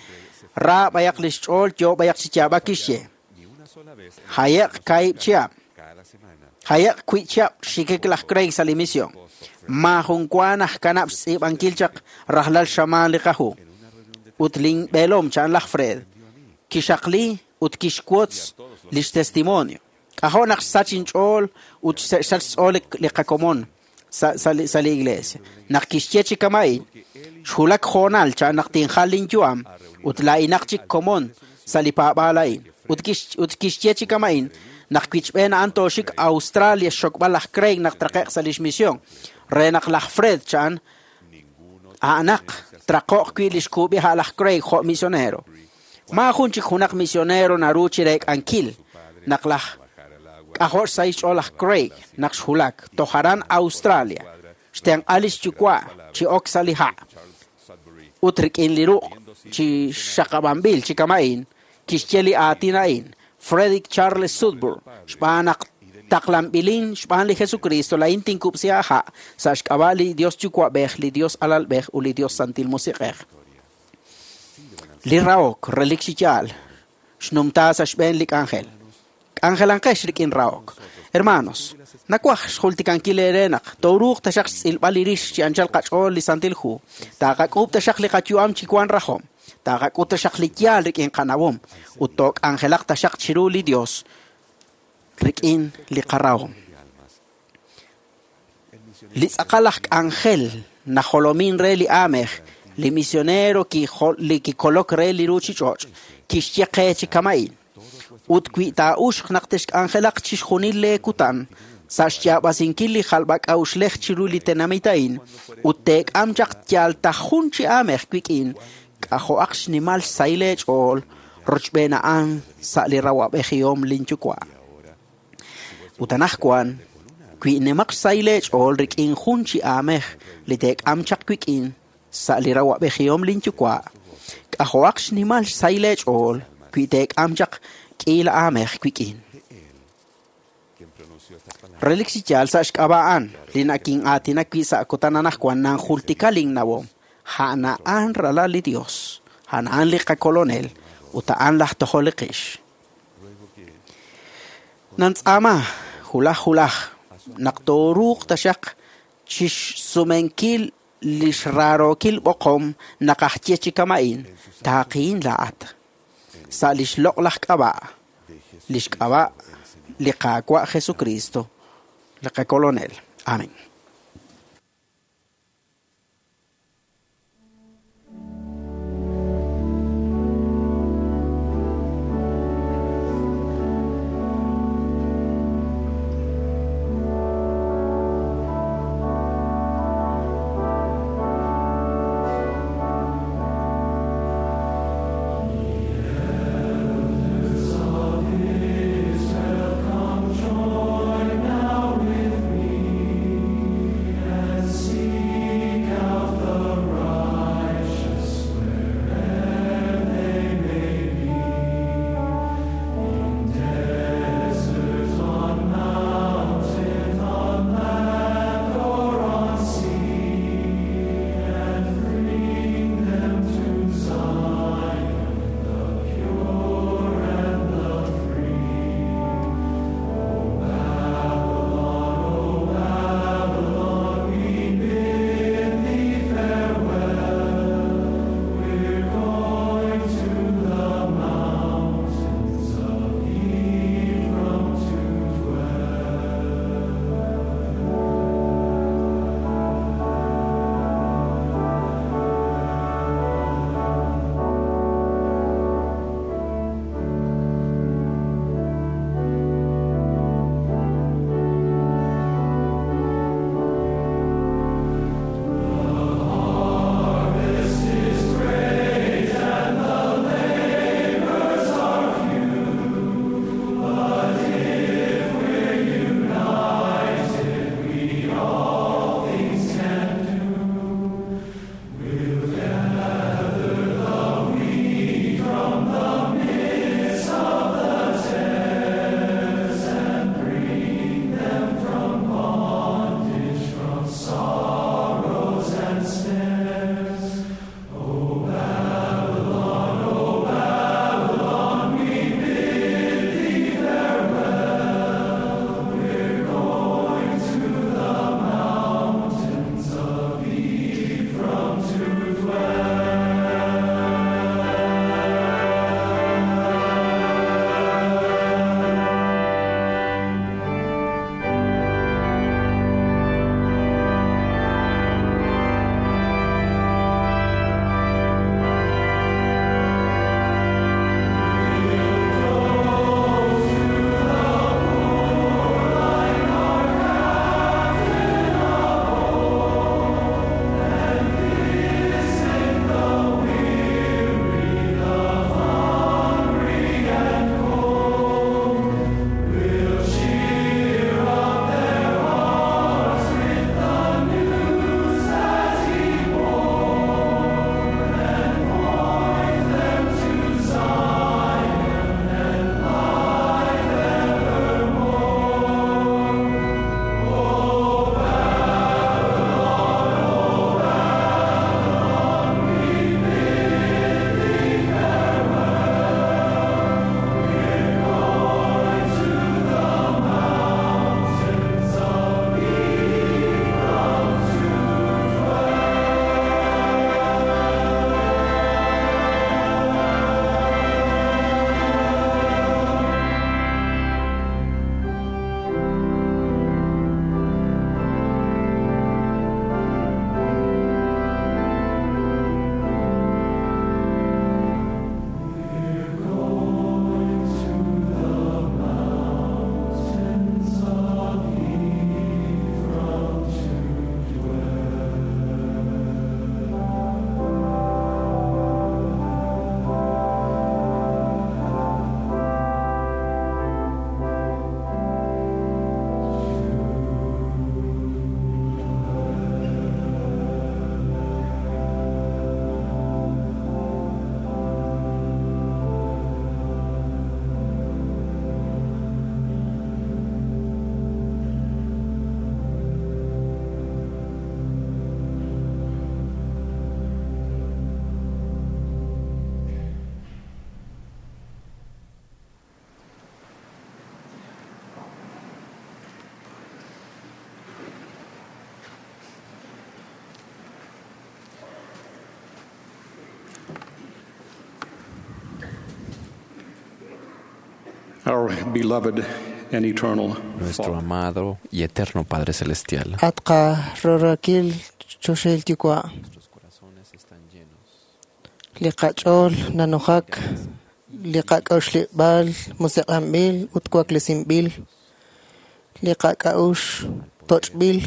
Ra b'ayaq lix ch'ool yo b'ayaq chi yaab'ak kixye. ni una sola vez en Hayeq kaib' chihab'. cada semana. Hayeq wi' chihab' xikik laj Craig sa' li misión. Maajun wa naj kanab' xtz'iib'ankil chaq rajlal xamaan li qahu. Ut linb'eelom cha'an laj Fred. Kixaqli ut kixwotz lix testimonio. K'ajo' naq xsach inch'ool ut xsach xch'ool li qakomon sa' li iglesia. Naq kixye chi kama'in, xwulak hoonal cha'an naq tinjal linyu'am ut laa'inaq chik komon sa' li paab'aal a'in. Ut kixye chi kama'in, naq wichb'een a'an tooxik Australia xxokb'al laj Craig naq traqe'q sa' lix misión. Re naq laj Fred cha'an a'anaq traqo'q wi' lix kuub'i a' laj Craig jo' misionero. Maajun chik junaq misionero naru chi reek'ankil naq laj k'ajo' xsahil xch'ool laj Craig naq xwulak toj aran Australia. Xtenq'a lix yuwa' chi ok sa' li ha' ut rik'in li ruq' chi xaqab'anb'il chi kama'in kixye li aatin a'in. Frederick Charles Sudbury xb'aan naq taqlanb'ilin xb'aan li Jesucristo laa'in tinkub'si aaha' sa' xk'ab'a' li Dios Yuwa'b'ej, li Dios Alalb'ej ut li Dios Santil Musiq'ej. Li rahok relik chi yaal xnumta sa' xb'een li k'anjel. K'anjelanqex rik'in rahok. Hermanos, nawaj xjultikankil eere naq tooruuq taxaq xtz'ilb'al li rix chi anchal qach'ool li Santil Hu. Taaqak'uub' taxaq li qayu'am chi wan rajom. Taaqak'ut taxaq li yaal rik'in qanawom ut took'anjelaq taxaq chiru li Dios rik'in li qarahom. Li tz'aqal aj k'anjel najolomin re li aamej, li misionero li kikolok re li ruuchich'och' kixye qe chi kama'in. Ut wi' taa'uxq naq texk'anjelaq chixjunil leekutan sa' xyaab'asinkil li jalb'ak'a'uxlej chiru li tenamit a'in ut teek'am chaq yal ta jun chi aamej wik'in k'ajo'aq xnimal xsahil eech'ool rochb'een a'an sa' li rawab'ejihom linyuwa'. Ut anaqwan Wi nimaq xsahil eech'ool rik'in jun chi aamej li teek'am chaq wik'in sa' li rawa'b'ejihom linyuwa', k'ajo'aq xnimal xsahil eech'ool wi teek'am chaq k'iila aamej wik'in. Relik chi yaal sa' xk'ab'a' a'an li nakin'aatinak wi' sa' kutan anaqwan nanjultika linnawom. A'an a'an ralal li Dios, a'an a'an li qakolonel ut a'an laj tojol li qix. Nantz'aama hulaj hulaj naq tooruuq taxaq chixsumenkil lix raarookil b'oqom naq aj ye chi kama'in taaqiin laa'at. Sa' lix loq'laj k'ab'a', lix k'ab'a' li Qaawa' Jesucristo, li qakolonel. Amén. Come join now with me. Our beloved and eternal Nuestro amado y eterno Padre Celestial. At qarororakil choxahil yuwa'. Li qach'ool nanujak, li qak'a'uxleb'aal musiq'anb'il ut waklesinb'il, li qak'a'uxl toch'b'il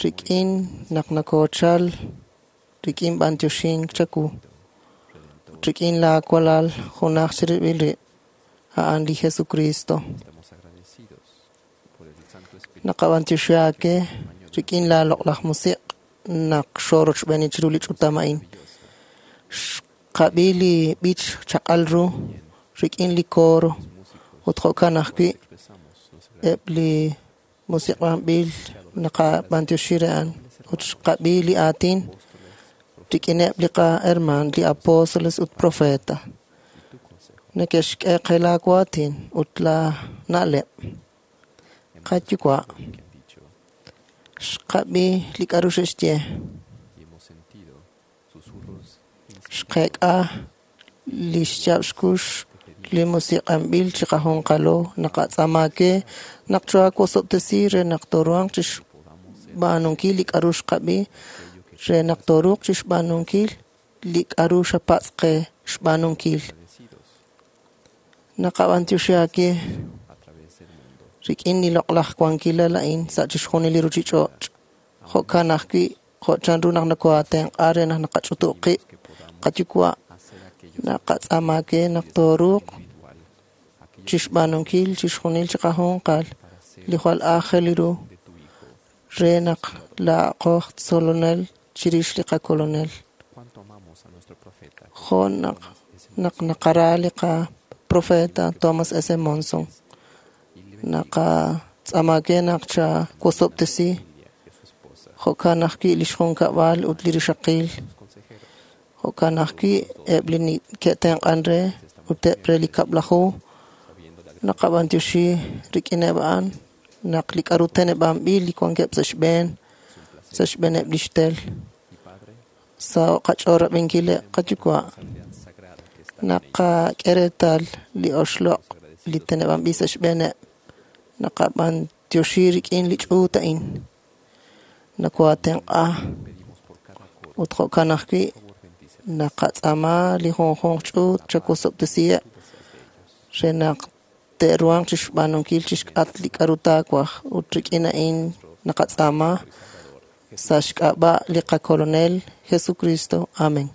rik'in naq nakochal rik'in b'antioxink chawu, ut rik'in laa walal junaj chirib'il rib', a'an li Jesucristo. Naqab'antioxi aake rik'in laa loq'laj musiq' naq xoorochb'eeni chiru li ch'utam a'in. Xqab'i li b'ich chaq'al ru rik'in li coro ut jo'kan ajwi' eb' li musiq'anb'il naqab'antioxi re a'an ut xqab'i li aatin rik'ineb' li qaherman, li apóstoles ut profeta. Neke'xk'e qe laa waatin ut laa na'leb'. Qayuwa', xqab'i li k'a'ru xe'xye. Xqeek'a li xyaab' xkux li musiq'anb'il chiqajunqalo naqatz'aama ke naq choohawosob'tesi re naq tooruhanq chixb'aanunkil li k'a'ru xqab'i, re naq tooruuq chixb'aanunkil li k'a'ru xapatz' qe xb'aanunkil. Naqab'antioxi aake rik'in li loq'laj wankilal a'in sa' chixjunil li ruchich'och'. Jo'kan ajwi' jo' chanru naq nokohaatenq'a re naq naqach'utub' qib' qayuwa' naqatz'aama ke naq tooruuq chixb'aanunkil chixjunil chiqajunqal li jwal aajel ru re naq laa'aqo aj tzolonel chirix li qakolonel. Jo' naq naq naqara li qaprofeta Thomas S. Monson. Naqatz'aama ke naq chawosob'tesi jo'kan ajwi' lix junkab'al ut li rixaqil. Jo'kan ajwi' eb' li ke'tenq'an re ut eb' re li kab'laju naqab'antioxi rik'ineb' a'an naq li k'a'ru teneb'anb'il li wankeb' sa' xb'een, sa' xb'eeneb' lix tel. Sa' qach'ool rab'inkileb' qayuwa' naqak'e reetal li oxloq' li teneb'anb'il sa' xb'eeneb'. Naqab'antioxi rik'in li ch'uut a'in. Nokohaatenq'a ut jo'kan ajwi' naqatz'aama li junjunq ch'uut chawosob'tesiheb' re naq te'ruhanq chixb'aanunkil chixk'atq li k'a'ru taawaj ut rik'in a'in naqatz'aama sa' xk'ab'a' li qakolonel Jesucristo. Amén.